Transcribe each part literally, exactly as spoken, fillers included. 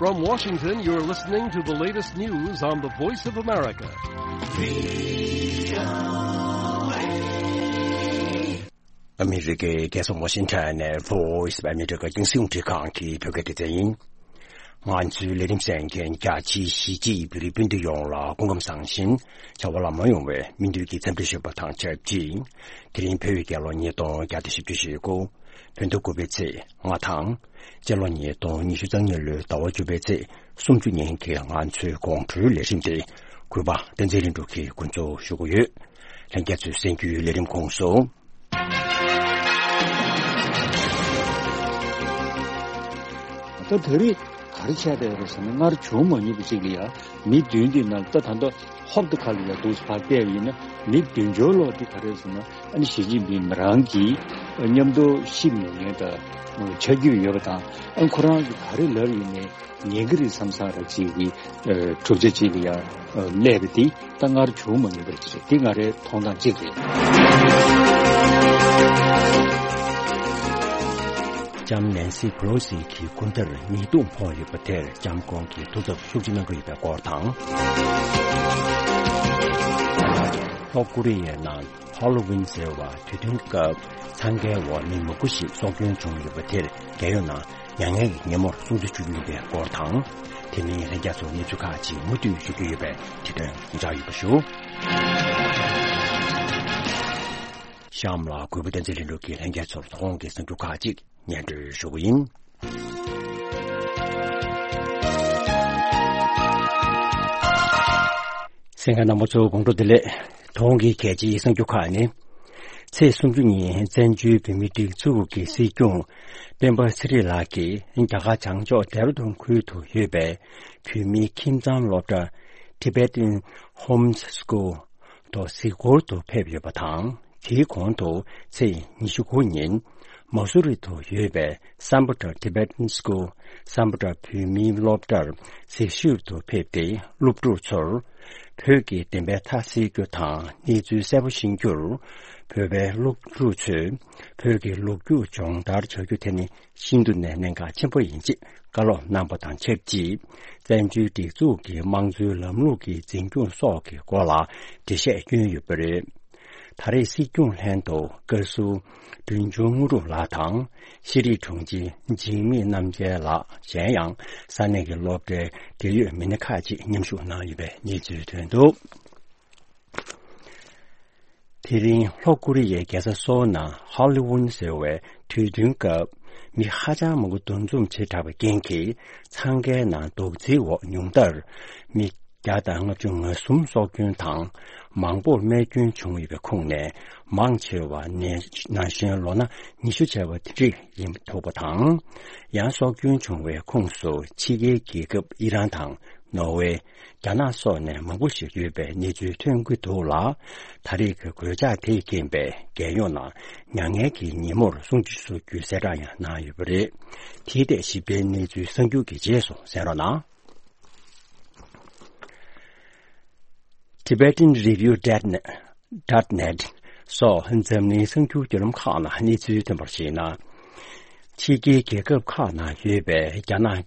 From Washington, you're listening to the latest news on the Voice of America. ཨ་མི་རི་ཀའི་རྒྱལ་ས་ཝ་ཤིང་ཊོན་ནས་Voice of America་རྒྱང་སྲིང་རླུང་འཕྲིན་ཁང་གི་བོད་སྐད་སྡེ་ཚན་ཡིན། ང་ཚོའི་ལས་རིམ་གསན་མཁན་རྒྱ་ཆེའི་གཞིས་བྱེས་བོད་རིགས་སྤུན་ཟླ་ཡོངས་ལ་སྐུ་ཁམས་བཟང་ཞིང་བྱ་བ་ལམ་འགྲོ་ཡོང་བའི་སྨོན་འདུན་གྱི་འཚམས་འདྲི་ཞུས་པ་དང་ཆབས་ཅིག་དེ་རིང་བོད་ཡིག་སྐྱེས་ལོ་ཉིས་སྟོང་བརྒྱ་དང་བཞི་བཅུ་ཞེ་དགུ། བོད་ཟླ་དགུ་པའི་ཚེས་ལྔ་དང་། སྤྱི་ལོ་ཉིས་སྟོང་ཉི་ཤུ་རྩ་གཉིས་ལོའི་ཟླ་བ་བཅུ་པའི་ཚེས་སུམ་ཅུ་ཉིན་གྱི་ང་ཚོའི་དགོང་དྲོའི་ལས་རིམ་དེ་གུས་པ་བསྟན་འཛིན་ལྷུན་གྲུབ་ཀྱིས་འགོ་འཛུགས་ཞུ་གི་ཡོད། ལྷན་རྒྱས་ཚོས་གསན་རྒྱུའི་ལས་རིམ་ཁོངས་སུ། ད་དེ་རིང་ག་རེ་བྱས་བསྡད་ཡོད་རེད་ཟེར་ན། སྔར་བྱུང་མ་མྱོང་པ་ཅིག་ལ་ཡ་མི་བདུན་དེ་ནང་ད་ད་ལྟ་ཧོབ་ཏེ་ཁ་ལ་ཡ་འདུག་སེ་ཕར་བལྟས་པ་ཡིན་ན། མི་བདུན་ཅུ་ལོག་དེ་ག་རེ་ཟེར་ན། ཨ་ནི་ཞི་ཅིན་ཕིང་མི་རང་གིས་མཉམ་དུ་གཤིབ་མྱོང་མཁན་དང་ཆ་རྒྱུས་ཡོད་པ་དང་། ཨ་ཁོ་རང་གིས་ག་རེ་ལབ་ཡིན་ནའི་ཉན་གྱི་རེད་བསམ་བསམ་ར་ཅིག་གི་གྲུབ་ཆ་ཅིག་ལ་ཡ་སླེབས་པ་དེ་ད་སྔར་བྱུང་མ་མྱོང་པ་ཅིག་རེད། དེ་ང་རའི་མཐོང་སྟངས་གཅིག་རེད། ལྕམ་ནན་སི་པེ་ལོ་སི་གི་སྐུ་འདྲར་ཉེས་རྡུང་ཕོག་ཡོད་པ་དེར་ལྕམ་སྐུ་གིས་ཐུགས་འཚབ་ཤུགས་ཆེ་གནང་གི་ཡོད་པའི་སྐོར་དང་། ལྷོ་ཀོ་རི་ཡའི་ནང་ཧ་ལོ་ཝིན་ཟེར་བ་དུས་སྟོན་སྐབས་འཚང་ཁའི་འོག་མི་མང་པོ་ཞིག་སྲོག་སྐྱོན་བྱུང་ཡོད་པ་དེར་རྒྱལ་ཡོངས་ནང་མྱ་ངན་གྱི་ཉིན་མོར་སྲུང་བརྩི་ཞུ་གི་ཡོད་པའི་སྐོར་དང་། དེ་མིན་ལྷན་རྒྱས་ཚོར་གནས་ཚུལ་ཁག་ཅིག་མུ་མཐུད་ཞུ་རྒྱུ་ཡོད་པས་དེ་དོན་ཡིད་ཆེས་ཡོད་པ་ཞུ། གཤམ་ལ་གུས་པ་བསྟན་འཛིན་ལྷུན་གྲུབ་ཀྱིས་ལྷན་རྒྱས་ཚོར་ཐོག་གི་གསར་འགྱུར་ཁག་ཅིག་སྙན་སྒྲོན་ཞུ་གི་ཡིན། གསན་མཁན་རྣམ་པ་ཚོ་དགོང་དྲོ་བདེ་ལེགས། དེ་རིང་གི་གལ་ཆེའི་གསར་འགྱུར་ཁག་ནི། ཚེས་སུམ་ཅུ་ཉིན་བཙན་བྱོལ་བོད་མིའི་སྒྲིག་འཛུགས་ཀྱི་སྲིད་སྐྱོང་སྤེན་པ་ཚེ་རིང་ལགས་ཀྱིས་རྒྱ་གར་བྱང་ཕྱོགས་ལྡེ་ར་ལྡུན་ཁུལ་དུ་ཡོད་པའི་བོད་མིའི་ཁྱིམ་ཚང་སློབ་གྲྭ་Tibetan Home School དུ་གཟིགས་སྐོར་དུ་ཕེབས་ཡོད་པ་དང་། དེའི་གོང་དུ་ཚེས་ཉི་ཤུ་དགུ་ཉིན་མ་སུ་རི་དུ་ཡོད་པའི་སམ་བྷོ་ཊ་Tibetan School སམ་བྷོ་ཊ་བོད་མིའི་སློབ་གྲྭར་གཟིགས་ཞིབ་ཏུ་ཕེབས་ཏེ། སློབ་ཕྲུག་ཚོར་བོད་ཀྱི་བདེན་པའི་མཐའ་གསལ་རྒྱུ་དང་གནས་ཚུལ་གསལ་པོ་ཤེས་རྒྱུར། བོད་པའི་སློབ་ཕྲུག་ཚོས་བོད་ཀྱི་ལོ་རྒྱུས་སྦྱོང་བརྡར་བྱ་རྒྱུ་དེ་ནི་ཤིན་ཏུ་ནས་གནད་འགག་ཆེན་པོ་ཡིན་ཅེས་བཀའ་སློབ་གནང་པ་དང་ཆབས་ཅིག་བཙན་བྱོལ་སྒྲིག་འཛུགས་ཀྱི་དམངས་གཙོའི་ལམ་ལུགས་ཀྱི་འཛིན་སྐྱོང་སོགས་ཀྱི་སྐོར་ལ་འགྲེལ་བཤད་བསྐྱོན་ཡོད་པ་རེད། ད་རེས་སྲིད་སྐྱོང་ལྷན་དུ་བཀའ་ཟུར་སྒྲོལ་ཆུང་དངོས་གྲུབ་ལགས་དང་། ཤེས་རིག་དྲུང་ཆེ་འཇིགས་མེད་རྣམ་རྒྱལ་ལགས། གཞན་ཡང་ས་གནས་ཀྱི་སློབ་གྲྭའི་འབྲེལ་ཡོད་མི་སྣ་ཁག་ཅིག་མཉམ་ཞུགས་གནང་ཡོད་པའི་གནས་ཚུལ་ཐོན་འདུག་དེ་རིང་ལྷོ་ཀོ་རི་ཡའི་རྒྱལ་ས་སོལ་ནང་ཧ་ལི་ཝུན་ཟེར་བའི་དུས་སྟོན་སྐབས་མི་ཧ་ཅང་མང་པོ་འདུ་འཛོམས་བྱེ་བྲག་པའི་རྐྱེན་གྱིས་འཚང་ཁའི་ནང་རྡོག་རྫིའི་འོག་ཉུང་མཐར་མི་བརྒྱ་དང་ལྔ་བཅུ་ང་གསུམ་སྲོག་སྐྱོན་དང་མང་པོར་རྨས་སྐྱོན་བྱུང་ཡོད་པའི་ཁོངས་ནས་མང་ཆེ་བ་ནས་ན་གཞོན་ལོ་ན་ཉི་ཤུ་བྱས་པ་དེ་འདྲ་ཡིན་ཐུག་པ་དང་། ཡང་སྲོག་སྐྱོན་བྱུང་བའི་ཁོངས་སུ་ཕྱི་རྒྱལ་རྒྱལ་ཁབ་ཨི་རན་དང་ནོར་ཝེ། རྒྱ་ནག་སོགས་ནས་མང་པོ་ཞིག་ཡོད་པའི་གནས་ཚུལ་ཐོན་གྱི་འདུག་ལ། ད་རེས་ཀྱི་གོད་ཆག་དེས་རྐྱེན་པས་རྒྱལ་ཡོངས་ནང་མྱ་ངན་གྱི་ཉིན་མོར་སྲུང་བརྩི་ཞུ་རྒྱུའི་གསལ་བསྒྲགས་ཡང་གནང་ཡོད་པ་རེད། དེའི་ཐད་ཞིབ་ཕྲའི་གནས་ཚུལ་གསར་འགྱུར་གྱི་རྗེས་སུ་གསན་རོགས་གནང་། Tibetan Review dot net སོགས་འཛམ་གླིང་གསར་འགྱུར་བརྒྱུད་ལམ་ཁག་ནང་གནས་ཚུལ་ཐོན་པར་གཞིགས་ན། ཕྱི་རྒྱལ་རྒྱལ་ཁབ་ཁག་ནང་ཡོད་པའི་རྒྱ་ནག་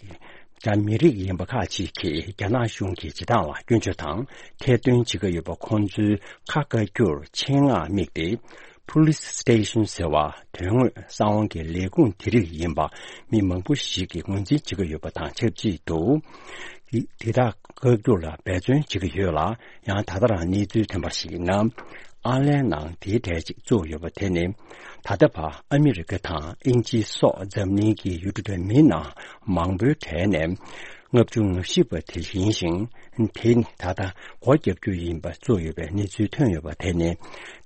རྒྱ་མི་རིགས་ཡིན་པ་ཁག་ཅིག་གིས་རྒྱ་ནག་གཞུང་གི་བྱེད་སྟངས་ལ་སྐྱོན་བརྗོད་དང་ཐེར་འདོན་བྱེད་ཀྱི་ཡོད་པ། ཁོང་ཚོའི་ཁ་བཀའ་རྒྱུར་ཆེད་མངགས་དམིགས་ཏེ། Police Station ཟེར་བ་དོན་དངོས་གསང་བའི་ལས་ཁུངས་དེ་རིགས་ཡིན་པ་མི་མང་པོ་ཞིག་གིས་ངོས་འཛིན་བྱེད་ཀྱི་ཡོད་པ་དང་ཆབས་ཅིག་ཏུ། དེ་དག་བཀའ་རྒྱུར་ལ་འབད་བརྩོན་བྱེད་ཀྱི་ཡོད་ལ། ཡང་ད་ལྟ་རང་གནས་ཚུལ་ཐོན་པར་གཞིགས་ན། ཨར་ལན་ནང་དེའི་གྲས་ཅིག་བཙུགས་ཡོད་པ་དེ་ནི། ད་ལྟ་བར་ཨ་མི་རི་ཀ་དང་དབྱིན་ཇི་སོགས་འཛམ་གླིང་གི་ཡུལ་གྲུ་དང་མི་ནང་མང་པོའི་གྲས་ནས་ལྔ་བཅུ་ང་བཞི་པ་དེ་ཡིན་ཞིང་། དེ་ནི་ད་ལྟ་སྒོ་བརྒྱབ་རྒྱུ་ཡིན་པ་བཙུགས་ཡོད་པའི་གནས་ཚུལ་ཐོན་ཡོད་པ་དེ་ནི་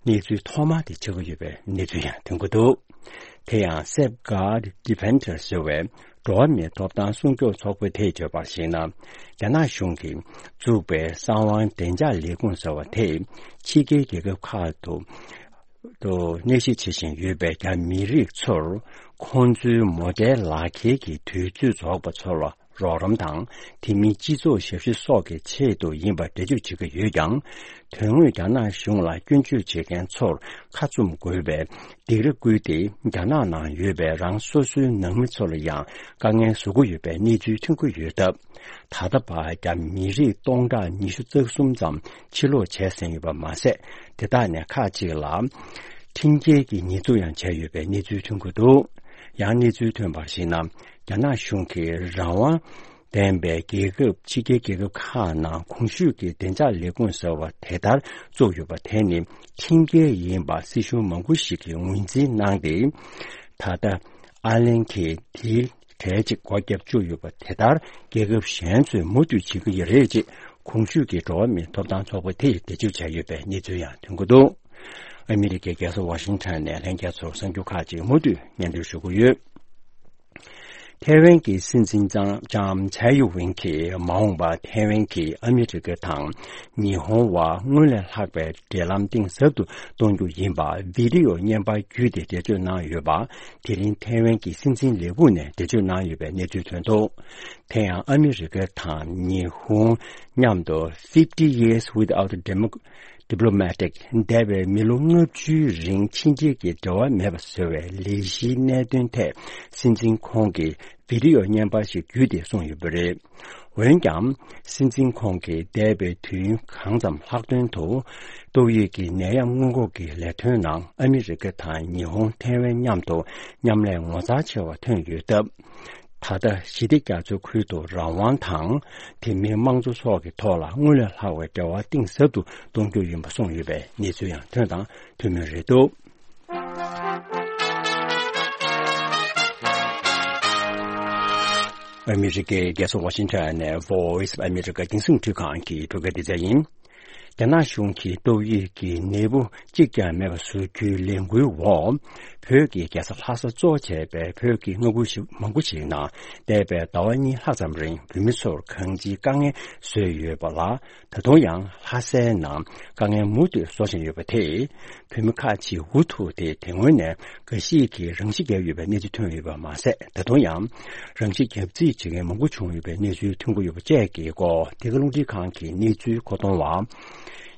གནས་ཚུལ་ཐོག་མ་དེ་ཆགས་ཀྱི་ཡོད་པའི་གནས་ཚུལ་ཡང་ཐོན་གྱི་འདུག་དེ་ཡང་Safeguard Defenders ཟེར་བའི་འགྲོ་བ་མིའི་ཐོབ་ཐང་སྲུང་སྐྱོབ་ཚོགས་པས་དེ་བརྗོད་པར་གཞིགས་ན། རྒྱ་ནག་གཞུང་གིས་བཙུགས་པའི་གསང་བའི་བདེ་འཇགས་ལས་ཁུངས་ཟེར་བ་དེས་ཕྱི་རྒྱལ་རྒྱལ་ཁབ་ཁག་ཏུ་ཏུ་གནས་གཤིས་བྱེད་བཞིན་ཡོད་པའི་རྒྱ་མི་རིགས་ཚོར་ཁོང་ཚོའི་མོ་ཊའི་ལག་འཁྱེར་གྱི་དུས་ཚོད་རྫོགས་པ་ཚོར་བ། རོགས་རམ་དང་། དེ་མིན་སྤྱི་ཚོགས་ཞབས་ཞུ་སོགས་ཀྱི་ཆེད་དུ་ཡིན་པ་འགྲེལ་བརྗོད་བྱེད་ཀྱི་ཡོད་ཀྱང་། དོན་དངོས་རྒྱ་ནག་གཞུང་ལ་སྐྱོན་བརྗོད་བྱེད་མཁན་ཚོར་ཁ་བཙུམ་དགོས་པའི་སྡིགས་ར་བསྐུལ་ཏེ། རྒྱ་ནག་ནང་ཡོད་པའི་རང་སོ་སོའི་ནང་མི་ཚོ་ལ་ཡང་དཀའ་ངལ་བཟོ་གི་ཡོད་པའི་གནས་ཚུལ་ཐོན་གྱི་ཡོད་སྟབས། ད་ལྟ་བར་རྒྱ་མི་རིགས་སྟོང་ཕྲག་ཉི་ཤུ་རྩ་གསུམ་ཙམ་ཕྱིར་ལོག་བྱས་ཟིན་ཡོད་པ་མ་ཟད། དེ་དག་ནས་ཁག་ཅིག་ལ་ཁྲིམས་འགལ་གྱི་ཉེས་འཛུགས་ཡང་བྱས་ཡོད་པའི་གནས་ཚུལ་ཐོན་གྱི་འདུག། ཡང་གནས་ཚུལ་ཐོན་པར་གཞིགས་ན། རྒྱ་ནག་གཞུང་གིས་རང་དབང་ལྡན་པའི་རྒྱལ་ཁབ། ཕྱི་རྒྱལ་རྒྱལ་ཁབ་ཁག་ནང་གོང་ཞུས་ཀྱི་བདེ་འཇགས་ལས་ཁུངས་ཟེར་བ་དེ་ལྟར་བཙུགས་ཡོད་པ་དེ་ནི་ཁྲིམས་འགལ་ཡིན་པ་སྲིད་གཞུང་མང་པོ་ཞིག་གིས་ངོས་འཛིན་གནང་སྟེ། ད་ལྟ་ཨར་ལན་གྱིས་དེའི་གྲས་གཅིག་སྒོ་བརྒྱབ་བཅུག་ཡོད་པ་དེ་ལྟར་རྒྱལ་ཁབ་གཞན་ཚོས་མུ་མཐུད་བྱེད་ཀྱི་ཡོད་རེད་ཅེས་གོང་ཞུས་ཀྱི་འགྲོ་བ་མིའི་ཐོབ་ཐང་ཚོགས་པ་དེས་འགྲེལ་བརྗོད་བྱས་ཡོད་པའི་གནས་ཚུལ་ཡང་ཐོན་གྱི་འདུག། ཨ་མི་རི་ཀའི་རྒྱལ་ས་ཝ་ཤིང་ཊོན་ནས་ལྷན་རྒྱས་ཚོར་གསར་འགྱུར་ཁག་ཅིག་མུ་མཐུད་སྙན་སྒྲོན་ཞུ་གི་ཡོད། ཐའེ་ཝན་གྱི་སྲིད་འཛིན་ལྕམ་ལྕམ་ཚའེ་ཡུ་ཝེན་གྱིས་མ་འོངས་པར་ཐའེ་ཝན་གྱིས་ཨ་མི་རི་ཀ་དང་ཉི་ཧོང་བར་སྔོན་ལས་ལྷག་པའི་འབྲེལ་ལམ་གཏིང་ཟབ་ཏུ་གཏོང་རྒྱུ་ཡིན་པ་བི་ཌི་ཡོ་བརྙན་པར་བརྒྱུད་དེ་འགྲེལ་བརྗོད་གནང་ཡོད་པ། དེ་རིང་ཐའེ་ཝན་གྱི་སྲིད་འཛིན་ལས་ཁུངས་ནས་འགྲེལ་བརྗོད་གནང་ཡོད་པའི་གནས་ཚུལ་ཐོན་འདུག། དེ་ཡང་ཨ་མི་རི་ཀ་དང་ཉི་ཧོང་མཉམ་དུ་Fifty Years Without Demo- Diplomatic འདས་པའི་མི་ལོ་ལྔ་བཅུའི་རིང་ཕྱི་རྒྱལ་གྱི་འབྲེལ་བ་མེད་པ་བཟོ་བའི་ལས་གཞིའི་གནད་དོན་ཐད་སྲིད་འཛིན་ཁོང་གིས་བི་ཌི་ཡོ་བརྙན་པར་ཞིག་བརྒྱུད་དེ་གསུངས་ཡོད་པ་རེད། འོན་ཀྱང་། སྲིད་འཛིན་ཁོང་གིས་འདས་པའི་དུས་ཡུན་གང་ཙམ་ལྷག་དོན་དུ། ཏོག་དབྱིབས་ཀྱི་ནད་ཡམས་སྔོན་འགོག་གི་ལས་དོན་ནང་ཨ་མི་རི་ཀ་དང་ཉི་ཧོང་ཐའེ་ཝན་མཉམ་དུ་མཉམ་ལས་ངོ་མཚར་ཆེ་བ་ཐོན་ཡོད་སྟབས། ད་ལྟ་ཞི་བདེ་རྒྱ་མཚོའི་ཁུལ་དུ་རང་དབང་དང་། དེ་མིན་དམངས་གཙོ་སོགས་ཀྱི་ཐོག་ལ་སྔོན་ལས་ལྷག་པའི་འབྲེལ་བ་གཏིང་ཟབ་ཏུ་གཏོང་རྒྱུ་ཡིན་པ་གསུངས་ཡོད་པའི་གནས་ཚུལ་ཡང་ཐོན་དང་ཐོན་མུས་རེད་འདུག། ཨ་མི་རི་ཀའི་རྒྱལ་ས་ཝ་ཤིང་ཊོན་ནས་Voice of America་རྒྱང་སྲིང་འཕྲུལ་ཁང་གི་འགྲོ་སྐྱོད་སྡེ་ཚན་ཡིན། རྒྱ་ནག་གཞུང་གིས་ཏོག་དབྱིབས་ཀྱི་ནད་འབུ་གཅིག་ཀྱང་མེད་པ་བཟོ་རྒྱུའི་ལས་འགུལ་འོག། བོད་ཀྱི་རྒྱལ་ས་ལྷ་ས་གཙོ་བྱས་པའི་བོད་ཀྱི་མངའ་ཁུལ་ཞིག་མང་པོ་ཞིག་ནང་འདས་པའི་ཟླ་བ་གཉིས་ལྷག་ཙམ་རིང་བོད་མི་ཚོར་གང་ཅིའི་དཀའ་ངལ་བཟོས་ཡོད་པ་ལ། ད་དུང་ཡང་ལྷ་སའི་ནང་དཀའ་ངལ་མུ་མཐུད་བཟོ་བཞིན་ཡོད་པ་དེས། བོད་མི་ཁག་ཅིག་འུ་ཐུག་སྟེ་དེ་སྔོན་ནས་འགའ་ཞིག་གིས་རང་ཤི་བརྒྱབ་ཡོད་པའི་གནས་ཚུལ་ཐོན་ཡོད་པ་མ་ཟད། ད་དུང་ཡང་རང་ཤི་བརྒྱབ་རྩིས་བྱེད་མཁན་མང་པོ་བྱུང་ཡོད་པའི་གནས་ཚུལ་ཐོན་གྱི་ཡོད་པ་བཅས་ཀྱི་སྐོར། འདི་ག་རླུང་འཕྲིན་ཁང་གི་གནས་ཚུལ་མཁོ་གཏོང་བ་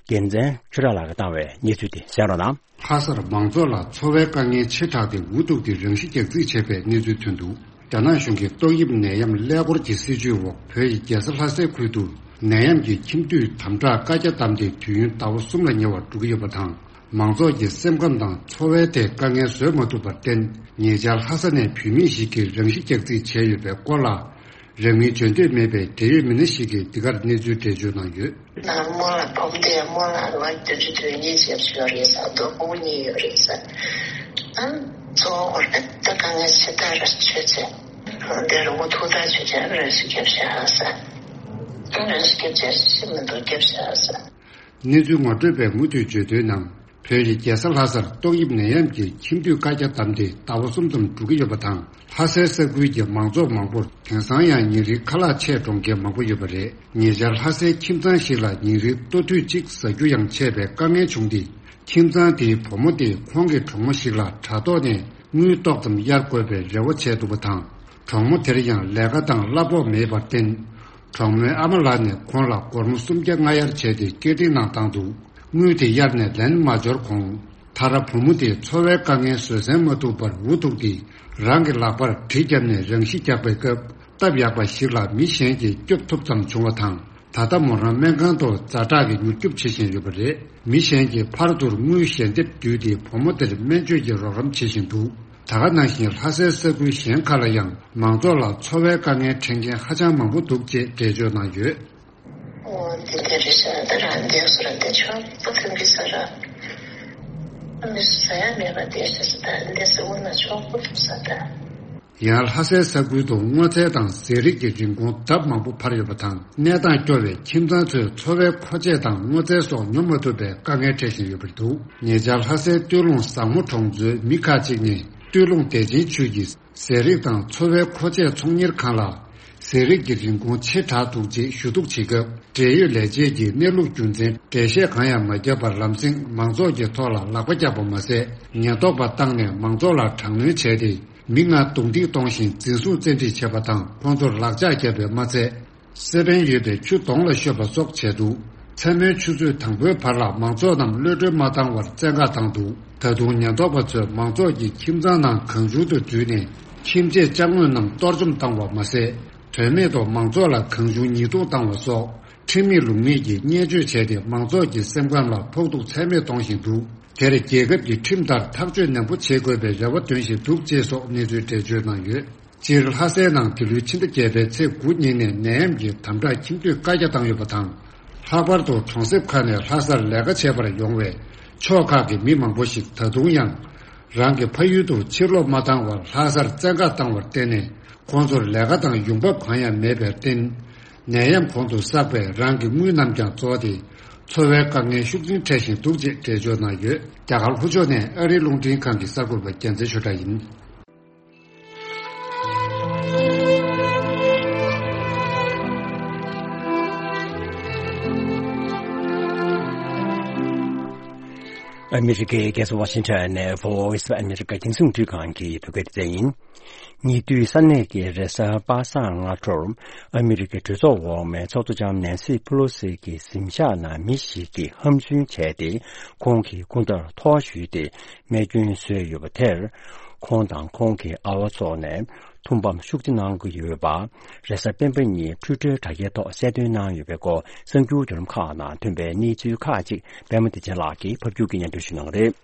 རྒྱལ་མཚན་ཆོས་གྲགས་ལགས་ཀྱིས་བཏང་བའི་གནས་ཚུལ་དེ་གསན་རོགས་གནང་། ལྷ་སར་མང་ཚོགས་ལ་འཚོ་བའི་དཀའ་ངལ་ཆེ་དྲགས་ཏེ་འུ་ཐུག་སྟེ་རང་ཤི་རྒྱག་རྩིས་བྱས་པའི་གནས་ཚུལ་ཐོན་འདུག། རྒྱ་ནག་གཞུང་གིས་ཏོག་དབྱིབས་ནད་ཡམས་ཀླད་ཀོར་གྱི་སྲིད་བྱུས་འོག་བོད་ཡི་རྒྱལ་ས་ལྷ་སའི་ཁུལ་དུ་ནད་ཡམས་ཀྱི་ཁྱིམ་དུད་དམ་དྲག་བཀའ་རྒྱ་བསྡམས་ཏེ་དུས་ཡུན་ཟླ་བ་གསུམ་ལ་ཉེ་བར་འགྲོ་གི་ཡོད་པ་དང་། མང་ཚོགས་ཀྱི་སེམས་ཁམས་དང་འཚོ་བའི་ཐད་དཀའ་ངལ་བཟོད་མ་ཐུབ་པར་བརྟེན། ཉེ་ཆར་ལྷ་ས་ནས་བུད་མེད་ཞིག་གིས་རང་ཤི་རྒྱག་རྩིས་བྱས་ཡོད་པའི་སྐོར་ལ། རང་མིང་བརྗོད་འདོད་མེད་པའི་འབྲེལ་ཡོད་མི་སྣ་ཞིག་གིས་འདི་གར་གནས་ཚུལ་འགྲེལ་བརྗོད་གནང་ཡོད། ནར་མོ་ལ་བུ་མོ་དེ་མོ་ལ་ལོ་བདུན་ཅུ་དོན་གཉིས་བྱས་ཡོད་རེད་ས། མདོ་ཕྲུ་གུ་གཉིས་ཡོད་རེད་ས། ཨ་གཙོ་བོ་ཧོར་ད་དཀའ་ངལ་ཆེ་ཐག་ར་ཆོད་ཚེ། དེར་འུ་ཐུག་ཐག་ཆོད་ཚེ་ར་ཤི་རྒྱབ་ཤ་ཧ་ས། ར་ཤི་རྒྱབ་ཤ་ཤི་མི་འདུག་རྒྱབ་ཤ་ཧ་ས། གནས་ཚུལ་ངོ་སྤྲོད་པས་མུ་མཐུད་བརྗོད་དོན་ནང་། བོད་ཀྱི་རྒྱལ་ས་ལྷ་སར་ཏོག་དབྱིབས་ནད་ཡམས་ཀྱི་ཁྱིམ་དུད་བཀའ་རྒྱ་བསྡམས་ཏེ་ཟླ་བ་གསུམ་ཙམ་འགྲོ་གི་ཡོད་པ་དང་། ལྷ་སའི་ས་ཁུལ་གྱི་མང་ཚོགས་མང་པོར་དེང་སང་ཡང་ཉིན་རེའི་ཁ་ལག་ཆད་འགྲོ་མཁན་མང་པོ་ཡོད་པ་རེད། ཉེ་ཆར་ལྷ་སའི་ཁྱིམ་ཚང་ཞིག་ལ་ཉིན་རེའི་ལྟོ་དུས་གཅིག་ཟ་རྒྱུ་ཡང་ཆད་པའི་དཀའ་ངལ་བྱུང་སྟེ། ཁྱིམ་ཚང་དེའི་བུ་མོ་དེས་ཁོང་གི་གྲོགས་མོ་ཞིག་ལ་དྲ་ཐོག་ནས་དངུལ་ཏོག་ཙམ་གཡར་དགོས་པའི་རེ་བ་བྱས་འདུག་པ་དང་། གྲོགས་མོ་དེར་ཡང་ལས་ཀ་དང་གླ་ཕོགས་མེད་པར་བརྟེན། གྲོགས་མོའི་ཨ་མ་ལགས་ནས་ཁོང་ལ་སྒོར་མོ་སུམ་བརྒྱ་ལྔ་གཡར་བྱས་ཏེ་སྐྱེལ་འདྲེན་གནང་བཏང་འདུག། དངུལ་དེ་གཡར་ནས་ལེན་མ་འབྱོར་གོང་། མཐར་བུ་མོ་དེས་འཚོ་བའི་དཀའ་ངལ་བཟོད་བསྲན་མ་ཐུབ་པར་འུ་ཐུག་སྟེ་རང་གི་ལག་པར་གྲི་བརྒྱབ་ནས་རང་ཤི་རྒྱག་པའི་སྐབས། སྟབས་ཡག་པ་ཞིག་ལ་མི་གཞན་གྱིས་སྐྱོབ་ཐུབ་ཙམ་བྱུང་བ་དང་། ད་ལྟ་མོ་རང་སྨན་ཁང་དུ་ཛ་དྲག་གི་མྱུར་སྐྱོབ་བྱེད་བཞིན་ཡོད་པ་རེད། མི་གཞན་གྱིས་ཕར་ཚུར་དངུལ་ཞལ་འདེབས་བརྒྱུད་དེ་བུ་མོ་དེར་སྨན་བཅོས་ཀྱི་རོགས་རམ་བྱེད་བཞིན་འདུག། ད་ག་ནང་བཞིན་ལྷ་སའི་ས་ཁུལ་གཞན་ཁག་ལ་ཡང་མང་ཚོགས་ལ་འཚོ་བའི་དཀའ་ངལ་འཕྲད་མཁན་ཧ་ཅང་མང་པོ་འདུག་ཅེས་འགྲེལ་བརྗོད་གནང་ཡོད། འོ་འདི་འདི་རེད་ཤག་ད་རང་འདས་སུ་ར་འདི་ཆོག་པོ་ཐོན་གི་ས་ར། མི་སུ་ཟ་ཡ་མེད་པ་འདས་ཤག་ས་ད་འདས་སུ་འོ་ན་ཆོག་པོ་ཐུབ་ས་ད། ཡང་ལྷ་སའི་ས་ཁུལ་དུ་སྔོ་ཚལ་དང་ཟས་རིགས་ཀྱི་རིན་གོང་ལྡབ་མང་པོ་འཕར་ཡོད་པ་དང་། གནས་སྟངས་སྐྱོ་བས་ཁྱིམ་ཚང་ཚོས་འཚོ་བའི་མཁོ་ཆས་དང་སྔོ་ཚལ་སོགས་ཉོ་མ་ཐུབ་པའི་དཀའ་ངལ་འཕྲད་བཞིན་ཡོད་པར་འདུག། ཉེ་ཆར་ལྷ་སའི་སྟོད་ལུང་བཟང་མོ་གྲོང་ཚོའི་མི་ཁག་ཅིག་ནས་སྟོད་ལུང་བདེ་ཆེན་ཆུས་ཀྱི་ཟས་རིགས་དང་འཚོ་བའི་མཁོ་ཆས་ཚོང་གཉེར་ཁང་ལ་ཟས་རིགས་ཀྱི་རིན་གོང་ཆེ་དྲགས་འདུག་ཅེས་ཞུ་གཏུག་བྱེད་སྐབས། འབྲེལ་ཡོད་ལས་བྱེད་ཀྱིས་གནས་ལུགས་རྒྱུ་མཚན་འགྲེལ་བཤད་གང་ཡང་མ་བརྒྱབ་པར་ལམ་སེང་མང་ཚོགས་ཀྱི་ཐོག་ལ་ལག་པ་བརྐྱབ་པ་མ་ཟད། ཉེན་རྟོག་པ་བཏང་ནས་མང་ཚོགས་ལ་དྲག་གནོན་བྱས་ཏེ། མི་ལྔ་རྡུང་རྡེག་གཏོང་ཞིང་འཛིན་བཟུང་བཙན་ཁྲིད་བྱས་པ་དང་། ཁོང་ཚོར་ལག་ལྕགས་བརྒྱབ་པས་མ་ཚད། སེ་པན་ཡོད་པའི་ཆུ་གདོང་ལ་ཤོད་པ་སོགས་བྱས་འདུག་མཚན་མོའི་ཆུ་ཚོད་དང་པོའི་བར་ལ་མང་ཚོགས་རྣམས་གློད་གྲོལ་མ་བཏང་བར་བཙན་བཀག་བཏང་འདུག་ད་དུང་ཉེན་རྟོག་པ་ཚོས་མང་ཚོགས་ཀྱི་ཁྱིམ་ཚང་ནང་གང་བྱུང་དུ་འཛུལ་ནས། ཁྱིམ་ཆས་ཅ་དངོས་རྣམས་གཏོར་བཅོམ་བཏང་བ་མ་ཟད། དོན་མེད་དུ་མང་ཚོགས་ལ་གང་བྱུང་ཉེས་རྡུང་བཏང་བ་སོགས། ཁྲིམས་མེད་ལུགས་མེད་ཀྱི་བརྙས་བཅོས་བྱས་ཏེ། མང་ཚོགས་ཀྱི་སེམས་ཁམས་ལ་ཕོག་ཐུག་ཚད་མེད་གཏོང་བཞིན་འདུག་དེར་རྒྱལ་ཁབ་ཀྱི་ཁྲིམས་ལྟར་ཐག་གཅོད་ནན་པོ་བྱེད་དགོས་པའི་རེ་བ་འདོན་བཞིན་འདུག་ཅེས་སོགས་གནས་ཚུལ་འགྲེལ་བརྗོད་གནང་ཡོད། སྤྱིར་ལྷ་སའི་ནང་འདི་ལོའི་ཕྱི་ཟླ་བརྒྱད་པའི་ཚེས་དགུ་ཉིན་ནས་ནད་ཡམས་ཀྱི་དམ་དྲག་ཁྱིམ་སྡོད་བཀའ་རྒྱ་བཏང་ཡོད་པ་དང་། ལྷག་པར་དུ་གྲོང་གསེབ་ཁག་ནས་ལྷ་སར་ལས་ཀ་བྱེད་པར་ཡོང་བའི་ཕྱོགས་ཁག་གི་མི་མང་པོ་ཞིག་ད་དུང་ཡང་རང་གི་ཕ་ཡུལ་དུ་ཕྱིར་ལོག་མ་བཏང་བར་ལྷ་སར་བཙན་བཀག་བཏང་བར་བརྟེན་ནས། ཁོང་ཚོར་ལས་ཀ་དང་ཡོང་འབབ་གང་ཡང་མེད་པར་བརྟེན། ནད་ཡམས་གོང་དུ་བསགས་པས་རང་གི་དངུལ་རྣམས་ཀྱང་རྫོགས་ཏེ། འཚོ་བའི་དཀའ་ངལ་ཤུགས་ཆེན་འཕྲད་བཞིན་འདུག་ཅེས་འགྲེལ་བརྗོད་གནང་ཡོད། རྒྱ་གར་ལྷོ་ཕྱོགས་ནས་ཨ་རིའི་རླུང་འཕྲིན་ཁང་གི་གསར་འགོད་པ་རྒྱལ་མཚན་ཆོས་གྲགས་ཡིན། ཨ་མི་རི་ཀའི་རྒྱལ་ས་ཝ་ཤིང་ཊོན་ནས་Voice of America་རྒྱང་སྲིང་རླུང་འཕྲིན་ཁང་གི་བོད་སྐད་སྡེ་ཚན་ཡིན། ཉེ་དུས་ས་གནས་ཀྱི་རེས་གཟའ་པ་སངས་སྔ་དྲོར་ཨ་མི་རི་ཀའི་གྲོས་ཚོགས་འོག་མའི་ཚོགས་གཙོ་ལྕམ་ནན་སི་ཕེ་ལོ་སི་གི་གཟིམ་ཤག་ནང་མི་ཞིག་གིས་ཧམ་རྫུན་བྱས་ཏེ། ཁོང་གི་སྐུ་ཟླར་ཐོ་བ་གཞུས་ཏེ་རྨས་སྐྱོན་བཟོས་ཡོད་པ་དེར། ཁོང་དང་ཁོང་གི་ཨ་བ་སོགས་ནས་ཐུགས་ཕམ་ཤུགས་ཆེ་གནང་གི་ཡོད་པ། རེས་གཟའ་སྤེན་པ་ཉིན་Twitter་དྲ་རྒྱའི་ཐོག་གསལ་སྟོན་གནང་ཡོད་པའི་སྐོར་གསར་འགྱུར་བརྒྱུད་ལམ་ཁག་ནང་ཐོན་པའི་གནས་ཚུལ་ཁག་ཅིག་པད་མ་བདེ་ཆེན་ལགས་ཀྱིས་ཕབ་སྒྱུར་གྱིས་སྙན་སྒྲོན་ཞུ་གནང་གི་རེད།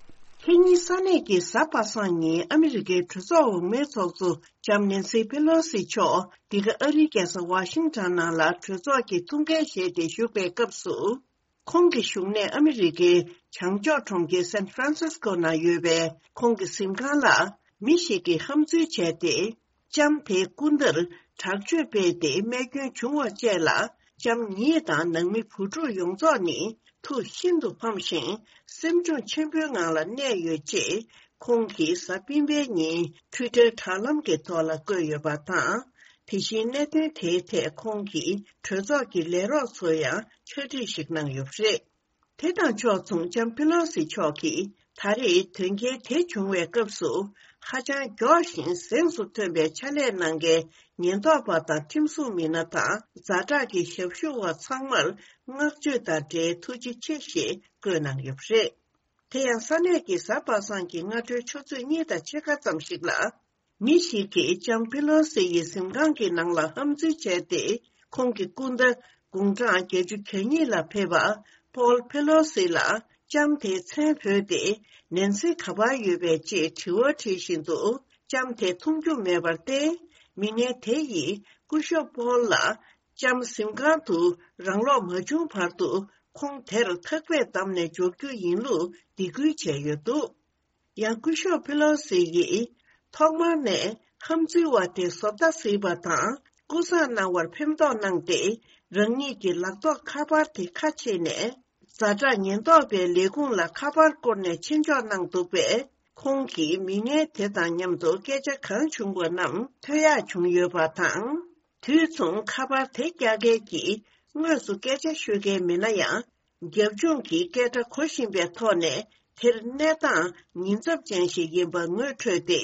ཁེ་ཉིན་ས་གནས་ཀྱི་གཟའ་པ་སངས་ཉིན་ཨ་མི་རི་ཀའི་གྲོས་ཚོགས་འོག་མའི་ཚོགས་གཙོ་ལྕམ་ནན་སི་ཕེ་ལོ་སི་མཆོག་འདི་ག་ཨ་རིའི་རྒྱལ་ས་ཝ་ཤིང་ཊོན་ནང་ལ་གྲོས་ཚོགས་ཀྱི་ཐུགས་འགན་བཞེས་ཏེ་བཞུགས་པའི་སྐབས་སུ། ཁོང་གི་བཞུགས་གནས་ཨ་མི་རི་ཀའི་བྱང་ཕྱོགས་གྲོང་ཁྱེར་San Francisco་ནང་ཡོད་པའི་ཁོང་གི་གཟིམ་ཁང་ལ་མི་ཞིག་གིས་ཧམ་འཛུལ་བྱས་ཏེ། ལྕམ་དེའི་སྐུ་ཟླར་དྲག་སྤྱོད་སྤེལ་ཏེ་རྨས་སྐྱོན་བྱུང་བ་བཅས་ལ། ལྕམ་ཉིད་དང་ནང་མི་བུ་ཕྲུག་ཡོངས་རྫོགས་ནི་ཐུགས་ཤིན་ཏུ་ཕམ་ཞིང་སེམས་གཅོང་ཆེན་པོའི་ངང་ལ་གནས་ཡོད་ཅེས། ཁོང་གིས་གཟའ་སྤེན་པའི་ཉིན་Twitter་དྲ་ལམ་གྱི་ཐོག་ལ་བཀོད་ཡོད་པ་དང་། དེ་བཞིན་གནད་དོན་དེའི་ཐད་ཁོང་གིས་གྲོས་ཚོགས་ཀྱི་ལས་རོགས་ཚོར་ཡང་ཕྱག་བྲིས་ཤིག་གནང་ཡོད་པ་རེད། དེ་དང་ཕྱོགས་མཚུངས་ལྕམ་ཕེ་ལོ་སི་མཆོག་གིས་ད་རེས་དོན་རྐྱེན་དེ་བྱུང་བའི་སྐབས་སུ་ཧ་ཅང་མགྱོགས་ཤིང་གཟེངས་སུ་ཐོན་པའི་ཕྱག་ལས་གནང་མཁན་ཉེན་རྟོག་པ་དང་ཁྲིམས་སྲུང་མི་སྣ་དང་ཛ་དྲག་གི་ཞབས་ཞུ་བ་ཚང་མར་བསྔགས་བརྗོད་དང་འབྲེལ་ཐུགས་རྗེ་ཆེ་ཞེས་བཀོད་གནང་ཡོད་པ་རེད། དེ་ཡང་ས་གནས་ཀྱི་གཟའ་པ་སངས་ཀྱི་སྔ་དྲོའི་ཆུ་ཚོད་གཉིས་དང་ཕྱེད་ཀ་ཙམ་ཞིག་ལ། མི་ཞིག་གིས་ལྕམ་ཕེ་ལོ་སི་ཡི་གཟིམ་ཁང་གི་ནང་ལ་ཧམ་འཛུལ་བྱས་ཏེ། ཁོང་གི་སྐུ་ཟླ་དགུང་གྲངས་བརྒྱད་ཅུ་གྱ་གཉིས་ལ་ཕེབས་པ་པོལ་ཕེ་ལོ་སི་ལ་ལྕམ་དེའི་མཚན་བོས་ཏེ། ནན་སི་ག་པར་ཡོད་པས་ཅེས་དྲི་བ་དྲིས་བཞིན་དུ། ལྕམ་དེ་མཐོང་རྒྱུ་མེད་པར་བརྟེན། མི་ངན་དེ་ཡིས་སྐུ་ཞབས་པོལ་ལ། ལྕམ་གཟིམ་ཁང་དུ་རང་ལོག་མ་བྱུང་བར་དུ། ཁོང་དེར་ཐག་པས་བསྡམས་ནས་འཇོག་རྒྱུ་ཡིན་ལུགས་སྡིགས་སྐུལ་བྱས་ཡོད་འདུག་ཡང་སྐུ་ཞབས་ཕེ་ལོ་སི་ཡིས་ཐོག་མར་ནས་ཧམ་འཛུལ་བ་དེ་བཟོ་ལྟ་གཟིགས་པ་དང་སྐུ་གཟུགས་སྣང་བར་ཕན་ཐོགས་གནང་སྟེ། རང་ཉིད་ཀྱི་ལག་ཐོགས་ཁ་པར་དེ་ཁ་ཕྱེ་ནས། ཛ་དྲག་ཉེན་རྟོག་པའི་ལས་ཁུངས་ལ་ཁ་པར་བསྐུར་ནས་ཆེད་འཇོག་གནང་འདུག་པས། ཁོང་གིས་མི་ངན་དེ་དང་མཉམ་དུ་སྐད་ཆ་གང་བྱུང་བ་རྣམས་ཐོས་ཡག་བྱུང་ཡོད་པ་དང་། དུས་མཚུངས་ཁ་པར་དེ་རྒྱག་མཁན་གྱིས་དངོས་སུ་སྐད་ཆ་ཤོད་མཁན་མིན་ན་ཡང་། རྒྱབ་ལྗོངས་ཀྱི་སྐད་སྒྲ་གོ་བཞིན་པའི་ཐོག་ནས་དེར་གནས་སྟངས་ཉེན་ཚབས་ཅན་ཞིག་ཡིན་པ་ངོ་འཕྲོད་དེ།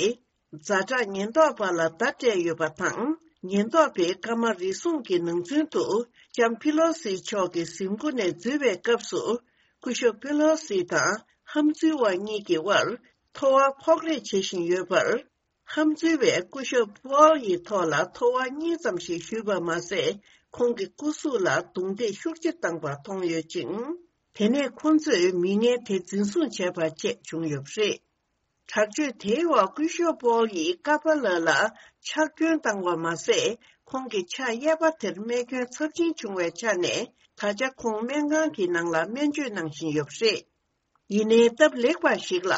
ཛ་དྲག་ཉེན་རྟོག་པ་ལ་བརྡ་སྤྲད་ཡོད་པ་དང་། ཉེན་རྟོག་པས་སྐར་མ་རེ་ཟུང་གི་ནང་ཚུན་དུ་ལྕམ་ཕི་ལོ་སི་མཆོག་གི་གཟིམ་སྒོ་ནས་འཛུལ་བའི་སྐབས་སུ། སྐུ་ཞབས་ཕི་ལོ་སི་དང་ཧམ་འཛུལ་བ་གཉིས་ཀྱི་དབར་ཐོ་བ་ཕོག་རེས་བྱེད་བཞིན་ཡོད་པར། ཧམ་འཛུལ་བས་སྐུ་ཞབས་པོལ་ཡི་ཐོག་ལ་ཐོ་བ་གཉིས་ཙམ་ཞིག་གཞུས་པ་མ་ཟད། ཁོང་གི་སྐུ་གཟུགས་ལ་རྡུང་རྡེག་ཤུགས་ཆེ་བཏང་པ་མཐོང་ཡོད་ཅིང་། དེ་ནས་ཁོ་ཚོས་མི་ངན་དེ་འཛིན་བཟུང་བྱས་པ་བཅས་བྱུང་ཡོད་པ་རེད། དྲག་སྤྱོད་དེའི་འོག་སྐུ་ཞབས་པོལ་ཡིས་ཀ་པ་ལ་ལ་ཕྱག་སྐྱོན་བཏང་བ་མ་ཟད། ཁོང་གི་ཕྱག་གཡས་པ་དེར་རྨས་སྐྱོན་ཚབས་ཆེན་བྱུང་བའི་ཆ་ནས། ད་ཆ་ཁོང་སྨན་ཁང་གི་ནང་ལ་སྨན་བཅོས་གནང་བཞིན་ཡོད་པ་རེད། ཡིན་ནའི་སྟབས་ལེགས་པ་ཞིག་ལ།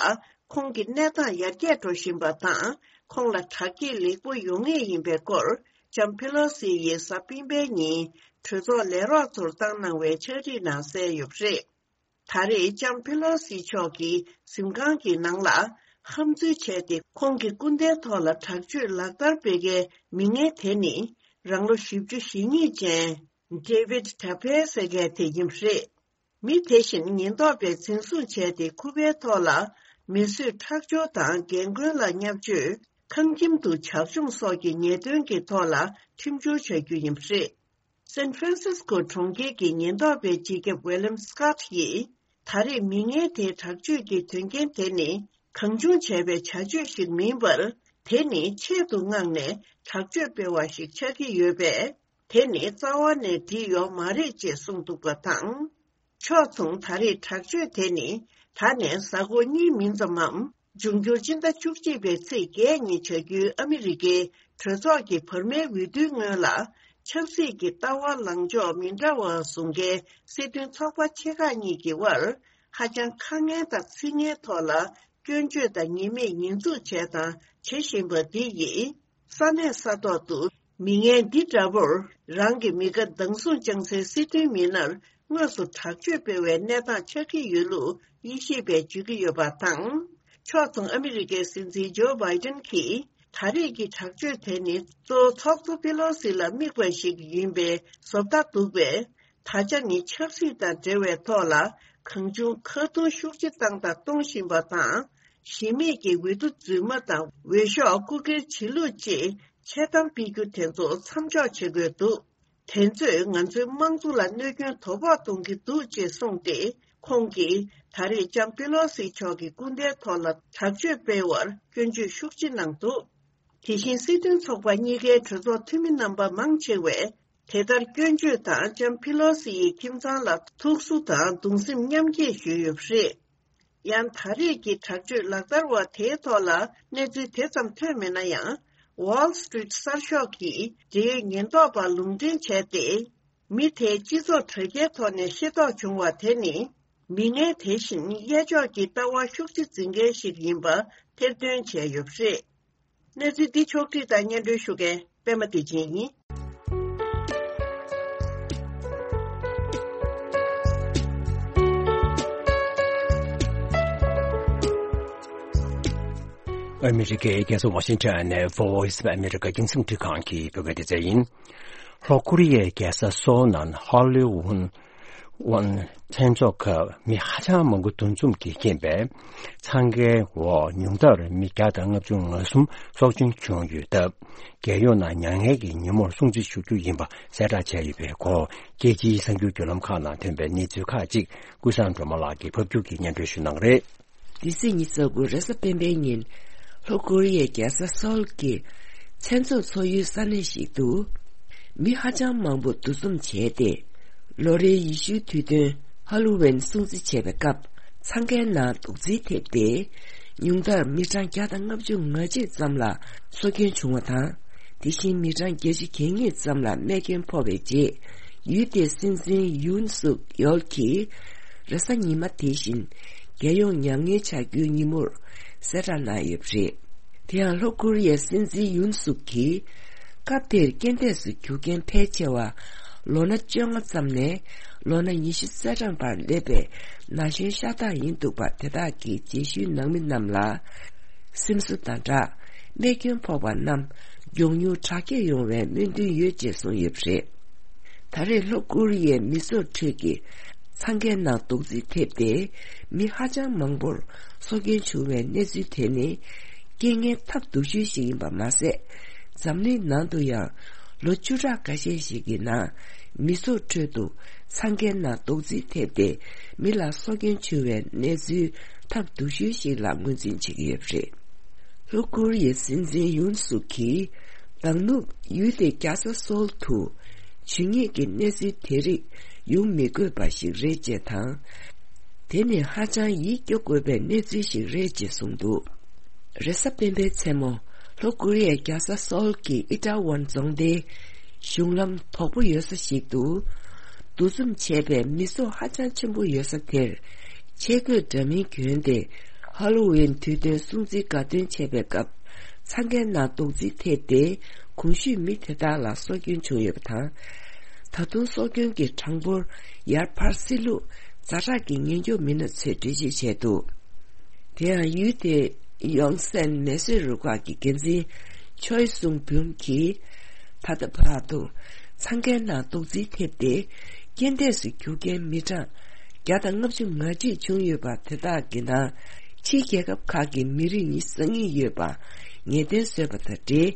ཁོང་གི་གནས་སྟངས་ཡར་རྒྱས་འགྲོ་བཞིན་པ་དང་། ཁོང་ལ་དྲག་སྐྱེད་ལེགས་པོ་ཡོང་ངེས་ཡིན་པའི་སྐོར། ལྕམ་ཕེ་ལོ་སི་ཡིས་གཟའ་སྤེན་པའི་ཉིན་གྲོས་ཚོགས་ལས་རོགས་ཚོར་བཏང་གནང་བའི་ཕྱག་བྲིས་ནང་གསལ་ཡོད་པ་རེད། ད་རེས་ལྕམ་ཕེ་ལོ་སི་མཆོག་གི་གཟིམ་ཁང་གི་ནང་ལ་ཧམ་འཛུལ་བྱས་ཏེ། ཁོང་གི་སྐུ་ཟླའི་ཐོག་ལ་དྲག་སྤྱོད་ལག་བསྟར་སྤེལ་མཁན་མི་ངན་དེ་ནི། རང་ལོ་བཞི་བཅུ་ཞེ་གཉིས་ཅན་David Tepe་ཟེར་མཁན་དེ་ཡིན་པ་རེད། མི་དེ་བཞིན་ཉེན་རྟོག་པས་འཛིན་བཟུང་བྱས་ཏེ། ཁུ་པའི་ཐོག་ལ་མི་གསོད་ཁྲག་སྦྱོར་དང་རྒན་རྒོན་ལ་བརྙས་བཅོས། ཁང་ཁྱིམ་དུ་བྱག་མཆོང་སོགས་ཀྱི་ཉེས་དོན་གྱི་ཐོག་ལ་ཁྲིམས་བྱོལ་བྱ་རྒྱུ་ཡིན་པ་རེད། སན་ཧྥ་རན་སིས་ཀོ་གྲོང་ཁྱེར་གྱི་ཉེན་རྟོག་པའི་སྤྱི་ཁྱབ་ཝེ་ལམ་སི་ཀོཊ་ཡིས། ད་རེས་མི་ངན་དེའི་དྲག་སྤྱོད་ཀྱི་དོན་རྐྱེན་དེ་ནི་གང་བྱུང་བྱས་པའི་བྱ་སྤྱོད་ཞིག་མིན་པར། དེ་ནི་ཆེད་དུ་མངགས་ནས་དྲག་སྤྱོད་སྤེལ་བ་ཞིག་ཆགས་ཀྱི་ཡོད་པས། དེ་ནི་རྩ་བ་ནས་འགྲིག་ཡོད་མ་རེད་ཅེས་གསུངས་འདུག་པ་དང་། ཕྱོགས་མཚུངས། ད་རེས་དྲག་སྤྱོད་དེ་ནི་ད་ནས་གཟའ་འཁོར་གཉིས་མིན་ཙམ་མམ། འབྱུང་འགྱུར་སྤྱི་ཟླ་བཅུ་གཅིག་པའི་ཚེས་བརྒྱད་ཉིན་བྱ་རྒྱུའི་ཨ་མི་རི་ཀའི་གྲོས་ཚོགས་ཀྱི་བར་མའི་འོས་བསྡུའི་སྔོན་ལ། ཆབ་སྲིད་ཀྱི་ལྟ་བ་ལངས་ཕྱོགས་མི་འདྲ་བ་བཟུང་མཁན་སྲིད་དོན་ཚོགས་པ་ཆེ་ཁག་གཉིས་ཀྱི་དབར་ཧ་ཅང་ཁ་ངན་དང་ཚིག་ངན་ཐོག་ལ་སྐྱོན་བརྗོད་དང་ཉེས་མེད་ཉེས་འཛུགས་བྱས་དང་བྱེད་བཞིན་པ་འདི་ཡིས། ས་གནས་ས་ཐོག་ཏུ་མི་ངན་འདི་འདྲ་པོར་རང་གི་མི་དགའ་སྡང་ཟུག་བཅངས་སའི་སྲིད་དོན་མི་སྣར་དངོས་སུ་དྲག་སྤྱོད་སྤེལ་བའི་གནས་སྟངས་ཆགས་ཀྱི་ཡོད་ལུགས་དབྱེ་ཞིབ་པས་བརྗོད་ཀྱི་ཡོད་པ་དང་། ཕྱོགས་མཚུངས། ཨ་མི་རི་ཀའི་སྲིད་འཛིན་ཇོ་བྷའི་ཏན་གྱིས་ད་རེས་ཀྱི་དྲག་སྤྱོད་དེ་ནི་གཙོ་བོ་ཚོགས་གཙོ་པེ་ལོ་སི་ལ་དམིགས་པ་ཞིག་ཡིན་པའི་བཟོ་ལྟ་འདུག་པས། ད་ཆ་ནི་ཆབ་སྲིད་དང་འབྲེལ་བའི་ཐོག་ལ་གང་བྱུང་ཁ་རྡུང་ཤུགས་ཆེ་བཏང་དང་གཏོང་བཞིན་པ་དང་། གཞི་མེད་ཀྱི་འོས་བསྡུ་རྫུན་མ་དང་འོས་ཤོག་རྐུ་འཁྱེར་བྱེད་ལུགས་བཅས་འཆལ་གཏམ་སྤེལ་རྒྱུ་དེ་ཚོ་མཚམས་འཇོག་བྱེད་དགོས་འདུག་དེ་ཚོས་ང་ཚོའི་དམངས་གཙོ་ལ་གནོད་སྐྱོན་དོ་ཕོག་གཏོང་གི་འདུག་ཅེས་གསུངས་ཏེ། ཁོང་གིས་ད་རེས་ལྕམ་པེ་ལོ་སི་མཆོག་གི་སྐུ་ཟླའི་ཐོག་ལ་དྲག་སྤྱོད་སྤེལ་བར་སྐྱོན་བརྗོད་ཤུགས་ཆེ་གནང་འདུག་དེ་བཞིན་སྲིད་དོན་ཚོགས་པ་གཉིས་ཀའི་གྲོས་ཚོགས་འཐུས་མི་རྣམ་པ་མང་ཆེ་བས། དེ་ལྟར་སྐྱོན་བརྗོད་དང་ལྕམ་ཕི་ལོ་སི་ཡི་ཁྱིམ་ཚང་ལ་ཐུགས་གསོ་དང་གདུང་སེམས་མཉམ་སྐྱེད་ཞུས་ཡོད་པ་རེད། ཡང་ད་རེས་ཀྱི་དྲག་སྤྱོད་ལག་བསྟར་བ་དེའི་ཐོག་ལ་གནས་ཚུལ་དེ་ཙམ་ཐོན་མེད་ན་ཡང་། Wall Street་གསར་ཤོག་གིས་འབྲེལ་ཡོད་ཉེན་རྟོག་པ་ལུང་འདྲེན་བྱས་ཏེ། མི་དེས་སྤྱི་ཚོགས་དྲ་རྒྱའི་ཐོག་ནས་ཤེས་རྟོགས་བྱུང་བ་དེ་ནི། མི་ངན་དེ་བཞིན་གཡས་ཕྱོགས་ཀྱི་ལྟ་བ་ཤུགས་ཆེ་འཛིན་མཁན་ཞིག་ཡིན་པ་ཐེར་འདོན་བྱས་ཡོད་པ་རེད། གནས་ཚུལ་འདི་ཕྱོགས་བསྒྲིགས་དང་སྙན་སྒྲོན་ཞུ་མཁན་པད་མ་བདེ་ཆེན་ཡིན། ཨ་མི་རི་ཀའི་རྒྱལ་ས་ཝ་ཤིང་ཊོན་ནས་Voice of America་རྒྱང་སྲིང་འཕྲིན་ཁང་གི་བོད་སྐད་སྡེ་ཚན་ཡིན། ལྷོ་ཀོ་རི་ཡའི་རྒྱལ་ས་སོའོ་ནང་ཧོ་ལི་ཝུན་ཝན་མཚན་ཚོགས་སྐབས་མི་ཧ་ཅང་མང་པོ་འདུ་འཛོམས་ཀྱིས་རྐྱེན་པས། འཚང་ཁའི་འོག་ཉུང་མཐར་མི་བརྒྱ་དང་ལྔ་བཅུ་ང་གསུམ་སྲོག་སྐྱོན་བྱུང་ཡོད་སྟབས། རྒྱལ་ཡོངས་ནང་མྱ་ངན་གྱི་ཉིན་མོར་སྲུང་བརྩི་ཞུ་རྒྱུ་ཡིན་པ་གསལ་བསྒྲགས་བྱས་ཡོད་པའི་སྐོར། རྒྱལ་སྤྱིའི་གསར་འགྱུར་བརྒྱུད་ལམ་ཁག་ནང་ཐོན་པའི་གནས་ཚུལ་ཁག་ཅིག་ཀུན་བཟང་སྒྲོལ་མ་ལགས་ཀྱིས་ཕབ་སྒྱུར་གྱིས་སྙན་སྒྲོན་ཞུ་གནང་གི་རེད། འདི་ཚེས་ཉི་ཤུ་རྩ་དགུ་རེས་གཟའ་སྤེན་པའི་ཉིན། ལྷོ་ཀོ་རི་ཡའི་རྒྱལ་ས་སོལ་གྱི་མཚན་ཚོགས་ཚོགས་ཡུལ་ས་གནས་ཤིག་ཏུ། མི་ཧ་ཅང་མང་པོ་འདུ་འཛོམས་བྱས་ཏེ། ལོ་རེའི་ཡེ་ཤུའི་དུས་སྟོན་ཧ་ལོ་ཝིན་སྲུང་བརྩི་བྱེད་པའི་སྐབས། འཚང་ཁའི་ནང་རྡོག་རྫིས་ཐེབས་ཏེ། ཉུང་མཐར་མི་གྲངས་བརྒྱ་དང་ལྔ་བཅུ་ང་གཅིག་ཙམ་ལ་སྲོག་སྐྱོན་བྱུང་བ་དང་། དེ་བཞིན་མི་གྲངས་བརྒྱད་ཅུ་གྱ་གཉིས་ཙམ་ལ་རྨས་སྐྱོན་ཕོག་པའི་རྗེས། ཡུལ་དེའི་སྲིད་འཛིན་ཡུན་སུག་ཡོལ་གྱིས། རེས་གཟའ་ཉི་མ་དེ་བཞིན། རྒྱལ་ཡོངས་མྱ་ངན་བྱ་རྒྱུའི་ཉིན་མོར་གསལ་བསྒྲགས་གནང་ཡོད་པ་རེད། དེ་ཡང་ལྷོ་ཀོ་རི་ཡའི་སྲིད་འཛིན་ཡུན་སུག་གིས། སྐབས་དེར་རྐྱེན་འདས་སུ་གྱུར་མཁན་ཕལ་ཆེ་བ། ལོ་ན་བཅོ་ལྔ་ཙམ་ནས་ལོ་ན་ཉི་ཤུ་རྩ་གྲངས་བར་སླེབས་པའི་ན་གཞོན་ཤ་སྟག་ཡིན་འདུག་པ། དེ་དག་གི་རྗེས་ཤུལ་ནང་མི་རྣམས་ལ། སེམས་གསོ་དང་སྦྲགས། རྨས་སྐྱོན་ཕོག་པ་རྣམས་མགྱོགས་མྱུར་དྲག་སྐྱེད་ཡོང་བའི་སྨོན་འདུན་ཡོད་ཅེས་གསུངས་ཡོད་པ་རེད། ད་རེས་ལྷོ་ཀོ་རི་ཡའི་མི་ཚོགས་ཁྲོད་ཀྱི་འཚང་ཁའི་ནང་རྡོག་རྫིས་ཐེབས་ཏེ། མི་ཧ་ཅང་མང་པོར་སྲོག་སྐྱོན་བྱུང་བའི་གནས་ཚུལ་དེ་ནི། རྐྱེན་ངན་ཐབས་སྡུག་ཤོས་ཤིག་ཡིན་པ་མ་ཟད། འཛམ་གླིང་ནང་དུ་ཡང་། ལོ་བཅུ་ཕྲག་འགའ་ཤས་ཤིག་གི་ནང་། མི་ཚོགས་ཁྲོད་དུ་འཚང་ཁའི་ནང་རྡོག་རྫིས་ཐེབས་ཏེ། མི་ལ་སྲོག་སྐྱོན་བྱུང་བའི་གནས་ཚུལ་ཐབས་སྡུག་ཤོས་ཤིག་ལ་ངོས་འཛིན་བྱེད་ཀྱི་ཡོད་པ་རེད། ལྷོ་ཀོ་རི་ཡའི་སྲིད་འཛིན་ཡུན་སུག་གིས། མདང་ནུབ་ཡུལ་དེའི་རྒྱལ་ས་སོལ་དུ། ཇུས་ཉེས་ཀྱི་གནས་ཚུལ་དེ་རིགས་ཡོང་མི་དགོས་པ་ཞིག་རེད་ཅེས་དང་། དེ་ནི་ཧ་ཅང་ཡིད་སྐྱོ་དགོས་པའི་གནས་ཚུལ་ཞིག་རེད་ཅེས་གསུངས་འདུག་རེས་གཟའ་སྤེན་པའི་མཚན་མོ། ལྷོ་ཀོ་རི་ཡའི་རྒྱལ་ས་སོལ་གྱི་ཨི་ཏྲ་ཝན་རྫོང་སྡེའི་གཞུང་ལམ་དོག་པོ་ཡོད་ས་ཞིག་ཏུ། འདུ་འཛོམས་བྱས་པའི་མི་ཚོགས་ཧ་ཅང་ཆེན་པོ་ཡོད་ས་དེར། ཆས་གོས་འདྲ་མིན་གྱོན་ཏེ། ཧ་ལོ་ཝིན་དུས་སྟོན་སྲུང་བརྩི་དགའ་སྟོན་བྱེད་པའི་སྐབས། འཚང་ཁའི་ནང་རྡོག་རྫིས་ཐེབས་ཏེ། གོང་ཞུས་མི་དེ་དག་ལ་སྲོག་སྐྱོན་བྱུང་ཡོད་པ་དང་། ད་དུང་སྲོག་སྐྱོན་གྱི་གྲངས་འབོར་ཡར་འཕར་སྲིད་ལུགས་ཛ་དྲག་གི་ཉེན་སྐྱོབ་མི་སྣ་ཚོས་འགྲེལ་བརྗོད་བྱས་འདུག་དེ་ཡང་ཡུལ་དེའི་ཡོང་སན་མེ་གསོད་རུ་ཁག་གི་འགན་འཛིན་ཆོས་སུང་བུན་གྱིས། ད་ལྟ་བར་དུ་འཚང་ཁའི་ནང་རྡོག་རྫིས་ཐེབས་ཏེ། རྐྱེན་འདས་སུ་གྱུར་མཁན་མི་གྲངས་བརྒྱ་དང་ལྔ་བཅུ་ང་གཅིག་བྱུང་ཡོད་པ། དེ་དག་གི་ནང་ཕྱིའི་རྒྱལ་ཁབ་ཁག་གི་མི་རིགས་ཉི་ཤུ་རྩ་གཉིས་ཡོད་པ། ངེས་གཏན་བཟོས་པ་དང་འབྲེལ།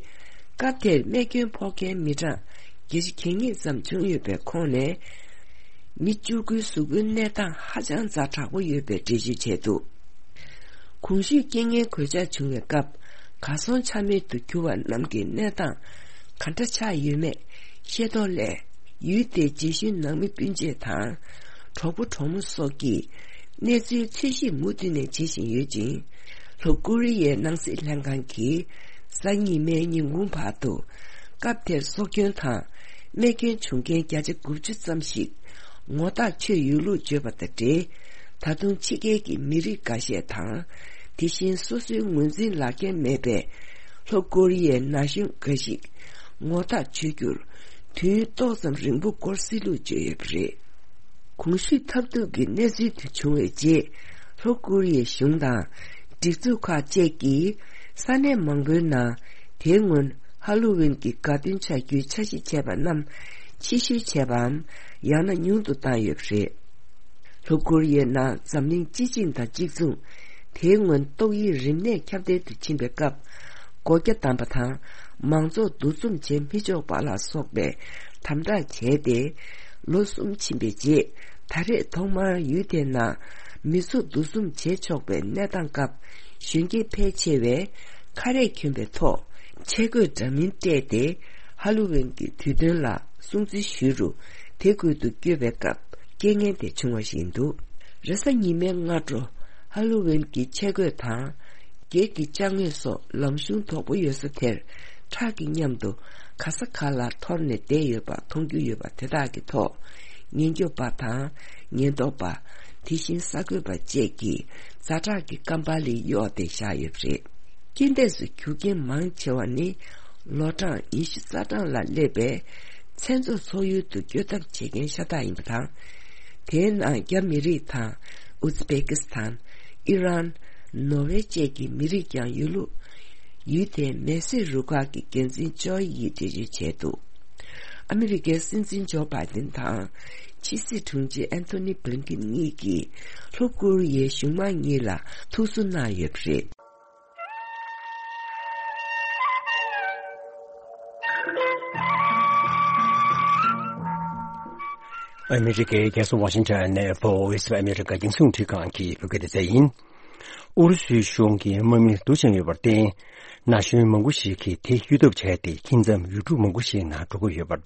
སྐབས་དེར་རྨས་སྐྱོན་ཕོག་མཁན་མི་གྲངས་བརྒྱད་ཅུ་གྱ་གཉིས་ཙམ་བྱུང་ཡོད་པའི་ཁོངས་ནས། མི་བཅུ་དགུའི་གཟུགས་པོའི་གནས་སྟངས་ཧ་ཅང་ཛ་དྲག་པོ་ཡོད་པའི་འགྲེལ་བརྗོད་བྱས་འདུག་གོང་ཞུས་རྐྱེན་ངན་གོད་ཆག་བྱུང་བའི་སྐབས། གར་སོང་ཆ་མེད་དུ་གྱུར་བ་རྣམས་ཀྱི་གནས་སྟངས་ག་འདྲ་ཆགས་ཡོད་མེད་ཤེས་རྟོགས་སླད། ཡུལ་དེའི་རྗེས་ཤུལ་ནང་མི་སྤུན་མཆེད་དང་། གྲོགས་པོ་གྲོགས་མོ་སོགས་ཀྱིས་གནས་ཚུལ་འཚོལ་ཞིབ་མུ་མཐུད་ནས་བྱེད་བཞིན་ཡོད་ཅིང་། ལྷོ་ཀོ་རི་ཡའི་ནང་སྲིད་ལྷན་ཁང་གིས་གཟའ་ཉི་མའི་ཉིན་གུང་བར་དུ། སྐབས་དེར་སྲོག་སྐྱོན་དང་རྨས་སྐྱོན་བྱུང་མཁན་བརྒྱ་ཆ་དགུ་བཅུ་ཙམ་ཞིག་ངོ་ཐག་ཆོད་ཡོད་ལུགས་བརྗོད་པ་དང་འབྲེལ། ད་དུང་ཕྱི་རྒྱལ་གྱི་མི་རིགས་འགའ་ཤས་དང་། དེ་བཞིན་སོ་སོའི་ངོས་འཛིན་ལག་འཁྱེར་མེད་པའི་ལྷོ་ཀོ་རི་ཡའི་ན་གཞོན་འགའ་ཞིག་ངོ་ཐག་ཆོད་རྒྱུར་དུས་ཡུན་ཏོག་ཙམ་རིང་པོ་འགོར་སྲིད་ལུགས་བརྗོད་ཡོད་པ་རེད། གོང་ཞུས་ཐབས་སྡུག་གི་གནས་ཚུལ་དེ་བྱུང་བའི་རྗེས། ལྷོ་ཀོ་རི་ཡའི་གཞུང་དང་། སྒྲིག་འཛུགས་ཁག་བཅས་ཀྱིས་ས་གནས་མང་པོའི་ནང་། དེའི་སྔོན་ཧ་ལོ་ཝིན་གྱི་དགའ་སྟོན་ཆགས་རྒྱུའི་འཆར་གཞི་བྱས་པ་རྣམས་ཕྱིར་བཤོལ་བྱས་པའམ། ཡང་ན་ཉུང་དུ་བཏང་ཡོད་པ་རེད། ལྷོ་ཀོ་རི་ཡའི་ནང་འཛམ་གླིང་སྤྱི་བྱིངས་དང་གཅིག་མཚུངས། དེའི་སྔོན་ཏོག་དབྱིབས་རིམས་ནད་ཁྱབ་གདལ་དུ་ཕྱིན་པའི་སྐབས། སྒོ་རྒྱ་བསྡམས་པ་དང་། མང་ཚོགས་འདུ་འཛོམས་བྱེད་མི་ཆོག་པ་ལ་སོགས་པའི་དམ་དྲག་བྱས་ཏེ། ལོ་གསུམ་ཕྱིན་པའི་རྗེས། ད་རེས་ཐོག་མར་ཡུལ་དེའི་ནང་མི་ཚོགས་འདུ་འཛོམས་བྱེད་ཆོག་པའི་གནས་སྟངས་སྐབས། གཞོན་སྐྱེས་ཕལ་ཆེ་བས་ཁ་རས་གྱོན་པའི་ཐོག་ཆས་གོས་འདྲ་མིན་སྤྲས་ཏེ། ཧ་ལོ་ཝིན་གྱི་དུས་སྟོན་ལ་སྲུང་བརྩི་ཞུས་རུང་། དེ་ཁུལ་དུ་བསྐྱོད་པའི་སྐབས། རྐྱེན་ངན་དེ་བྱུང་བ་ཞིག་ཡིན་འདུག་རེས་གཟའ་ཉི་མའི་སྔ་དྲོ། ཧ་ལོ་ཝིན་གྱི་ཆས་གོས་དང་། སྒེར་གྱི་ཅ་དངོས་སོགས་ལམ་གཞུང་དོག་པོ་ཡོད་ས་དེར། ཁྲག་གི་མཉམ་དུ་ག་ས་ག་ལ་འཐོར་ནས་བསྡད་ཡོད་པ་མཐོང་རྒྱུ་ཡོད་པ་དེ་དག་གི་ཐོག་ཉེན་སྐྱོབ་པ་དང་། ཉེན་རྟོག་པ། དེ་བཞིན་གསར་འགོད་པ་བཅས་ཀྱིས་ཛ་དྲག་གི་ཀམ་པ་ལི་གཡོགས་ཏེ་བཞག་ཡོད་པ་རེད། རྐྱེན་འདས་སུ་གྱུར་མཁན་མང་ཆེ་བ་ནི། ལོ་གྲངས་ཉི་ཤུ་རྩ་གྲངས་ལ་སླེབས་པའི་མཚན་ཚོགས་ཚོགས་ཡུལ་དུ་བསྐྱོད་ཐབས་བྱེད་མཁན་ཤ་སྟག་ཡིན་པ་དང་། དེའི་ནང་རྒྱ་མི་རིགས་དང་། ཨུ་ཛི་བེ་ཀི་སི་ཐན། ཨི་རན། ནོར་ཝེ་བཅས་ཀྱི་མི་རིགས་ཀྱང་ཡོད་ལུགས། ཡུལ་དེའི་མེ་སྲེག་རུ་ཁག་གི་འགན་འཛིན་ཅོའི་ཡིས་འགྲེལ་བརྗོད་བྱས་འདུག་ཨ་མི་རི་ཀའི་སྲིད་འཛིན་ཇོ་བྷའི་ཏིན་དང་། ཕྱི་སྲིད་དྲུང་ཆེ་ཨན་ཐོ་ནི་བྷི་ལིན་ཀིན་གཉིས་ཀྱིས་ལྷོ་ཀོ་རི་ཡའི་གཞུང་མང་གཉིས་ལ་ཐུགས་གསོ་གནང་ཡོད་པ་རེད། ཨ་མི་རི་ཀའི་རྒྱལ་ས་ཝ་ཤིང་ཊོན་ནས་ཝོ་ཡིས་ཨོཕ་ཨ་མི་རི་ཀ་རྒྱང་སྲིང་འཕྲིན་ཁང་གི་བོད་སྐད་སྡེ་ཚན་ཡིན། ཨུ་རུ་སུའི་གཞུང་གིས་དམག་མི་བསྡུ་བཞིན་ཡོད་པར་བརྟེན། ན་གཞོན་མང་པོ་ཞིག་གིས་དེ་གཡུལ་འཐབ་བྱས་ཏེ། ཁྱིམ་མཚམས་ཡུལ་གྲུ་མང་པོ་ཞིག་ནང་འགྲོ་གི་ཡོད་པར་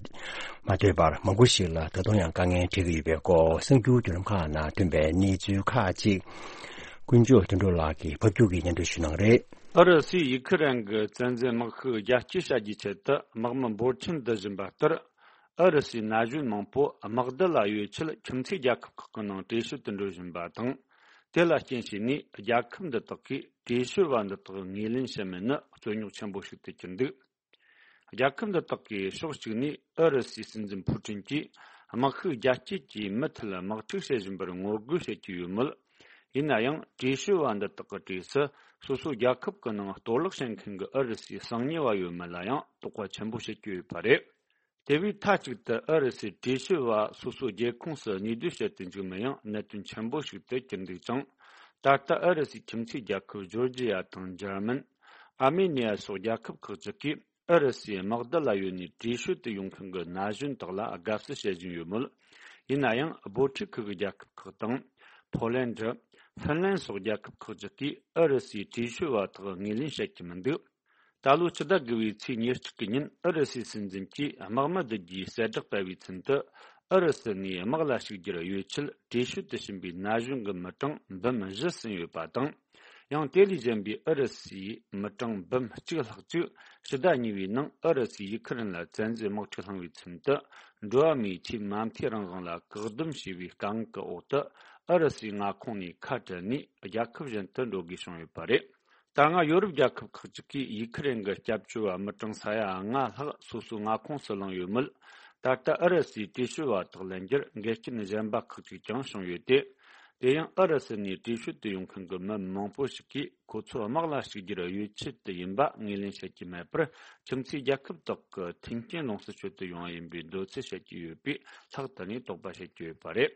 མ་ལྟོས་པར། མང་པོ་ཞིག་ལ་ད་དུང་ཡང་དཀའ་ངལ་འཕྲད་ཀྱི་ཡོད་པའི་སྐོར། གསར་འགྱུར་བརྒྱུད་ལམ་ཁག་ནང་ཐོན་པའི་གནས་ཚུལ་ཁག་ཅིག་དཀོན་མཆོག་དོན་གྲུབ་ལགས་ཀྱིས་ཕབ་སྒྱུར་གྱིས་སྙན་སྒྲོན་ཞུ་གནང་གི་རེད། ཨུ་རུ་སུས་ཡུ་ཁི་རན་གྱི་བཙན་འཛུལ་དམག་ཤུགས་རྒྱ་སྐྱེད་བྱ་རྒྱུའི་ཆེད་དུ་དམག་མི་འབོར་ཆེན་བསྡུ་བཞིན་པ་ལྟར། ཨུ་རུ་སུའི་ན་གཞོན་མང་པོ་དམག་སྡེ་ལ་ཡོད་ཆེད་ཁྱིམ་མཚེས་རྒྱལ་ཁབ་ཁག་གི་ནང་བྲོས་བྱོལ་དུ་འགྲོ་བཞིན་པ་དང་། དེ་ལ་རྐྱེན་བྱས་ནས་རྒྱལ་ཁབ་འདི་དག་གིས་བྲོས་བྱོལ་བ་འདི་དག་ངོས་ལེན་བྱེད་མིན་ནི་རྩོད་རྙོག་ཆེན་པོ་ཞིག་ཏུ་གྱུར་འདུག་རྒྱལ་ཁབ་འདི་དག་གིས་ཕྱོགས་གཅིག་ནས་ཨུ་རུ་སུའི་སྲིད་འཛིན་ཕུ་ཀྲིན་གྱིས་དམག་ཤུགས་རྒྱ་སྐྱེད་ཀྱིས་མུ་མཐུད་དམག་འཁྲུག་བྱེད་བཞིན་པར་ངོ་རྒོལ་བྱེད་ཀྱི་ཡོད་མོད། ཡིན་ན་ཡང་། བྲོས་བྱོལ་བ་འདི་དག་གི་གྲས་སུ་སོ་སོའི་རྒྱལ་ཁབ་ཀྱི་ནང་གཏོར་བརླག་བྱེད་མཁན་གྱི་ཨུ་རུ་སུའི་གསང་ཉུལ་བ་ཡོད་མེད་ལ་ཡང་དོགས་པ་ཆེན་པོ་བྱེད་ཀྱི་ཡོད་པ་རེད། དེ་བས་མཐའ་གཅིག་ཏུ་ཨུ་རུ་སུའི་བྲོས་བྱོལ་བ་སོ་སོའི་རྒྱལ་ཁོངས་སུ་གནས་སྡོད་བྱེད་དུ་འཇུག་མིན་ཡང་གནད་དོན་ཆེན་པོ་ཞིག་ཏུ་གྱུར་འདུག་ཅིང་། ད་ལྟ་ཨུ་རུ་སུའི་ཁྱིམ་མཚེས་རྒྱལ་ཁབ་ཇོར་ཇི་ཡ་དང་འཇར་མན། ཨར་མེ་ནི་ཡ་སོགས་རྒྱལ་ཁབ་ཁག་ཅིག་གིས་ཨུ་རུ་སུའི་དམག་སྡེ་ལ་ཡོད་ནས་བྲོས་བྱོལ་དུ་ཡོང་མཁན་གྱི་ན་གཞོན་དག་ལ་དགའ་བསུ་བྱེད་བཞིན་ཡོད་མོད། ཡིན་ན་ཡང་། འབོར་འཁྲུག་ཁུལ་གྱི་རྒྱལ་ཁབ་ཁག་དང་། ཕོ་ལན་ཌི། ཧྥིན་ལན་སོགས་རྒྱལ་ཁབ་ཁག་ཅིག་གིས་ཨུ་རུ་སུའི་བྲོས་བྱོལ་བ་དག་ངོས་ལེན་བྱེད་ཀྱི་མི་འདུག་ད་ལོའི་ཕྱི་ཟླ་དགུ་པའི་ཚེས་ཉེར་གཅིག་གི་ཉིན། ཨུ་རུ་སུའི་སྲིད་འཛིན་གྱིས་དམག་མི་བསྡུ་རྒྱུའི་གསལ་བསྒྲགས་སྤེལ་བའི་ཚུན་དུ། ཨུ་རུ་སུ་ནས་དམག་ལ་ཞུགས་རྒྱུར་གཡོལ་ཆེད་བྲོས་བྱོལ་དུ་ཕྱིན་པའི་ན་གཞོན་གྱི་མི་གྲངས་འབུམ་བཞི་ཟིན་ཡོད་པ་དང་། ཡང་དེ་ལས་གཞན་པའི་ཨུ་རུ་སུའི་མི་གྲངས་འབུམ་གཅིག་ལྷག་ཅིག་ཕྱི་ཟླ་གཉིས་པའི་ནང་ཨུ་རུ་སུས་ཡུ་ཁུ་རེན་ལ་བཙན་འཛུལ་དམག་འཁྲུག་བསླངས་པའི་ཚུན་དུ། འགྲོ་བ་མིའི་ཆེས་མ་མཐའི་རང་དབང་ལ་བཀག་སྡོམ་བྱས་པའི་དཀའ་ངལ་གྱི་འོག་ཏུ། ཨུ་རུ་སུའི་མངའ་ཁོངས་ནས་ཁ་བྲལ་ནས་རྒྱལ་ཁབ་གཞན་དུ་འགྲོ་དགོས་བྱུང་ཡོད་པ་རེད། ད་སྔ་ཡོ་རོབ་རྒྱལ་ཁབ་ཁག་ཅིག་གིས་ཡུ་ཁུ་རེན་གྱི་སྐྱབས་བཅོལ་བ་མི་གྲངས་ས་ཡ་ལྔ་ལྷག་སོ་སོའི་མངའ་ཁོངས་སུ་བླངས་ཡོད་མོད། ད་ལྟ་ཨུ་རུ་སུའི་བྲོས་བྱོལ་བ་དག་ལེན་རྒྱུར་འགལ་རྐྱེན་གཞན་པ་ཁག་ཅིག་ཀྱང་བྱུང་ཡོད་དེ། དེ་ཡང་ཨུ་རུ་སུ་ནས་བྲོས་བྱོལ་དུ་ཡོང་མཁན་གྱི་མི་མང་པོ་ཞིག་གིས་ཁོ་ཚོ་དམག་ལ་ཞུགས་རྒྱུར་གཡོལ་ཆེད་དུ་ཡིན་པ་ངོས་ལེན་བྱེད་ཀྱི་མེད་པར། ཁྱིམ་མཚེས་རྒྱལ་ཁབ་དག་གི་མཐུན་རྐྱེན་ལོངས་སུ་སྤྱོད་དུ་ཡོང་བ་ཡིན་པའི་འདོད་ཚུལ་བཤད་ཀྱི་ཡོད་པས། ལྷག་ཏུ་ནས་དོགས་པ་བྱེད་ཀྱི་ཡོད་པ་རེད།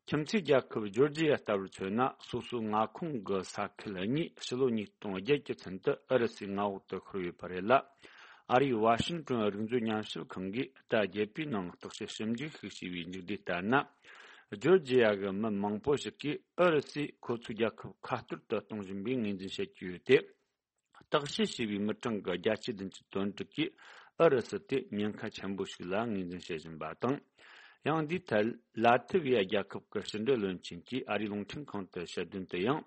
ཁྱིམ་མཚེས་རྒྱལ་ཁབ་ཇོར་ཇི་ཡ་ལྟ་བུར་མཚོན་ན། སོ་སོའི་མངའ་ཁོངས་ཀྱི་ས་ཁུལ་གཉིས་ཕྱི་ལོ་ཉིས་སྟོང་བརྒྱད་ཀྱི་ཚུན་དུ་ཨུ་རུ་སུའི་མངའ་འོག་ཏུ་ཤོར་ཡོད་པ་རེད་ལ། ཨ་རིའི་ཝ་ཤིང་ཏོན་རིག་མཛོད་ཉམས་ཞིབ་ཁང་གིས་ཟླ་བརྒྱད་པའི་ནང་བརྟག་དཔྱད་ཞིབ་འཇུག་ཞིག་བྱས་པའི་མཇུག་འབྲས་ལྟར་ན། ཇོར་ཇི་ཡ་གི་མི་མང་པོ་ཞིག་གིས་ཨུ་རུ་སུས་ཁོ་ཚོའི་རྒྱལ་ཁབ་ཁ་གཏོར་དུ་གཏོང་བཞིན་པའི་ངོས་འཛིན་བྱེད་ཀྱི་ཡོད་དེ། བརྟག་དཔྱད་བྱས་པའི་མི་གྲངས་ཀྱི་བརྒྱ་ཆ་བདུན་ཅུ་དོན་དྲུག་གིས་ཨུ་རུ་སུ་དེ་ཉེན་ཁ་ཆེན་པོ་ཞིག་ལ་ངོས་འཛིན་བྱེད་བཞིན་པ་དང་། ཡང་འདིའི་ཐད་ལ་ཐི་བི་ཡ་རྒྱལ་ཁབ་ཀྱི་ཕྱི་འབྲེལ་བློན་ཆེན་གྱིས་ཨ་རིའི་རླུང་འཕྲིན་ཁང་དུ་བཤད་དོན་དུ་ཡང་།